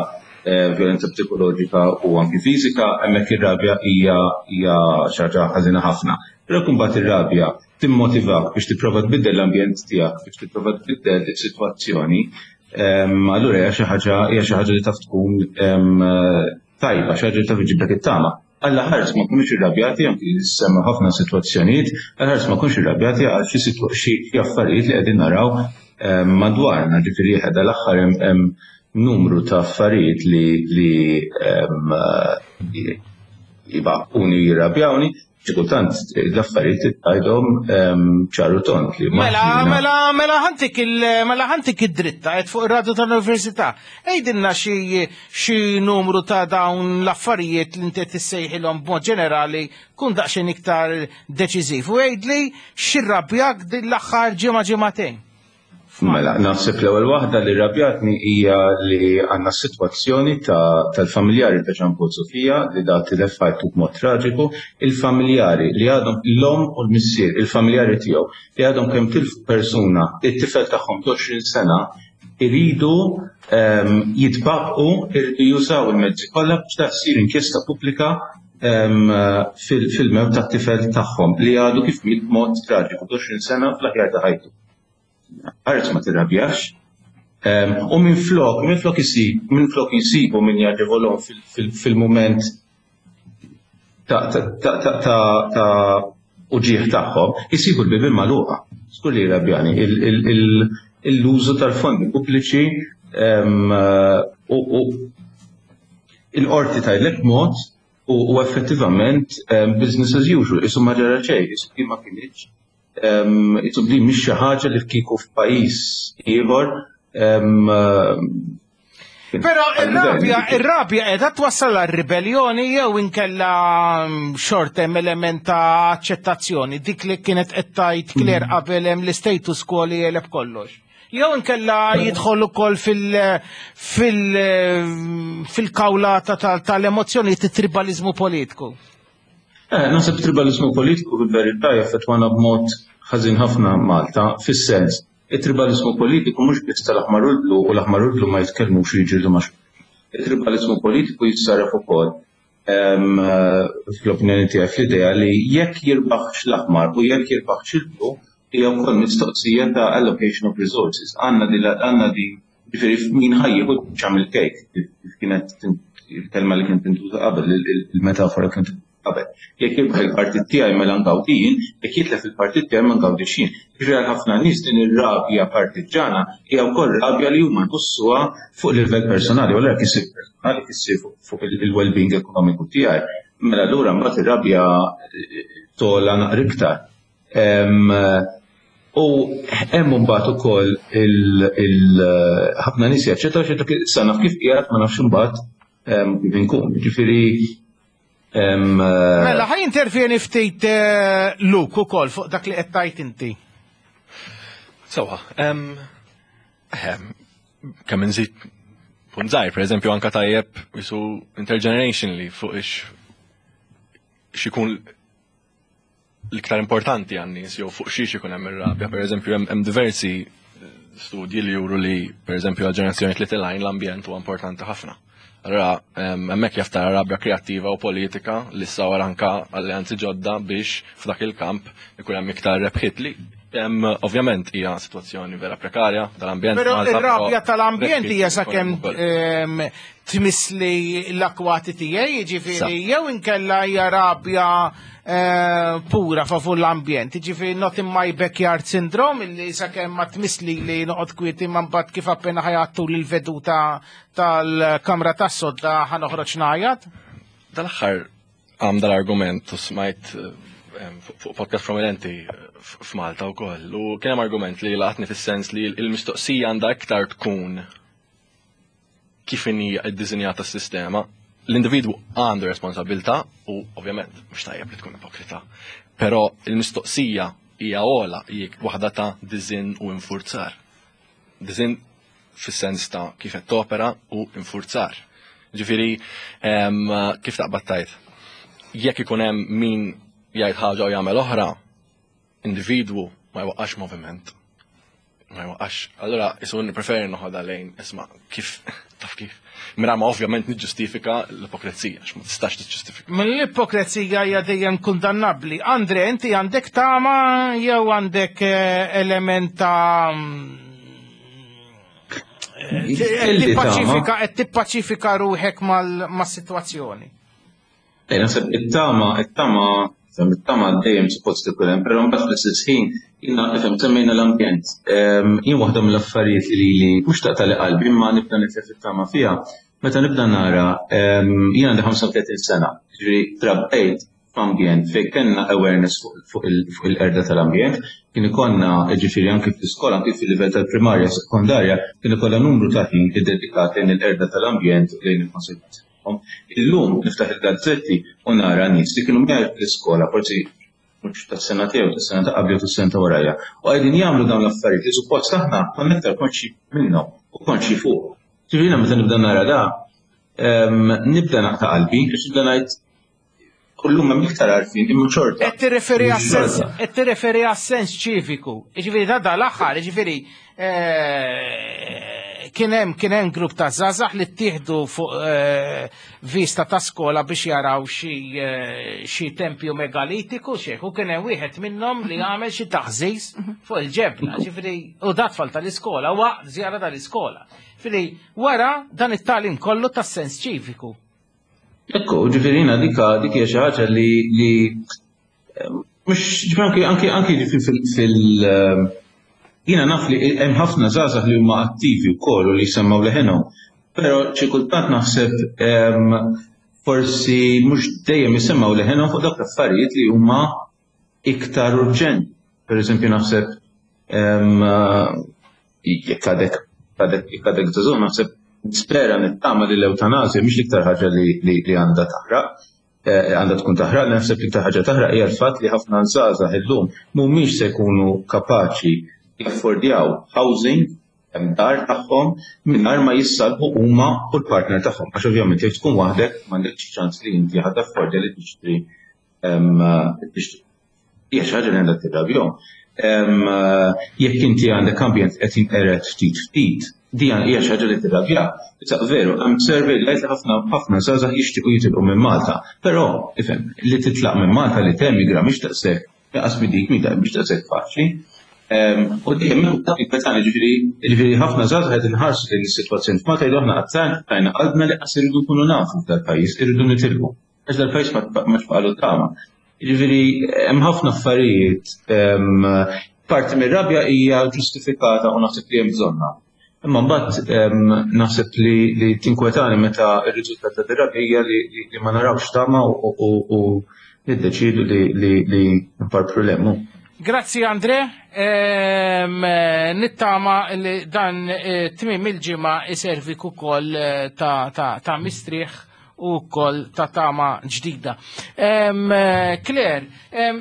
violenza psikoloġika u anki fiżika, hemmhekk ir-rabja hija hija xi ħaġa ħażina ħafna. Però jekk imbagħad ir-rabja timmotivak biex tipprova tbiddel l-ambjent tiegħek, biex tipprova tbiddel is-sitwazzjoni, allura hija xi ħaġa hija xi ħaġa li taf tkun tajba, xi ħaġa li taf iġiblek it-tama. Alla ħares ma nkunux irrabjati, anki semma ħafna sitwazzjonijiet, alla ħares ma nkunux irrabjati għal xi xi affarijiet li qegħdin naraw madwarna, ġifieri ħeda l-aħħar hemm numru ta' affarijiet li li jibaquni jirrabjawni, xi kultant l-affarijiet tgħidhom ċaru tont li ma Mela, jiena- mela, mela ħantik il, mela ħantik id-dritta qed fuq ir-radio tal-Università. Għidilna xi xi numru ta' dawn l-affarijiet li inti tissejħilhom b'mod ġenerali kun daqsxejn iktar deċiżiv. U għidli x'irrabjak din l-aħħar ġimgħa ġimagħtejn. Mela, naħseb l-ewwel waħda li rrabjatni hija li għandna s-sitwazzjoni tal-familjari ta' Jean Paul Sofia li da tilef ħajtu b'mod traġiku, il-familjari li għadhom l-omm u l-missier, il-familjari tiegħu li għadhom kemm tilfu persuna, it-tifel tagħhom ta' għoxrin sena, iridu jitbaqgħu, iridu jużaw il-mezzi kollha biex ta' ssir inkjesta pubblika fil-mewt tat-tifel tagħhom li għadu kif miet b'mod traġiku ta' għoxrin sena fl-aħjar ta' ħajtu. Ħares ma tirrabjax. U minflok, minflok isib, minflok jisibu min jaġevolhom fil-mument ta' uġieħ tagħhom, jisibu l-bibien magħluqa. Skur li jirrabjani, l-użu tal-fondi pubbliċi u il-qorti tgħidlek mod u effettivament business as usual, isu ma ġara xejn, isu ma kinitx. Isu li mhix xi ħaġa li kieku f'pajjiż ieħor. Però ir-rabja, ir-rabja qiegħda twassal għar-ribellioni jew inkella xort hemm element ta' aċċettazzjoni, dik li kienet qed tgħid Claire qabel hemm l-status quo li jeleb kollox. Jew inkella jidħol ukoll fil- fil- fil-kawlata tal-emozzjoni tribalizmu politiku. Eh, naħseb tribalizmu politiku fil-verità jaffettwana b'mod ħażin ħafna Malta, fis-sens, it-tribalizmu politiku mhux biss tal-aħmar u l-blu u l-aħmar u l-blu ma jitkellmux u jiġġieldu ma' xulxin. Il-tribalizmu politiku jissarraf ukoll fl-opinjoni tiegħi fl-idea li jekk jirbaħx l-aħmar u jekk jirbaħx il-blu hija wkoll mistoqsija ta' allocation of resources. Għandna di għandna di ġifieri min ħajjieħu ċam il-kejk, kif kienet il-kelma li kienet tintuża qabel, il-metafora kienet qabel. Jekk jirbaħ il-partit tiegħi mela ngawdi jien, jekk jitlef il-partit tiegħi ma ngawdix jien. Ġifieri għal ħafna nies din ir-rabja partiġġana hija wkoll rabja li huma jħossuha fuq livell personali, u allura jekk isir personali issir fuq il-well-being ekonomiku tiegħi. Mela allura mbagħad ir-rabja tola naqra iktar. U hemm imbagħad ukoll ħafna nies jaċċettaw xi sa naf kif qiegħed ma nafx imbagħad kif inkun. Ġifieri Mela, ħaj intervjeni ftit Luke ukoll fuq dak li qed tgħid inti. Sewwa, kemm inżid punt żgħir, pereżempju anka tajjeb jisu intergenerationally fuq ix xikun l-iktar importanti għan-nies jew fuq xiex ikun hemm ir-rabja. Pereżempju hemm diversi studji li juru li pereżempju għal-ġenerazzjoni li tilgħin l-ambjent huwa importanti ħafna. Allora, hemmhekk jaf tara rabja kreattiva u politika li ssawar anka alleanzi ġodda biex f'dak il-kamp ikun hemm iktar rebħiet li ovvjament hija sitwazzjoni vera prekarja tal-ambjent. Però ir-rabja tal-ambjent hija sakemm tmissli l-akwati tiegħi, jiġifieri jew inkella hija rabja pura favur l-ambjent, jiġifieri not in my backyard syndrome illi sakemm ma tmissli li noqgħod kwieti ma mbagħad kif appena ħajattu l-veduta tal-kamra tas-sodda ħa noħroġ ngħajjat. Dal-aħħar għam dal-argument u smajt fuq podcast prominenti f'Malta wkoll. U kien hemm argument li laqatni fis-sens li l-mistoqsija għandha iktar tkun kif inhi ddisinjata s-sistema. L-individwu għandu responsabilità u ovvjament mhux tajjeb li tkun ipokrita. Però il-mistoqsija hija ogħla, hija waħda ta' design u infurzar. Design fis-sens ta' kif qed topera u infurzar. Ġifieri kif taqbad tajt? Jekk ikun hemm min jgħid ħaġa u jagħmel oħra, individwu ma jwaqqax moviment. Ma jwaqqax. Allura isu nippreferi noħodha lejn isma' kif taf kif. Mira ma ovvjament niġġustifika l-ipokrezija, għax ma tistax tiġġustifika. Mill-ipokrezija hija dejjem kundannabbli. Andre, inti għandek tama jew għandek element ta' tippaċifika qed tippaċifika ruħek mas-sitwazzjoni? Naħseb it-tama, it-tama, it-tama dejjem suppost ikun hemm, però mbagħad fl-istess ħin jiena nifhem semmejna l-ambjent. Jien waħda mill-affarijiet li li mhux taqtali qalbi imma nibda nitlef it-tama fiha, meta nibda nara jien għandi ħamsa u tletin sena, ġifieri trabbejt f'ambjent fejn kellna awareness fuq il-qerda tal-ambjent, kien ikollna ġifieri anke fl-iskola, anke fil-livell tal-primarja, sekondarja, kien ikollha numru ta' ħin iddedikat lejn il-qerda tal-ambjent u lejn il-konservazzjoni. Illum niftaħ il-gazzetti u nara nies li kienu miegħi fl-iskola, forsi mhux tas-sena tiegħu, tas-sena ta' qabli u tas-sena ta' warajja, u qegħdin jagħmlu dawn l-affarijiet li suppost aħna konna iktar konxi minnhom u konxi fuq. Ġifieri meta nibda nara da, nibda naqta' qalbi, għax nibda ngħid kullum hemm iktar għarfien imma xorta. Qed tirreferi għas-sens, qed tirreferi għas-sens ċiviku. Jiġifieri da dal-aħħar, jiġifieri kien hemm kien hemm grupp ta' żgħażagħ li ttieħdu fuq vista ta' skola biex jaraw xi xi tempju megalitiku xejn, u kien hemm wieħed minnhom li għamel xi taħżiż fuq il-ġebla, ġifieri u da tfal tal-iskola waqt żjara tal-iskola. Ġifieri wara dan it-tagħlim kollu tas-sens ċiviku. Ekku, ġifieri jiena dika dik hija xi ħaġa li li mhux ġifieri anki anki anki ġifieri fil jiena naf li hemm ħafna żgħażagħ li huma attivi wkoll u li jsemmaw leħenhom, però xi kultant naħseb forsi mhux dejjem jisemmaw leħenhom fuq dawk l-affarijiet li huma iktar urġenti. Per eżempju naħseb jekk għadek jekk għadek żagħżugħ naħseb nispera nittama li l-eutanasja mhix l-iktar ħaġa li għandha taħraq, għandha tkun taħraq, naħseb l-iktar ħaġa taħraq hija l-fatt li ħafna żgħażagħ illum mhumiex se jkunu kapaċi jaffordjaw housing hemm dar tagħhom mingħajr ma jissalbu huma u l-partner tagħhom. Għax ovvjament jekk tkun waħdek m'għandekx ċans li inti ħadd affordja li tixtri tixtri. Hija xi ħaġa li għandha tirrabjahom. Jekk inti għandek ambjent qed jinqered ftit ftit, di hija xi ħaġa li tirrabja. Issa veru, hemm survey li jgħid li ħafna ħafna żgħażagħ jixtiequ jitilqu minn Malta, però ifhem li titlaq minn Malta li temigra mhix daqshekk, jaqas dik mhix daqshekk faċli. U dejjem hemm dak il-petani, ġifieri ġifieri ħafna żgħażagħ qed inħarsu lejn is-sitwazzjoni f'Malta jgħidu aħna qatt tajna qalbna li qas irridu nkunu nafu f'dal-pajjiż, irridu nitilqu. Għax dal-pajjiż ma tbaqalu tama. Ġifieri hemm ħafna affarijiet, parti mir-rabja hija ġustifikata u naħseb li hemm bżonnha. Imma mbagħad naħseb li tinkwetani meta r-riżultat ta' dir-rabja hija li ma narawx tama u niddeċidu li nparpru l-hemm. Grazzi Andre, nittama li dan tmiem il-ġimgħa iservik ukoll ta' mistrieħ u wkoll ta' tama ġdida. Claire,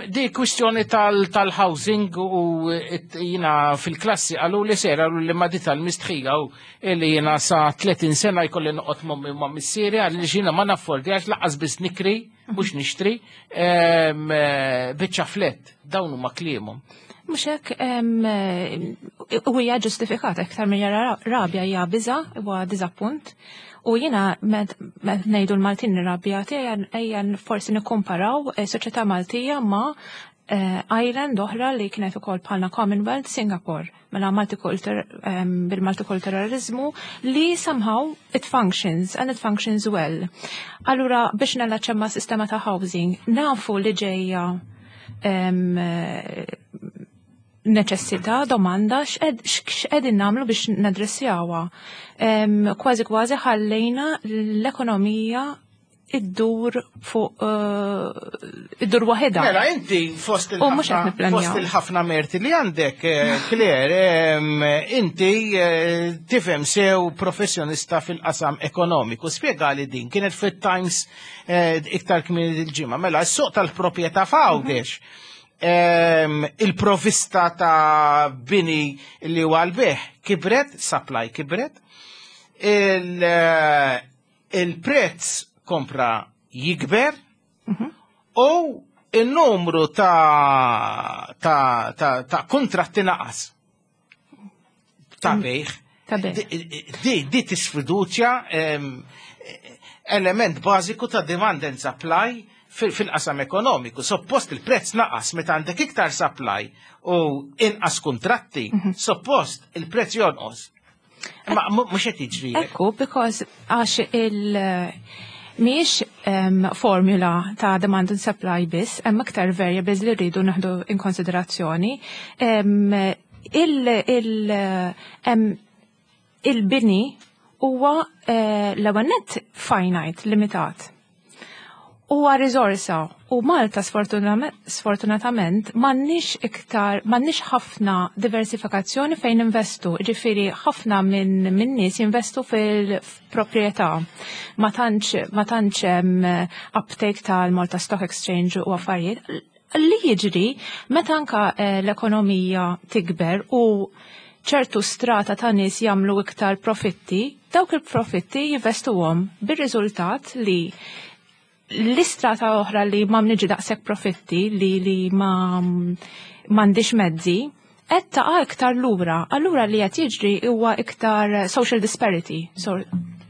di kwistjoni tal-housing u jina fil-klassi għalu li ser għalu li ma di tal-mistħija u li jina sa tletin sena jkolli noqgħod mommi ma' missieri għalli xina ma naffordjax laqas biss nikri mhux nixtri biċċa flett, dawn huma kliemhom. Mhux hekk u hija ġustifikata iktar minn rabja hija biża' huwa diżappunt. U jiena met ngħidu l-Maltin irrabjati ejja forsi nikkumparaw soċjetà Maltija ma' island oħra li kienet ukoll bħalna Commonwealth, Singapore, mela bil-multikulturalizmu li somehow it functions and it functions well. Allura biex nallaċċa ma' sistema ta' housing, nafu li ġejja neċessità, domanda, x'qegħdin nagħmlu biex nadressjawha. Kważi kważi ħallejna l-ekonomija iddur fuq eh, iddur waħedha. Mela, inti fost U mhux qed il-ħafna nipplanjaw. fost il-ħafna merti li għandek, eh, Claire, em, inti eh, tifhem sew professjonista fil-qasam ekonomiku. Spjega li din kienet fit-Times eh, iktar kmieni il-ġimgħa. Mela, s-suq tal-proprjetà f'Għawdex em, il-provista ta' bini li huwa l-beħ kibret, supply kibret, il- eh, il-prezz kompra jikber u il-numru ta' ta' ta' ta' kontratti naqas ta' bejħ. Ta' bejħ. Di, di, di tisfiduċja em, element bażiku ta' demand and supply fil- fil-qasam ekonomiku. Suppost il-prezz naqas meta għandek iktar supply u inqas kontratti, suppost il-prezz jonqos. Ma mu- mhux qed jiġri. Ekku, because għax il- mhix um, formula ta' demand and supply biss, hemm iktar variables li rridu naħdu in konsiderazzjoni. Um, il, il, um, il-bini huwa uh, l-ewwel nett finite, limitat. Huwa riżorsa u Malta sfortuname- sfortunatament m'għandniex iktar m'għandniex ħafna diversifikazzjoni fejn investu. Ġifieri ħafna minn min nies jinvestu fil-proprjetà. Ma tantx ma tantx hemm uptake tal-Malta Stock Exchange u affarijiet. Li jiġri meta anka eh, l-ekonomija tikber u ċertu strata ta' nies jagħmlu iktar profitti, dawk il-profitti jinvestuhom bir-riżultat li l-istrata oħra li ma mniġi daqshekk profitti li li ma m'għandix mezzi, qed taqa' iktar lura. Allura li qed jiġri huwa iktar social disparity. So,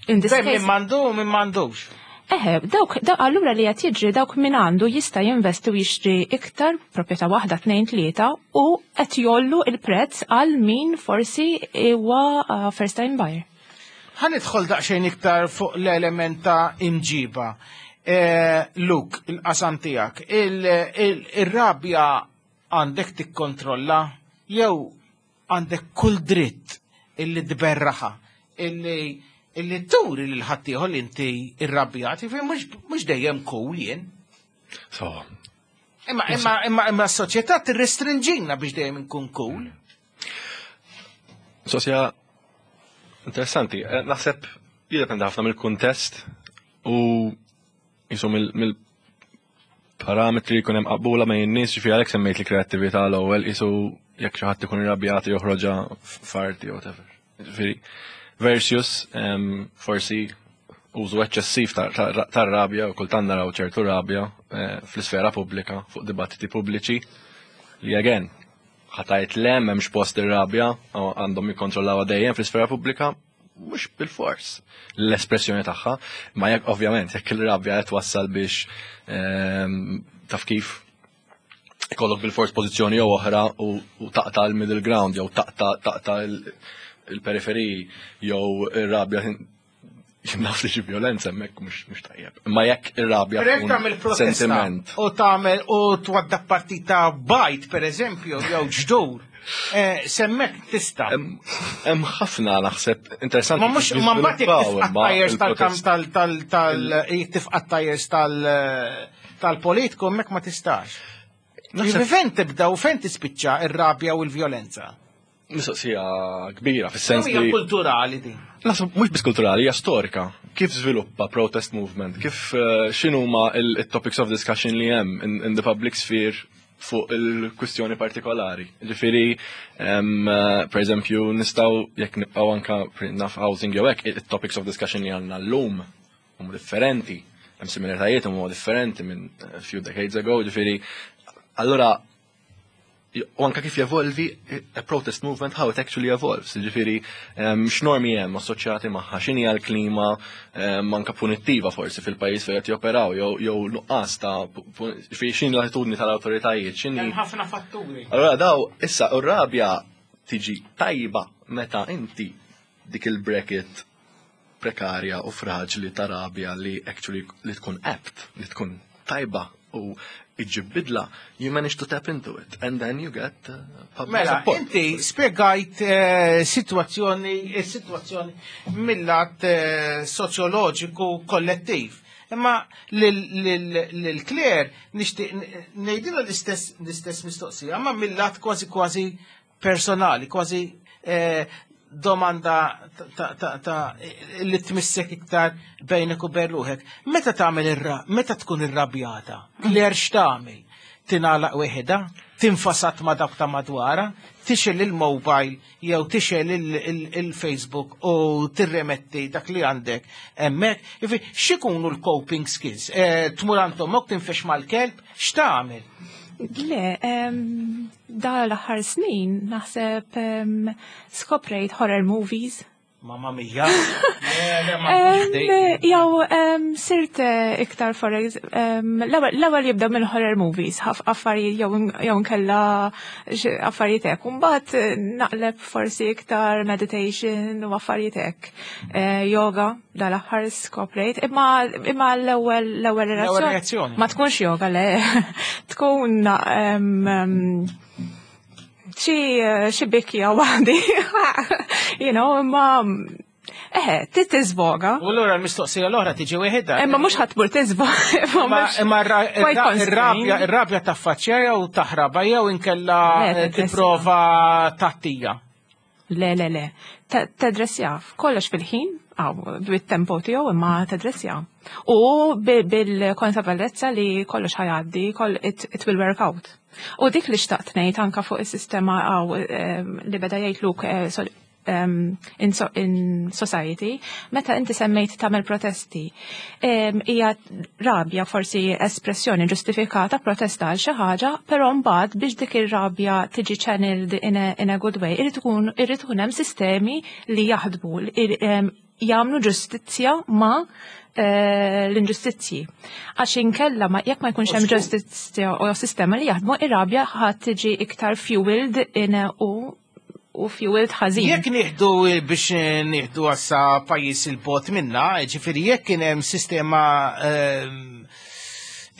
in this Bejn case, min m'għandu u min m'għandux. Eħe, dawk, daw, allura li qed jiġri dawk min għandu jista' jinvesti u jixtri iktar proprjetà waħda, tnejn, tlieta u qed jollu il-prezz għal min forsi huwa uh, first time buyer. Ħa nidħol daqsxejn iktar fuq l-element ta' imġiba. Eh, Luke, il-qasam tiegħek, il-rabja għandek tikkontrolla jew għandek kull dritt illi tberraħa, illi illi turi lil ħaddieħor li inti irrabjat, jiġifieri mhux mhux dejjem cool jien. So, Imma imma imma imma s-soċjetà tirrestrinġina biex dejjem inkun cool. Sosja interessanti. Eh, Naħseb jiddependi ħafna mill-kuntest u jisu mill-parametri jkun hemm qabula ma' in-nies, ġifieri għalhekk semmejt li kreattività l-ewwel jisu jekk xi ħadd ikun irrabjat joħroġha f'arti jew whatever. Ġifieri versus em, forsi użu eċċessiv tar-rabja u kultant naraw ċertu rabja eh, fl-isfera pubblika fuq dibattiti pubbliċi li again ħa tgħid le m'hemmx post ir-rabja għandhom jikkontrollawha dejjem fl-isfera pubblika mhux bil-fors l-espressjoni tagħha, ma jekk ovvjament jekk il-rabja qed wassal biex ehm, taf kif ikollok bil-fors pożizzjoni jew oħra u u taqta' l-middle ground jew taqta' taqta' il-periferiji jew ir-rabja naf li xi violenza hemmhekk mhux mhux tajjeb. Imma jekk ir-rabja Per jekk tkun tagħmel protesta sentiment. u tagħmel u twadda partita bajd per eżempju jew ġdur, eh, s'hemmhekk tista'. Hemm ħafna naħseb interessanti. Ma mhux kif ma mbagħad jekk jiżviluppaw tifqa' imma tajers tal-kam il-protest. tal tal tal jekk tifqa' tajers tal tal-politiku hemmhekk ma tistax. Naħseb- Jiġifieri fejn tibda u fejn tispiċċa ir-rabja u l-vjolenza? Mistoqsija kbira fis-sens Hija li kulturali din. Naħseb mhux biss kulturali, hija storika. Kif żviluppa protest movement? Kif eh, x'inhuma il-topics of discussion li hemm in, in the public sphere fuq il-kwistjoni partikolari. Ġifieri, em, eh, per eżempju, nistgħu jekk nibqgħu anka naf housing jew hekk, il-topics of discussion li għandna llum huma differenti. Hemm similaritajiet huma differenti minn a few decades ago, ġifieri, allura u anka kif jevolvi a protest movement, how it actually evolves. Ġifieri, um, x'normi hemm assoċjati magħha, x'inhi l-klima um, anka punittiva forsi fil-pajjiż fejn qed joperaw, jew jew nuqqas ta' pu- pu- ġifieri x'inhi l-attitudni tal-awtoritajiet, x'inhi Hemm ħafna fatturi. Allora daw, issa, u rabja tiġi tajba meta inti dik il-bracket prekarja u fraġli ta' rabja li actually li tkun apt, li tkun tajba u iġib bidla, you manage to tap into it and then you get uh, public Mela, support. inti spiegajt eh, situazzjoni, eh, situazzjoni mill-lat eh, soċjoloġiku kollettiv. Imma lil Claire nixtieq ngħidilha l-istess l-istess mistoqsija, imma mill-lat kważi kważi personali, kważi eh, domanda ta' ta' ta' li tmissek iktar bejnek u bejn ruħek. Meta tagħmel irra, meta tkun irrabjata, Claire x'tagħmel? Tingħalaq weħida, tinfasad ma' dawk ta' madwara, tixgħel il-mobile jew tixgħel il-Facebook u tirremetti dak li għandek hemmhekk. Jifi, x'ikunu l-coping skills? Eh, Tmur għand ommok tinfex mal-kelb, x'tagħmel? Le, em, da l-aħħar snin naħseb em, skoprejt horror movies. Mamma mia. Le, le, ma Em, Jew em, sirt eh, iktar for ex- em, l-ewwel l-ewwel jibda mill horror movies, ħaf affarijiet jew jew nkella xi affarijiet hekk. U mbagħad eh, naqleb forsi iktar meditation u affarijiet hekk. Eh, Yoga dal-aħħar skoprejt, imma imma l-ewwel l-ewwel L-ewwel reazzjoni. Ma tkunx yoga le, tkun em, em, xi xi bikja waħdi, you know, imma eħe, ti tiżvoga. U allura l-mistoqsija l-oħra tiġi weħida. Imma mhux ħa tmur tiżvoga. Imma imma ra- ir-rabja ir-rabja taffaċċja jew taħraba jew inkella Le, eh, tadressja. tipprova tattija. Le, le, le. Tadressja, kollox fil-ħin, għaw, bit-tempo tiegħu imma tadressja. U bi- bil-konsapevolezza li kollox ħa jgħaddi, koll it, it will work out. U dik li xtaqt ngħid anka fuq is-sistema għaw em, li beda jgħid Luke eh, sol- um, in, so, in society, meta inti semmejt tagħmel protesti, em, hija rabja forsi espressjoni ġustifikata protesta għal xi ħaġa, però mbagħad biex dik ir-rabja tiġi channeled in a, in a good way, irid ikun irid ikun hemm sistemi li jaħdmu, li em, jagħmlu ġustizzja ma eh, l-inġustizzji. Għax inkella ma jekk ma jkunx hemm ġustizzja u sistema li jaħdmu, ir-rabja ħadd tiġi iktar fueled in a, u u fueled ħażin. Jekk nieħdu biex nieħdu għassa pajjiż il-bot minna, ġifieri jekk kien hemm sistema ehm,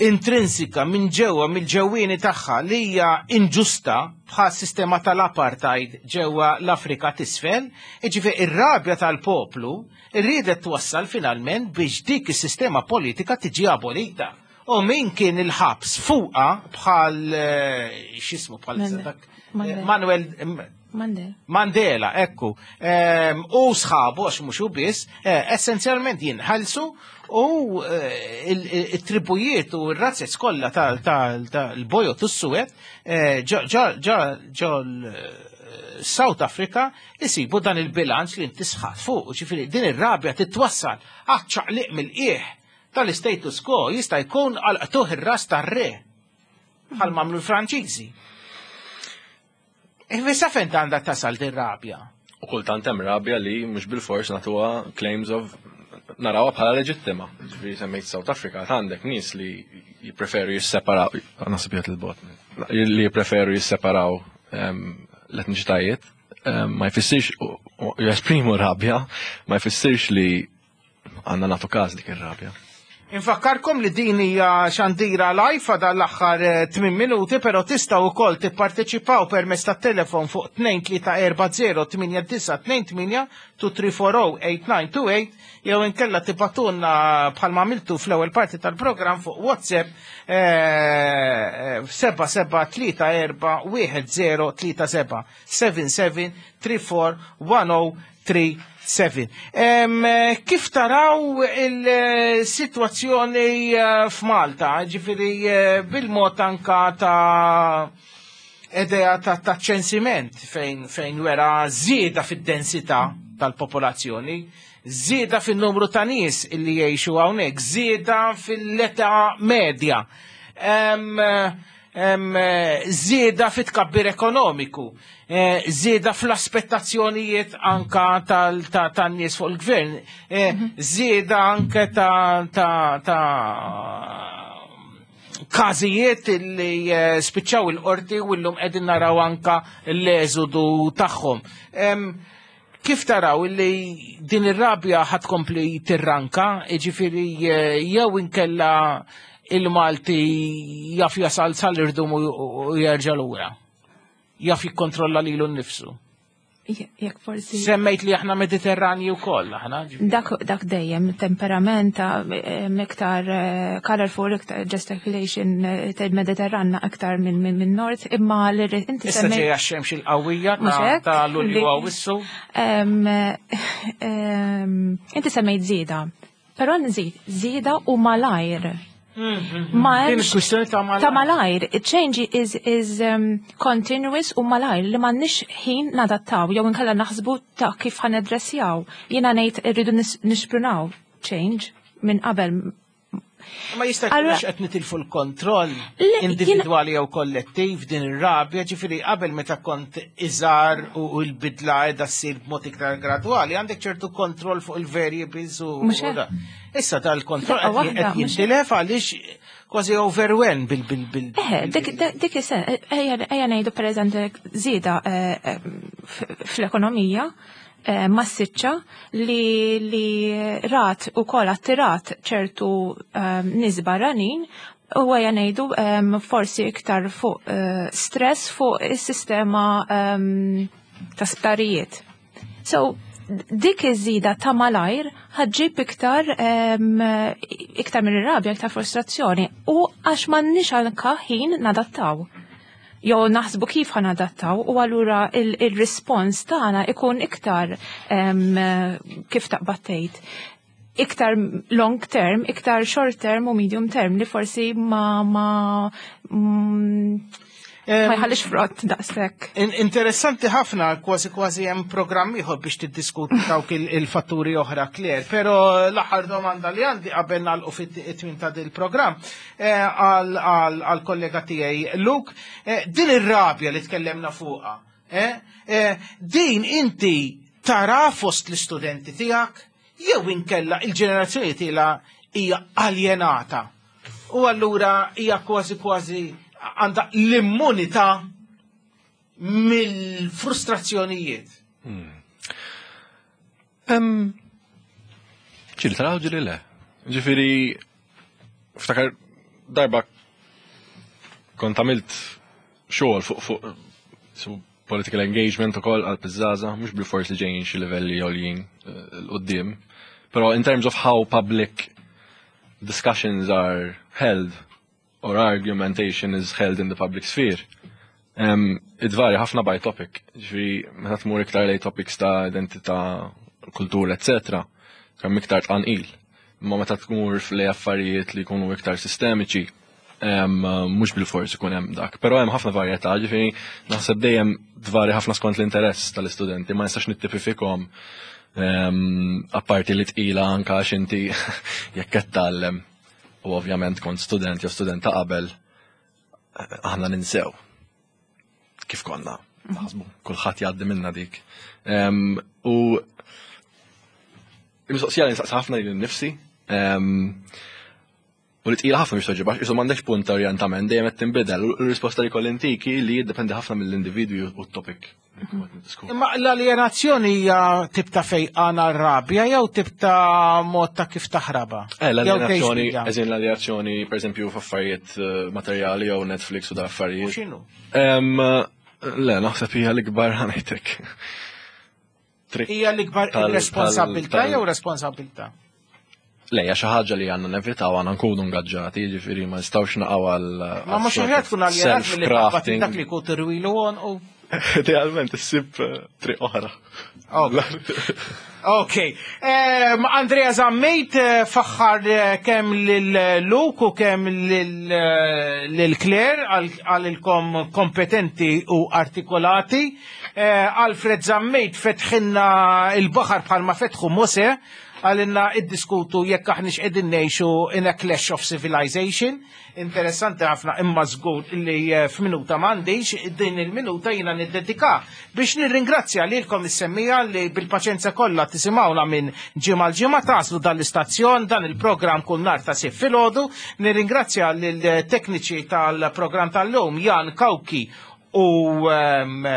intrinsika minn ġewwa mill-ġewwieni tagħha li hija inġusta bħal sistema tal-apartheid ġewwa l-Afrika t'isfel, ġifieri ir-rabja tal-poplu riedet twassal finalment biex dik is-sistema politika tiġi abolita. U min kien il-ħabs fuqa bħal eh, x'ismu bħal Mandela. dak Mandela. Manuel Mandela. Mandela, ekku, Ehm, u sħabu, għax mhux hu biss, eh, essenzjalment jinħelsu u eh, il- il- il-tribujiet u r-razzez kollha tal-bojod u s-suwed eh, ġo ġo South Africa isibu dan il-bilanċ li inti sħat fuq, ġifieri din ir-rabja titwassal għaċ-ċaqliq mill-qiegħ tal-status quo jista' jkun għal qtugħ ir-ras tar-re bħal m'għamlu l-Franċiżi. Issa fejn għandha tasal din rabja? U kultant hemm rabja li mhux bil-fors nagħtuha claims of narawha bħala leġittima. Ġifieri semmejt South Africa għandek nies li jippreferu jisseparaw, naħseb jgħid il-bot, li jippreferu jisseparaw em, l-etniċitajiet, em, ma jfissirx u- u jesprimu rabja, ma jfissirx li għandna nagħtu każ dik ir-rabja. Infakkarkom li din hija xandira live għal l-aħħar tmien minuti, però tistgħu wkoll tipparteċipaw permezz tat-telefon fuq tnejn tlieta erba' żero tmienja disa' tnejn tmienja tnejn tlieta erba' żero tmienja disa' tnejn tmienja jew inkella tibagħtulna bħalma għamiltu fl-ewwel parti tal-programm fuq WhatsApp seba' seba' tlieta erba' wieħed żero tlieta seba' seba seba tlieta erba' wieħed żero tlieta seba. Em, Kif taraw il-situazzjoni eh, f'Malta, ġifieri eh, bil-mod anka ta' idea ta' ta' ċensiment fejn, fejn wera żieda fid-densità tal-popolazzjoni, żieda fin-numru ta' nies illi jgħixu hawnhekk, żieda fil-età medja. Em, em, żieda fit-tkabbir ekonomiku, eh, żieda fl-aspettazzjonijiet anka tan-nies fuq il-gvern, eh, żieda anke ta' ta' ta' każijiet li eh, spiċċaw il-qorti u llum qegħdin naraw anka l-eżodu tagħhom. Em, Kif taraw illi din ir-rabja ħa tkompli tirranka, jiġifieri eh, jew inkella il-Malti jaf jasal sal-irdum u u jerġa' lura? Jaf jikkontrolla lilu nnifsu. Jekk forsi. Semmejt li aħna Mediterranji wkoll aħna. Dak, dak dejjem temperament iktar colorful, iktar gesticulation tal-Mediterranna aktar minn min, min North, imma li inti Issa ġejja x-xemx il-qawwija ta' Lulju Awwissu. Inti semmejt żieda, però nżid żieda u malajr. Ma Din il-kwistjoni ta' malajr. Ta' malajr. Change is, is um, continuous u malajr li m'għandniex ħin nadattaw jew inkella naħsbu ta' kif ħa naddressjaw. Jiena ngħid irridu nixprunaw change minn qabel. Ma jista' jkun għax qed nitilfu l-kontroll individwali jew kollettiv din ir-rabja, ġifieri qabel meta kont iżgħar u l-bidla qiegħda ssir b'mod iktar gradwali, għandek ċertu kontroll fuq il-variables u issa dal-kontroll qed jintilef għaliex kważi overwhelmed bil bil bil. Eħe, dik ejja ngħidu pereżempju żieda fl-ekonomija massiċċa li li rat u kol attirat ċertu nies barranin u għaja ngħidu forsi iktar fuq stress fuq is-sistema ta' sptarijiet. So, dik iż-żida ta' malajr ħa ġġib iktar iktar minn rabja, iktar frustrazzjoni u għax m'għandniex anka ħin nadattaw. Jew naħsbu kif ħa nadattaw u allura il-rispons tagħna ikun iktar kif taqbad tgħid iktar long term, iktar short term u medium term li forsi ma ma ma jħallix frott daqshekk. Interessanti ħafna, kważi kważi hemm programm ieħor biex tiddiskuti dawk il-fatturi oħra, Claire, però l-aħħar domanda li għandi qabel nagħlqu fit-tmiem ta' dil-programm għal-kollega tiegħi Luke, din ir-rabja li tkellemna fuqha, din inti tara fost l-istudenti tiegħek jew inkella il-ġenerazzjoni tiela hija aljenata. U allura hija kważi kważi għandha l-immunità mill-frustrazzjonijiet. Ġieli taraw ġieli le. Ġifieri, ftakar darba kont għamilt xogħol fuq fuq su political engagement ukoll għal piżżaża, mhux bil-fors li ġejjin xi livelli għoljin 'l quddiem. Però in terms of how public discussions are held or argumentation is held in the public sphere, um, it vary ħafna by topic. Ġifieri, meta tmur iktar lej topics ta' identità, kultura, eccetera, kemm iktar tqanqil. Imma meta tmur lej affarijiet li jkunu iktar sistemiċi, um, mhux bil-fors ikun hemm dak. Però hemm ħafna varjetà, ġifieri naħseb dejjem tvari ħafna skont l-interess tal-istudenti, ma nistax nittipifikhom um, apparti li tqila anka għax inti jekk qed tgħallem u ovvjament kont student jew student ta' qabel, aħna ninsew kif konna naħsbu, kulħadd jgħaddi minna dik. Um, u il-mistoqsija li nsaqsi ħafna lili nnifsi, um, u li tqila ħafna biex toġiba, isu m'għandekx punt ta' orjentament, dejjem qed tinbidel. U l-risposta li kolli intiki li jiddependi ħafna mill-individwi u t-topic. Imma l-alienazzjoni hija tip ta' fejqan rabja jew tip ta' mod ta' kif taħraba? Eh, l-alienazzjoni, eżin l-alienazzjoni, per eżempju, f'affarijiet materjali jew Netflix u da affarijiet. U x'inhu? Le, naħseb hija l-ikbar ħa ngħidlek. Hija l-ikbar irresponsabilità jew responsabilità? Le, hija xi ħaġa li għandna nevitaw, għandna nkunu ngaġġati, jiġifieri ma nistgħux naqgħu għal Ma mhux aħjar tkun aljenat milli self-crafting. dak li jkun tirwilu u Idealment issib triq oħra. Ok. Em, Andrea Zammit eh, faħħar eh, kemm lil Luke u kemm lil eh, lil Claire għalilkom kompetenti u artikolati. Eh, Alfred Zammit fetħinna il-baħar bħalma fetħu Mose, għalinna iddiskutu jekk aħniex qegħdin ngħixu in a clash of civilization. Interessanti ħafna, imma żgur li eh, f'minuta m'għandix, din il-minuta jiena niddedika biex nirringrazzja lilkom is-semmija li bil-paċenza kollha tisimgħuna minn ġimgħa l-ġimgħa taslu dan l-istazzjon, dan il-programm kull nhar ta' Sibt filgħodu. Nirringrazzja lill-tekniċi tal-programm tal-lum Jan Kawki u, um,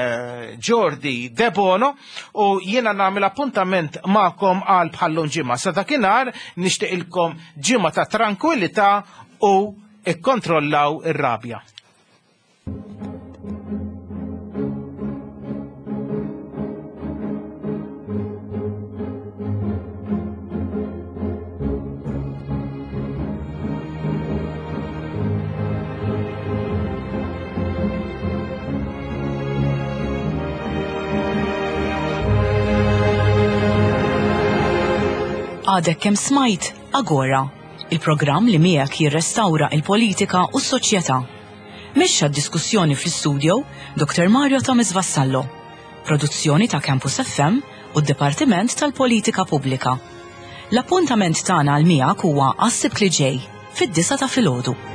Jordi Debono, u jiena nagħmel appuntament magħkom għal bħallum ġimgħa. Sa dakinhar nixtieqilkom ġimgħa ta' tranquillità u ikkontrollaw ir-rabja. Għadek kemm smajt Agora, il-programm li miegħek jirrestawra il-politika u s-soċjetà. Mexxa d-diskussjoni fl-istudio Dr. Mario Thomas Vassallo. Produzzjoni ta' Campus FM u d-Dipartiment tal-Politika Pubblika. L-appuntament tagħna għal miegħek huwa għas-Sibt li ġej fid-disgħa ta' filgħodu.